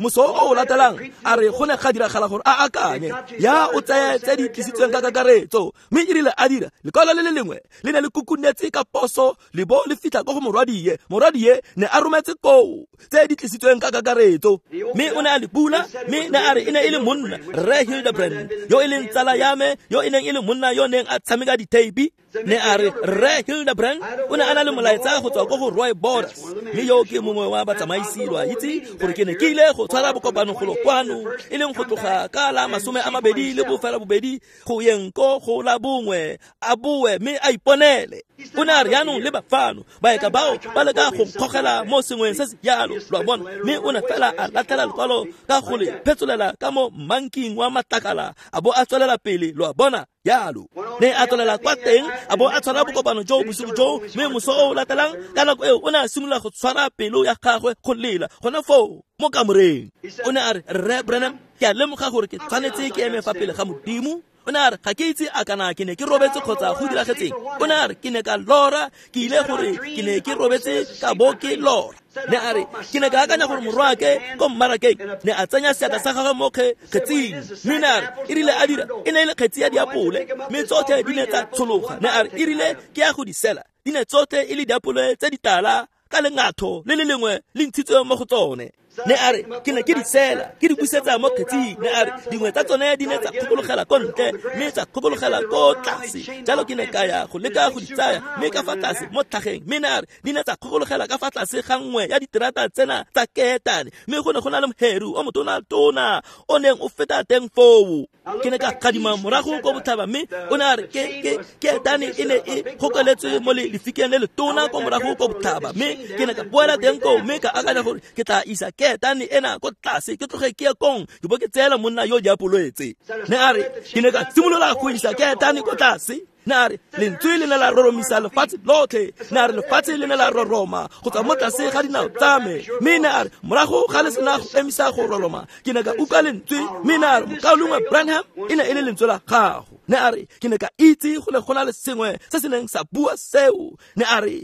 Moso o o latelang a re go ne ga diragala gore a akanye ya o tseye tse di tlisitsweng ka kakaretso, mme e rile a dira lekwalo le le lengwe le ne le kukunetse ka poso le bo le fitlha ko go morwadie. Morwadie ne a rometse koo tse di tlisitsweng ka kakaretso, mme o ne a le bula, mme ne a re e ne e le monna Rre Hildebrand yo e leng tsala ya me, yo e neng e le monna yo neng a tshameka ditheipi. Ne a re Rre Hildebrand o ne a na le molaetsa go tswa ko go Roy Borders, mme yo ke mongwe wa batsamaisi, lo a itse gore ke ne ke ile go tshwara bokopano golo kwano, e leng go tloga ka la 28 go yeng ko go la 1, a boe mme a iponele. O ne a re jaanong le bafano baeka bao ba leka go nkgogela mo sengweng se se jalo, lo a bona. Mme o ne fela a latlhela lekwalo ka go le phetsolela ka mo mmanking wa matlakala a bo a tswelela pele, lo a bona jalo. Ne a tswelela kwa teng a bo a tshwara bokopano joo bosigo joo, mme moso o o latelang ka nako eo o ne a simolola go tshwara pelo ya gagwe go lela gone foo mo kamoreng. O ne a re Rre Branham, ke a lemoga gore ke tshwanetse ke eme fa pele ga Modimo. O ne a re ga ke itse a kana ke ne ke robetse kgotsa go diragetseng. O ne a re ke ne ka lora, ke ile gore ke ne ke robetse ka bo ke lora. Ne a re ke ne ka akanya gore morwake ko mmarakeng ne a tsenya seatla sa gagwe mo kgetsing, mme ne a re e rile a dira e ne e le kgetsi ya diapole, mme tsotlhe di ne tsa tshologa. Ne a re e rile ke ya go di sela, di ne tsotlhe e le diapole tse ditala ka lengatho le le lengwe le ntshitswe mo go tsone. Ne a re ke ne ke di sela ke di busetsa mo kgetsing. Ne a re dingwe tsa tsone di ne tsa kgokologela ko ntle mme tsa kgokologela ko tlase. Jalo ke ne ka ya go leka go di tsaya mme ka fa tlase mo tlhageng, mme ne a re di ne tsa kgokologela ka fa tlase ga nngwe ya diterata tsena tsa ketane, mme go ne go na le moheru o motona-tona o neng o feta teng foo. Ke ne ka gadima morago ko botlhaba, mme o ne a re ketane e ne e gokeletswe mo lefikeng le letona ko morago ko botlhaba. Mme ke ne ka boela teng koo mme ka akanya gore ke tla isa ketane ena ko tlase, ke tloge ke ye kong ke bo ke tseela monna yo diapolwetse. Ne a re ke ne ka simolola go isa ketane ko tlase. Ne a re lentswe le ne la roromisa lefatshe lotlhe. Ne a re lefatshe le ne la roroma go tswa mo tlase ga dinao tsa me. Mme ne a re morago ga le sena go emisa go roroma, ke ne ka utlwa lentswe. Mme ne a re mokaulengwe Branham, e ne e le lentswe la gago. Ne a re ke ne ka itse go ne go na le sengwe se se neng sa bua seo. Ne a re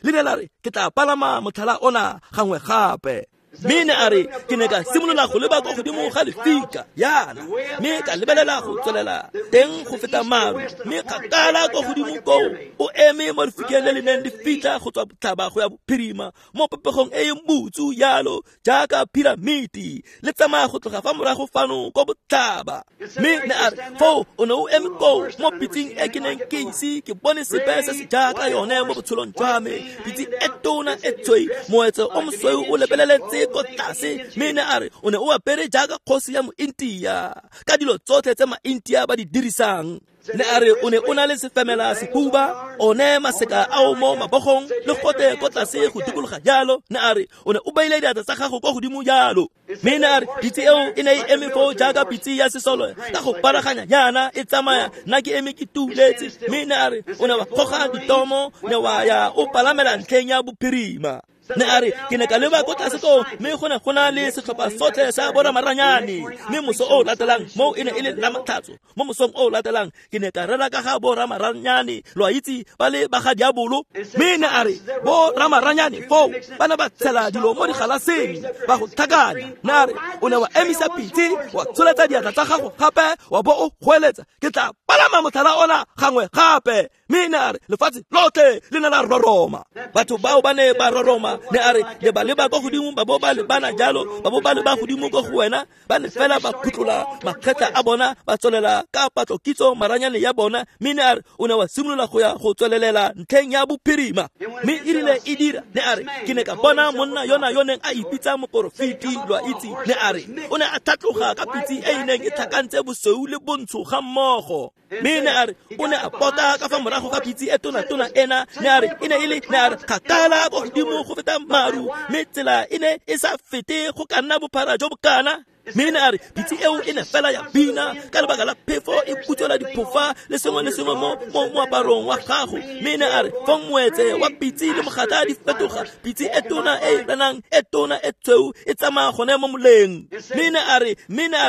le ne la re ke tla palama motlhala ona gangwe gape. Mme ne a re ke ne ka simolola go leba ko godimo ga lefika yana, mme ka lebelela go tswelela teng go feta maru, mme kgakala ko godimo koo o eme mo lefikeng le le neng le fitlha go tswa botlhaba go ya bophirima mo popegong e e butsu yalo jaaka piramiti, le tsamaya go tloga fa morago fano ko botlhaba. Mme ne a re foo o ne o eme koo mo pitsing e ke neng ke ise ke bone sepe se se jaaka yone mo botshelong jwa me, pitse e tona e tshweu, moetse o mosweu o lebeleletse ko tlase. Mme ne a re o ne o apere jaaka kgosi ya mointia ka dilo tsotlhe tse maintia ba di dirisang. Ne a re o ne o na le sefemela sehuba, one maseka ao mo mabogong le gote ko tlase go dikologa jalo. Ne a re o ne o beile diatla tsa gago ko godimo jalo. Mme ne a re pitse eo e ne e eme foo jaaka pitse ya sesole ka go paraganya yana e tsamaya, nna ke eme ke tuletse. Mme ne a re o ne wa goga ditomo, ne wa ya o palamela ntlheng ya bophirima. Ne a re ke ne ka leba ko tlase koo, mme go ne go na le setlhopha sotlhe sa boramaranyane. Mme moso o latelang moo e ne e le la matlhatso, mo mosong o latelang ke ne ka rera ka ga boramaranyane, lo a itse ba le ba ga diabolo. Mme ne a re boramaranyane foo ba ne ba tshela dilo mo digalaseng ba go tlhakanya. Ne a re o ne wa emisa pitse, wa tsholetsa diatla tsa gago gape, wa bo o goeletsa ke tla palama motlhala ona gangwe gape. Mme ne a re lefatshe lotlhe le ne la roroma. Batho bao ba ne ba roroma. Ne a re le ba leba ko godimo, ba bo ba lebana jalo, ba bo ba leba godimo ko go wena, ba ne fela ba phutlola makgetla a bona, ba tswelela ka patlokitso maranyane ya bona. Mme ne a re o ne wa simolola go ya go tswelelela ntlheng ya bophirima. Mme e rile e dira, ne a re ke ne ka bona monna yona yo neng a ipitsa moporofeti, lo a itse. Ne a re o ne a tlhatloga ka pitse e e neng e tlhakantse bosweu le bontsho ga mmogo. Mme ne a re o ne a pota ka fa morago ga pitse e tona-tona ena. Ne a re e ne e le, ne a re kgakala ko godimo go feta maru, mme tsela e ne e sa fete go ka nna bophara jo bokana. Mme ne a re pitse eo e ne fela ya bina ka lebaka la phefo e butswela diphofa le sengwe le sengwe mo moaparong wa gago. Mme ne a re fong moetse wa pitse le mogatla di fetoga, pitse e tona e renang e tona e tshweu e tsamaya gone mo moleng. Mme ne a re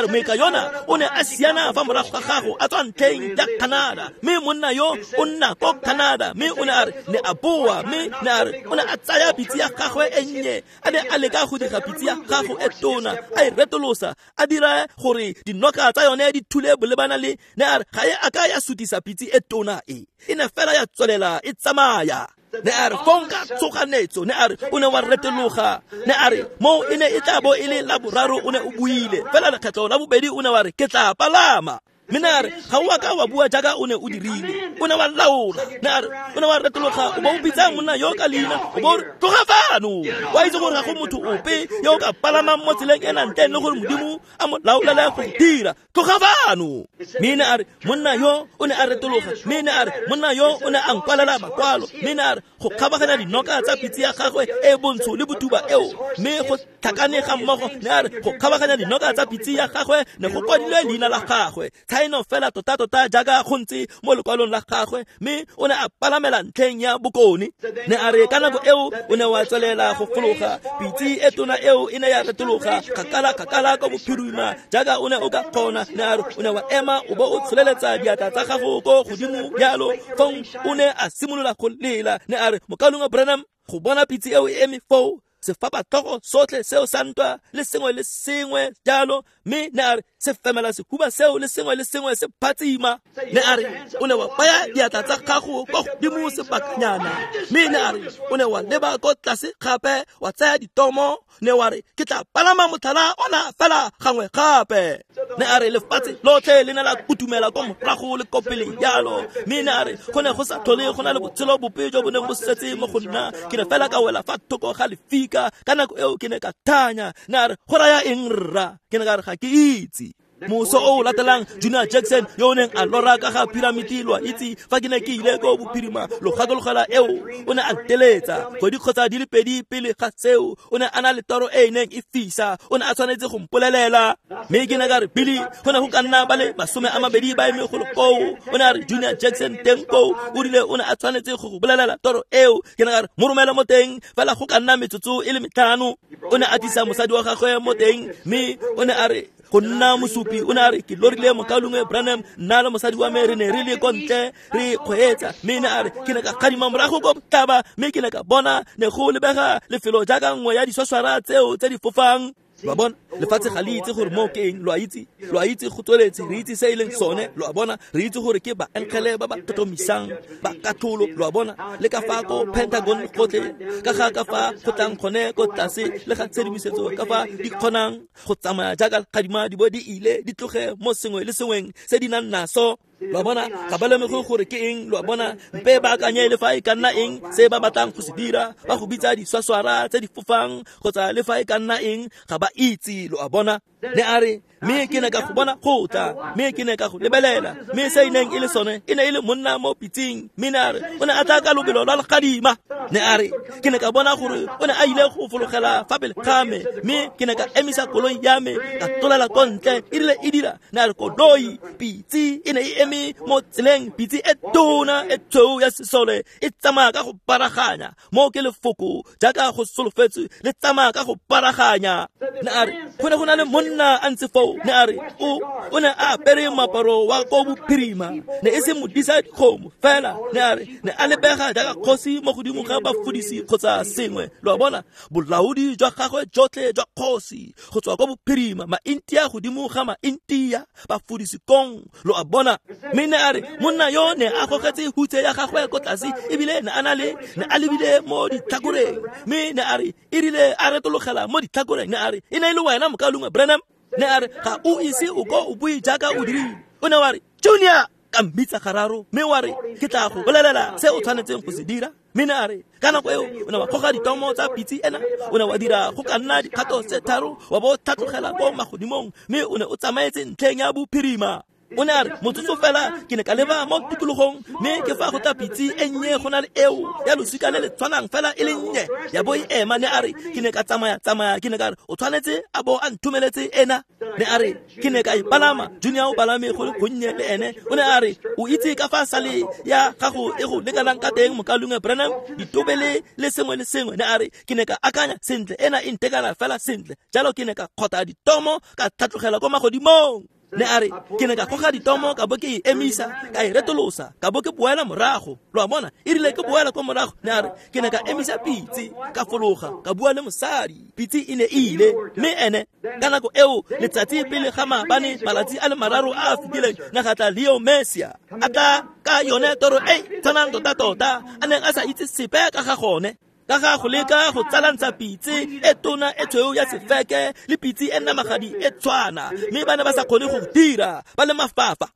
moeka yona o ne a siana fa morago ga gago a tswa ntlheng ya Canada, mme monna yo o nna ko Canada. Mme o ne a re ne a boa, mme ne a re o ne a tsaya pitse ya gagwe e nnye, a ne a leka go dira pitse ya gago e tona, a e retolosa, a dira gore dinoka tsa yone di thule bolebana le. Ne a re ga e a ka ya sutisa pitse e tona e, e ne fela ya tswelela e tsamaya. Ne a re fong ka tshoganetso, ne a re o ne wa retologa. Ne a re mo e ne e tla bo e le la boraro o ne o buile, fela lekgetlo la bobedi o ne wa re ke tla palama. Mme ne a re ga o a ka wa bua jaaka o ne o dirile, o ne wa laola. Ne a re o ne wa retologa, o bo o bitsa monna yo ka leina, o bo o re tloga fano. Wa itse gore ga go motho ope yo o ka palamang mo tseleng ena ntleng le gore Modimo a mo laolele go dira, tloga fano. Mme ne a re monna yo o ne a retologa, mme ne a re monna yo o ne a nkwalela makwalo. Mme ne a re go kgabaganya dinoka tsa pitse ya gagwe e bontsho le botuba eo, mme go tlhakane ga mmogo. Ne a re go kgabaganya dinoka tsa pitse ya gagwe ne go kwadilwe leina la gagwe, tshaeno fela tota-tota jaaka go ntse mo lekwalong la gagwe. Mme o ne a palamela ntlheng ya bokone. Ne a re ka nako eo o ne wa tswelela go fologa, pitse e tona eo e ne ya retologa kgakala-kgakala ko bophirima jaaka o ne o ka kgona. Ne a re o ne wa ema o bo o tsholeletsa diatla tsa gago ko godimo jalo, fong o ne a simolola go lela. Ne a re mokaulengwe Branham, go bona pitse eo e eme foo Sefapatlhogo sotlhe seo sa ntwa le sengwe le sengwe jalo, mme ne a re se femela sehuba seo le sengwe le sengwe se phatsima. Ne a re o ne wa baya diatla tsa gago kwa godimo sebakanyana, mme ne a re o ne wa leba ko tlase gape wa tsaya ditomo, ne wa re ke tla palama motlhala ona fela gangwe gape. Ne a re lefatshe lotlhe le ne la kutumela kwa morago le ko pele jalo, mme ne a re go ne go sa tlhole go na le botshelo bope jo bo neng bo setse mo go nna, ke ne fela ka wela fa thoko ga lefika. Ka nako eo ke ne ka thanya. Ne a re go raya eng rra? Ke ne ka re ga ke itse. Moso o latelang Junior Jackson yo o neng a lora ka ga piramiti, lo a itse fa ke ne ke ile ko bophirima lo gakologela eo, o ne a nteletsa kgwedi kgotsa di le pedi pele ga seo. O ne a na le toro e e neng e fisa, o ne a tshwanetse go mpolelela. Mme ke ne ka re Billy, go ne go ka nna ba le 20 ba eme golo koo. O ne a re Junior Jackson teng koo, o rile o ne a tshwanetse go go bolelela toro eo. Ke ne ka re mo romele mo teng fela go ka nna metsotso e le 5. O ne a tlisa mosadi wa gagwe mo teng, mme o ne a re go nna mosupi. O ne a re ke lorile mokaulengwe Branham, nna le mosadi wa me re ne re le ko ntle re kgweetsa, mme ne a re ke ne ka kgadima morago ko botlhaba, mme ke ne ka bona ne go lebega lefelo jaaka nngwe ya diswaswara tseo tse di fofang. Lo a bona, lefatshe ga le itse gore moo ke eng, lo a itse, lo a itse go tsweletse, re itse se e leng sone, lo a bona, re itse gore ke baengele ba ba tlhotlhomisang ba katlholo, lo a bona, le ka fa ko Pentagon gotlhe, ka ga ka fa go tlang gone ko tlase le ga tshedimosetso ka fa di kgonang go tsamaya jaaka kgadima di bo di ile di tloge mo sengwe le sengweng se di nang naso. Lo a bona, ga ba lemoge gore ke eng, lo a bona, mpe ba akanye le fa e ka nna eng se ba batlang go se dira, ba go bitsa diswaswara tse di fofang kgotsa le fa e ka nna eng, ga ba itse, lo a bona. Ne a re mme ke ne ka go bona go tla, mme ke ne ka go lebelela, mme se e neng e le sone e ne e le monna mo pitseng, mme ne a re o ne a tla ka lobelo lwa legadima. Ne a re ke ne ka bona gore o ne a ile go fologela fa pele ga me, mme ke ne ka emisa koloi ya me ka tlolela ko ntle. E rile e dira, ne a re koloi pitse e ne e eme mo tseleng, pitse e tona e tshweu ya sesole e tsamaya ka go paraganya, mo ke lefoko jaaka go solofetswe le tsamaya ka go paraganya. Ne a re go ne go na le monna a ntse foo, ne a re o ne a apere moaparo wa ko bophirima, ne e se modisa dikgomo fela, ne a re ne a lebega jaaka kgosi mo godimo ga bafudisi kgotsa sengwe, lo a bona, bolaodi jwa gagwe jotlhe jwa kgosi go tswa ko bophirima, maintia godimo ga maintia, bafudisi kong, lo a bona. Mme ne a re monna yo ne a gogetse hutse ya gagwe ko tlase, ebile ne a na le ne a lebile mo ditlhakoreng, mme ne a re e rile a retologela mo ditlhakoreng, ne a re e ne e le wena mokaulengwe Branham. Ne a re ga o ise o ko o bue jaaka o dirile. O ne wa re Junior, ka mmitsa gararo, mme wa re ke tla go bolelela se o tshwanetseng go se dira. Mme ne a re ka nako eo o ne wa goga ditomo tsa pitse ena, o ne wa dira go ka nna dikgato tse 3, wa bo tlhatlogela ko magodimong, mme o ne o tsamaetse ntlheng ya bophirima. O ne a re motsotso fela ke ne ka leba mo tikologong, mme ke fa go tla pitse e nnye go na le eo ya losika le le tshwanang fela e le nnye ya bo e ema. Ne a re ke ne ka tsamaya tsamaya, ke ne ka re o tshwanetse a bo a nthomeletse ena. Ne a re ke ne ka e palama, Junior o palame go le gonnye le ene. O ne a re o itse ka fa sale ya gago e go lekanang ka teng mokaulengwe Branham, ditobele le sengwe le sengwe. Ne a re ke ne ka akanya sentle, ena e ntekana fela sentle, jalo ke ne ka kgotha ditomo ka tlhatlogela ko magodimong. Ne a re ke ne ka goga ditomo ka bo ke e emisa, ka e retolosa, ka bo ke boela morago, lo a bona. E rile ke boela ko morago, ne a re ke ne ka emisa pitse, ka fologa, ka bua le mosadi, pitse e ne e ile. Mme ene ka nako eo letsatsi pele ga maabane, malatsi a le 3 a a fetileng, ne ga tla Leo Messia a tla ka yone toro e tshwanang tota-tota a neng a sa itse sepe ka ga gone, ka ga go leka go tsalantsha pitse e tona e tshweu ya sefeke le pitse e namagadi e tshwana, mme ba ne ba sa kgone go dira, ba le mafafa.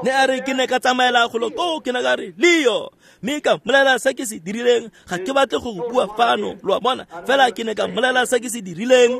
Ne a re ke ne ka tsamaela golo koo, ke ne ka re Leo, mme ka mmolelela se ke se dirileng. Ga ke batle go go bua fano, lo a bona, fela ke ne ka mmolelela se ke se dirileng.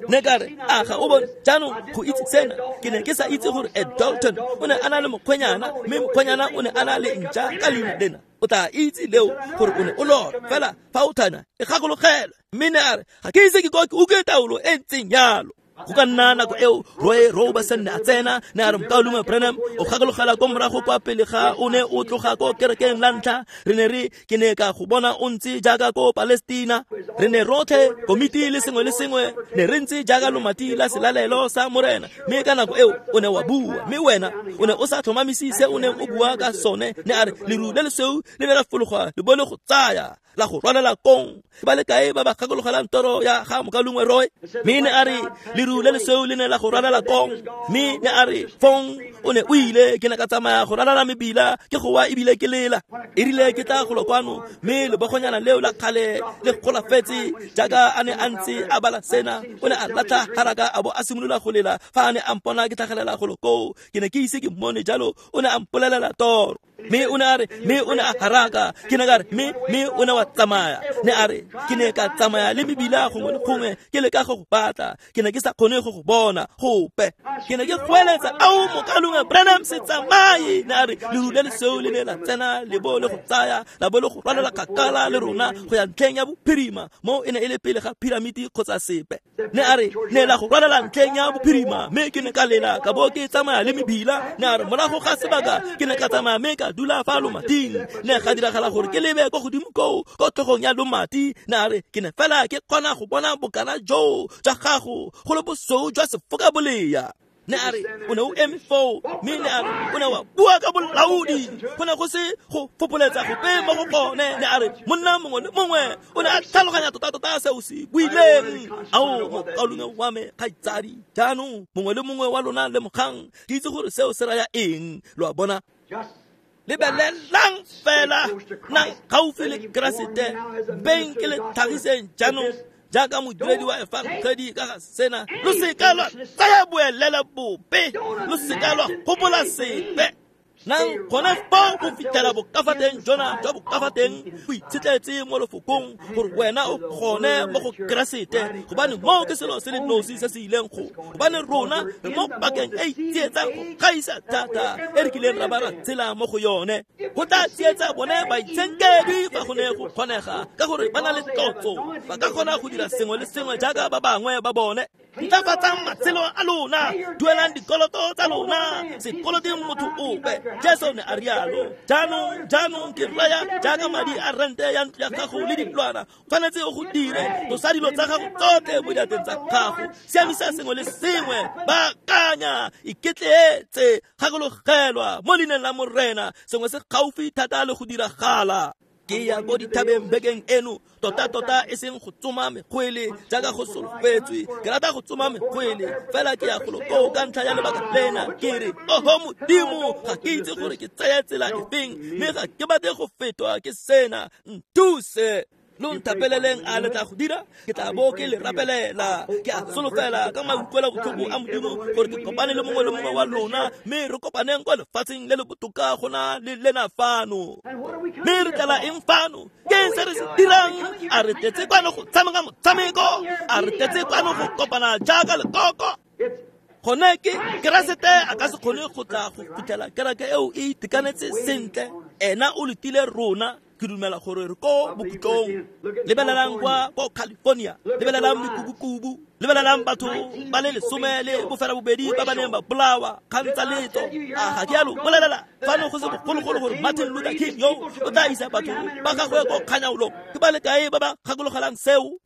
Ne ka re a ga o bone jaanong go itse sena, ke ne ke sa itse gore Ed Dalton o ne a na le mokgwenyana, mme mokgwenyana o ne a na le ntša ka leina lena. O tla itse leo gore o ne o lora fela fa o thana e gakologelwe. Mme ne a re ga ke ise ke ko ke utlwe taolo e ntseng jalo. Go ka nna nako eo Roy Robertson ne a tsena, ne a re, Mokaulengwe Branham, o gakologela ko morago kwa pele ga o ne o tloga ko kerekeng la ntlha, re ne re ke ne ka go bona o ntse jaaka ko Palestina. Re ne rotlhe komiti le sengwe le sengwe ne re ntse jaaka lomati la selalelo sa Morena, mme ka nako eo o ne wa bua, mme wena o ne o sa tlhomamise se o neng o bua ka sone. Ne a re leru le lesweu le ne la fologa le bo le go tsaya la go rwalela kong. Ke ba le kae ba ba gakologelang toro ya ga Mokaulengwe Roy? Mme ne a re leru le lesweu le ne la go rwalela kong, mme ne a re fong o ne o ile, ke ne ka tsamaya go ralala mebila ke gowa ebile ke lela. E rile ke tla golo kwano, mme lebogonyana leo la kgale le golafetse jaaka a ne a ntse a bala sena, o ne a latlha haraka a bo a simolola go lela fa a ne a mpona ke tlhagelela golo koo. Ke ne ke ise ke mmone jalo, o ne a mpolelela toro. Mme o ne a re, mme o ne a haraka, ke ne ka re, mme o ne wa tsamaya. Ne a re, ke ne ka tsamaya le mebila gongwe le gongwe ke leka go go batla, ke ne ke sa kgone go go bona gope. Ke ne ke goeletsa, ao Mokaulengwe Branham, se tsamaye. Ne a re leru le lesweu le ne la tsena le bo le go tsaya la bo le go rwalela kgakala le rona go ya ntlheng ya bophirima, mo e ne e le pele ga piramiti kgotsa sepe. Ne a re ne la go rwalela ntlheng ya bophirima, mme ke ne ka lela ka bo ke tsamaya le mebila. Ne a re morago ga sebaka ke ne ka tsamaya mme ka dula fa lomating. Ne ga diragala gore ke lebe ko godimo koo ko tlhogong ya lomati. Ne a re ke ne fela ke kgona go bona bokana joo jwa gago go le bosweu jwa sefokabolea. Ne a re o ne o eme foo, mme ne a re o ne wa bua ka bolaodi, go ne go se go fopoletsa gope mo go gone. Ne a re monna mongwe le mongwe o ne a tlhaloganya tota-tota se o se buileng. Ao mokaulengwe wa me kgaitsadi, jaanong mongwe le mongwe wa lona lemogang, ke itse gore seo se raya eng. Lo a bona? Lebelelang fela, nang gaufi le Keresete, beng ke le tlhagiseng jaanong jaaka modiredi wa efangedi ka ga sena. Lo seka lwa tsaya boelela bope, lo seka lwa gopola sepe. Nang gone foo go fitlhela bokafateng jona jwa bokafateng bo itshetletse mo lefokong gore wena o gone mo go Keresete, gobane moo ke selo se le nosi se se ileng go, gobane rona re mo pakeng e tsietsang go gaisa thata e re kileng ra ba ra tshela mo go yone. Go tla tsietsa bone baitshenkedwi fa go ne go kgonega, ka gore ba na le tlotso, ba ka kgona go dira sengwe le sengwe jaaka ba bangwe ba bone. Ntlafatsang matshelo a lona, duelang dikoloto tsa lona, se koloteng motho ope. Jesu ne a rialo. Jaanong ke raya jaaka madi a rente ya ntlo ya gago le diplwana, tshwanetse o go dire, tlosa dilo tsa gago tsotlhe mo diatleng tsa gago, siamisa sengwe le sengwe, baakanya, iketleetse, gakologelwa mo leineng la Morena, sengwe se gaufi thata le go diragala. Ke ya ko dithabeng bekeng eno, tota-tota e seng go tsoma megwele jaaka go solofetswe. Ke rata go tsoma megwele, fela ke ya golo koo ka ntlha ya lebaka lena. Ke re, oho Modimo, ga ke itse gore ke tsaya tsela efeng, mme ga ke batle go fetwa ke sena, nthuse. Lo nthapeleleng, a le tla go dira? Ke tla bo ke le rapelela. Ke a solofela ka mautlwela botlhoko a Modimo gore ke kopane le mongwe le mongwe wa lona, mme re kopaneng kwa lefatsheng le le botoka go na le lena fano. Mme re tlala eng fano? Ke eng se re se dirang? A re tletse kwano go tshameka motshameko? A re tletse kwano go kopana jaaka lekoko? Gone ke Keresete a ka se kgone go tla go fitlhela kereke eo e itekanetse sentle. Ena o letile rona. Ke dumela gore re ko bokhutlong. Lebelelang kwa ko California, lebelelang mekubukubu, lebelelang batho ba le 18 ba ba neng ba bolawa kgang tsa letso. A ga ke a lo bolelela fano go se bogologolo gore Martin Luther King yo o tla isa batho ba gagwe ko kganyaolong? Ke ba le kae ba ba gakologelang seo?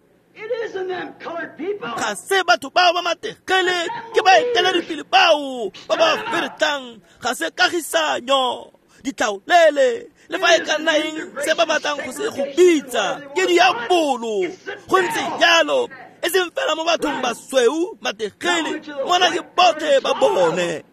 Ga se batho bao ba mategele, ke baeteledipele bao ba ba feretlang. Ga se kagisanyo, ditlhaolele, le fa e ka nna eng se ba batlang go se go bitsa, ke diabolo. Go ntse jalo, e seng fela mo bathong basweu, mategele, mona ke botlhe ba bone.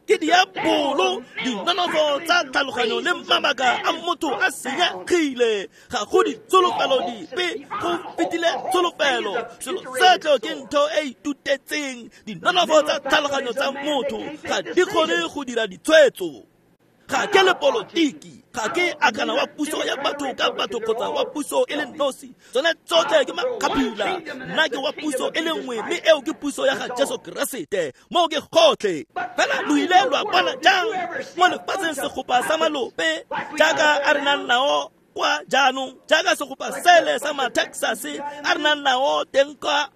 Ke diabolo, dinonofo tsa tlhaloganyo le mabaka a motho a senyegile. Ga go ditsholofelo dipe, go fetile tsholofelo. Selo setlo ke ntho e itutetseng. Dinonofo tsa tlhaloganyo tsa motho ga di kgone go dira ditshwetso. Ga ke le politiki, ga ke akana wa puso ya batho ka batho kgotsa wa puso e le nosi. Tsone tsotlhe ke makgaphila. Nna ke wa puso e le nngwe, mme eo ke puso ya ga Jesu Keresete. Moo ke gotlhe. Fela lo ile lwa bona jang mo lefatsheng segopa sa malope jaaka a re nang nao kwa jaanong, jaaka segopa sele sa ma-Texas a re nang nao teng kwa?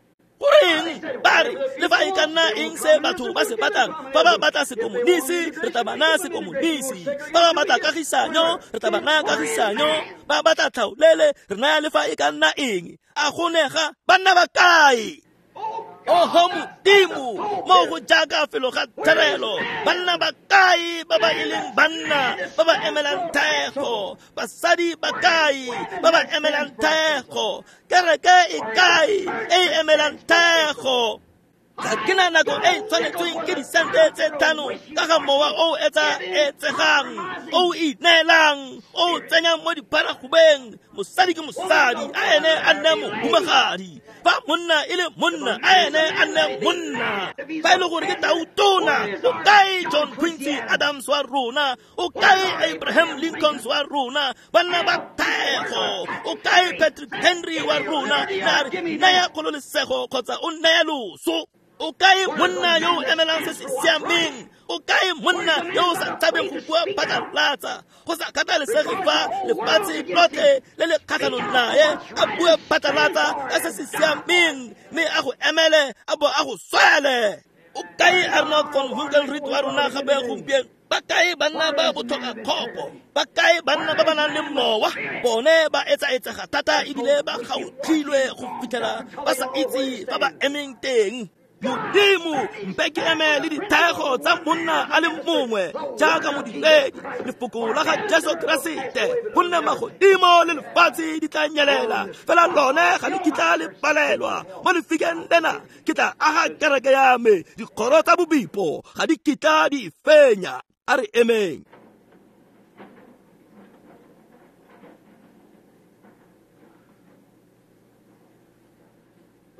Goreng ba re le fa e ka ka nna eng se batho ba se batlang. Fa ba batla sekomonisi, re tla ba naya sekomonisi. Fa ba batla kagisanyo, re tla ba naya kagisanyo. Ba batla tlhaolele, re naya le fa e ka nna eng. A go nega banna ba kae? Oho Modimo, mo go jaaka felo ga therelo, banna ba kae ba ba e leng banna ba ba emelang thego? Basadi ba kae ba ba emelang thego? Kereke e kae e e emelang thego? Ga ke na nako e e tshwanetsweng ke disente tse 5 ka ga mowa o etsa-etsegang, o ineelang, o tsenyang mo dipharagobeng. Mosadi ke mosadi, a ene a nne mohumagadi. Fa monna e le monna, a ene a nne monna. Fa e le gore ke tautona, o kae John Quincy Adams wa rona? O kae Abraham Lincoln wa rona? Banna ba thego. O kae Patrick Henry wa rona? Na re naya kgololesego kgotsa o naya loso? O kae monna yo o emelang se se siameng? O kae monna yo o sa tshabeng go bua phatlalatsa, go sa kgathalesege fa lefatshe lotlhe le le kgatlhanong nae, a bue phatlalatsa ka se se siameng, mme a go emele a bo a go swele? O kae Arnold von Winkelried wa rona gape gompieno? Ba kae banna ba botlhoka kgopo? Ba kae banna ba ba nang le mowa? Bone ba etsaetsega thata ebile ba gautlhilwe go fitlhela ba sa itse fa ba emeng teng. Modimo, mpe ke eme le dithego tsa monna a le mongwe jaaka modiredi, lefoko la ga Jesu Keresete, gonne magodimo le lefatshe di tla nyelela, fela lone ga le kitla le palelwa. Mo lefikeng lena ke tla aga kereke ya me, dikgoro tsa bobipo ga di kitla di fenya. A re emeng.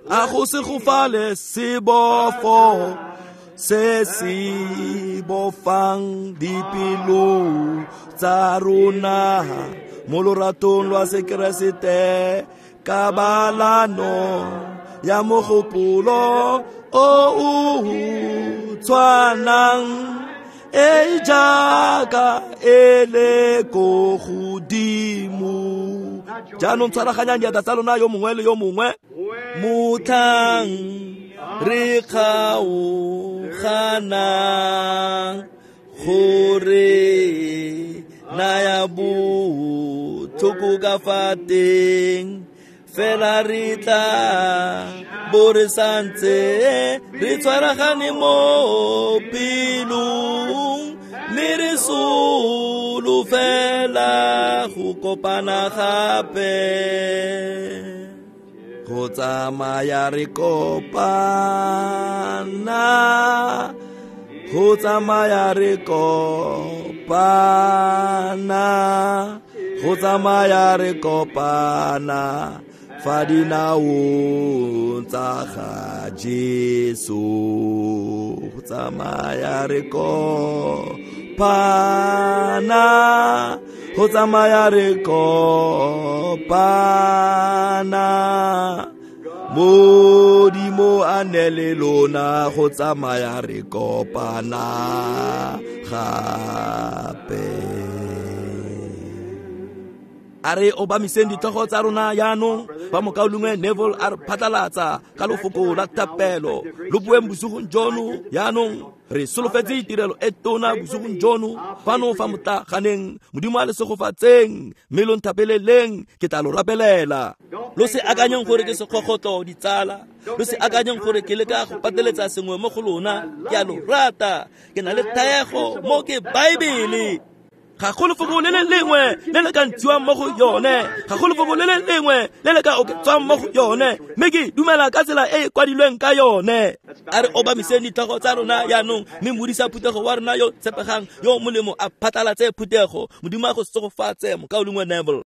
A go se gofale sebofo se se bofang dipelo tsa rona mo loratong lwa Sekeresete, kabalano ya mogopolo o o tshwanang e jaaka e le ko godimo. Jaanong tshwaraganyang diatla tsa lona yo mongwe le yo mongwe. Motlhang re kgaoganang gore naya botlhoko ka fa teng, fela re tla bo re santse re tshwaragane mo pelong, mme re solofela go kopana gape. Go tsamaya re kopana, go tsamaya re kopana, go tsamaya re kopana fa dinaong tsa ga Jesu. Go tsamaya re kopana, go tsamaya re kopana, Modimo a ne le lona, go tsamaya re kopana gape. A re obamiseng ditlhogo tsa rona jaanong fa mokaulengwe Neville a re phatlalatsa ka lefoko la thapelo. Lo bueng bosigong jono jaanong. Re solofetse tirelo e tona bosigong jono fano fa motlaganeng. Modimo a le segofatseng, mme lo nthapeleleng, ke tla lo rapelela. Lo se akanyeng gore ke sekgogotlo, ditsala. Lo se akanyeng gore ke leka go pateletsa sengwe mo go lona. Ke a lo rata, ke na le thaego mo ke Baebele. Ga go lefoko le le lengwe le le ka ntshiwang mo go yone, ga go lefoko le le lengwe le le ka oketswang mo go yone, mme ke dumela ka tsela e e kwadilweng ka yone. A re obamiseng ditlhogo tsa rona jaanong, mme modisa phuthego wa rona yo tshepegang yo molemo a phatlalatse phuthego. Modimo a go segofatse, mokaulengwe Neville.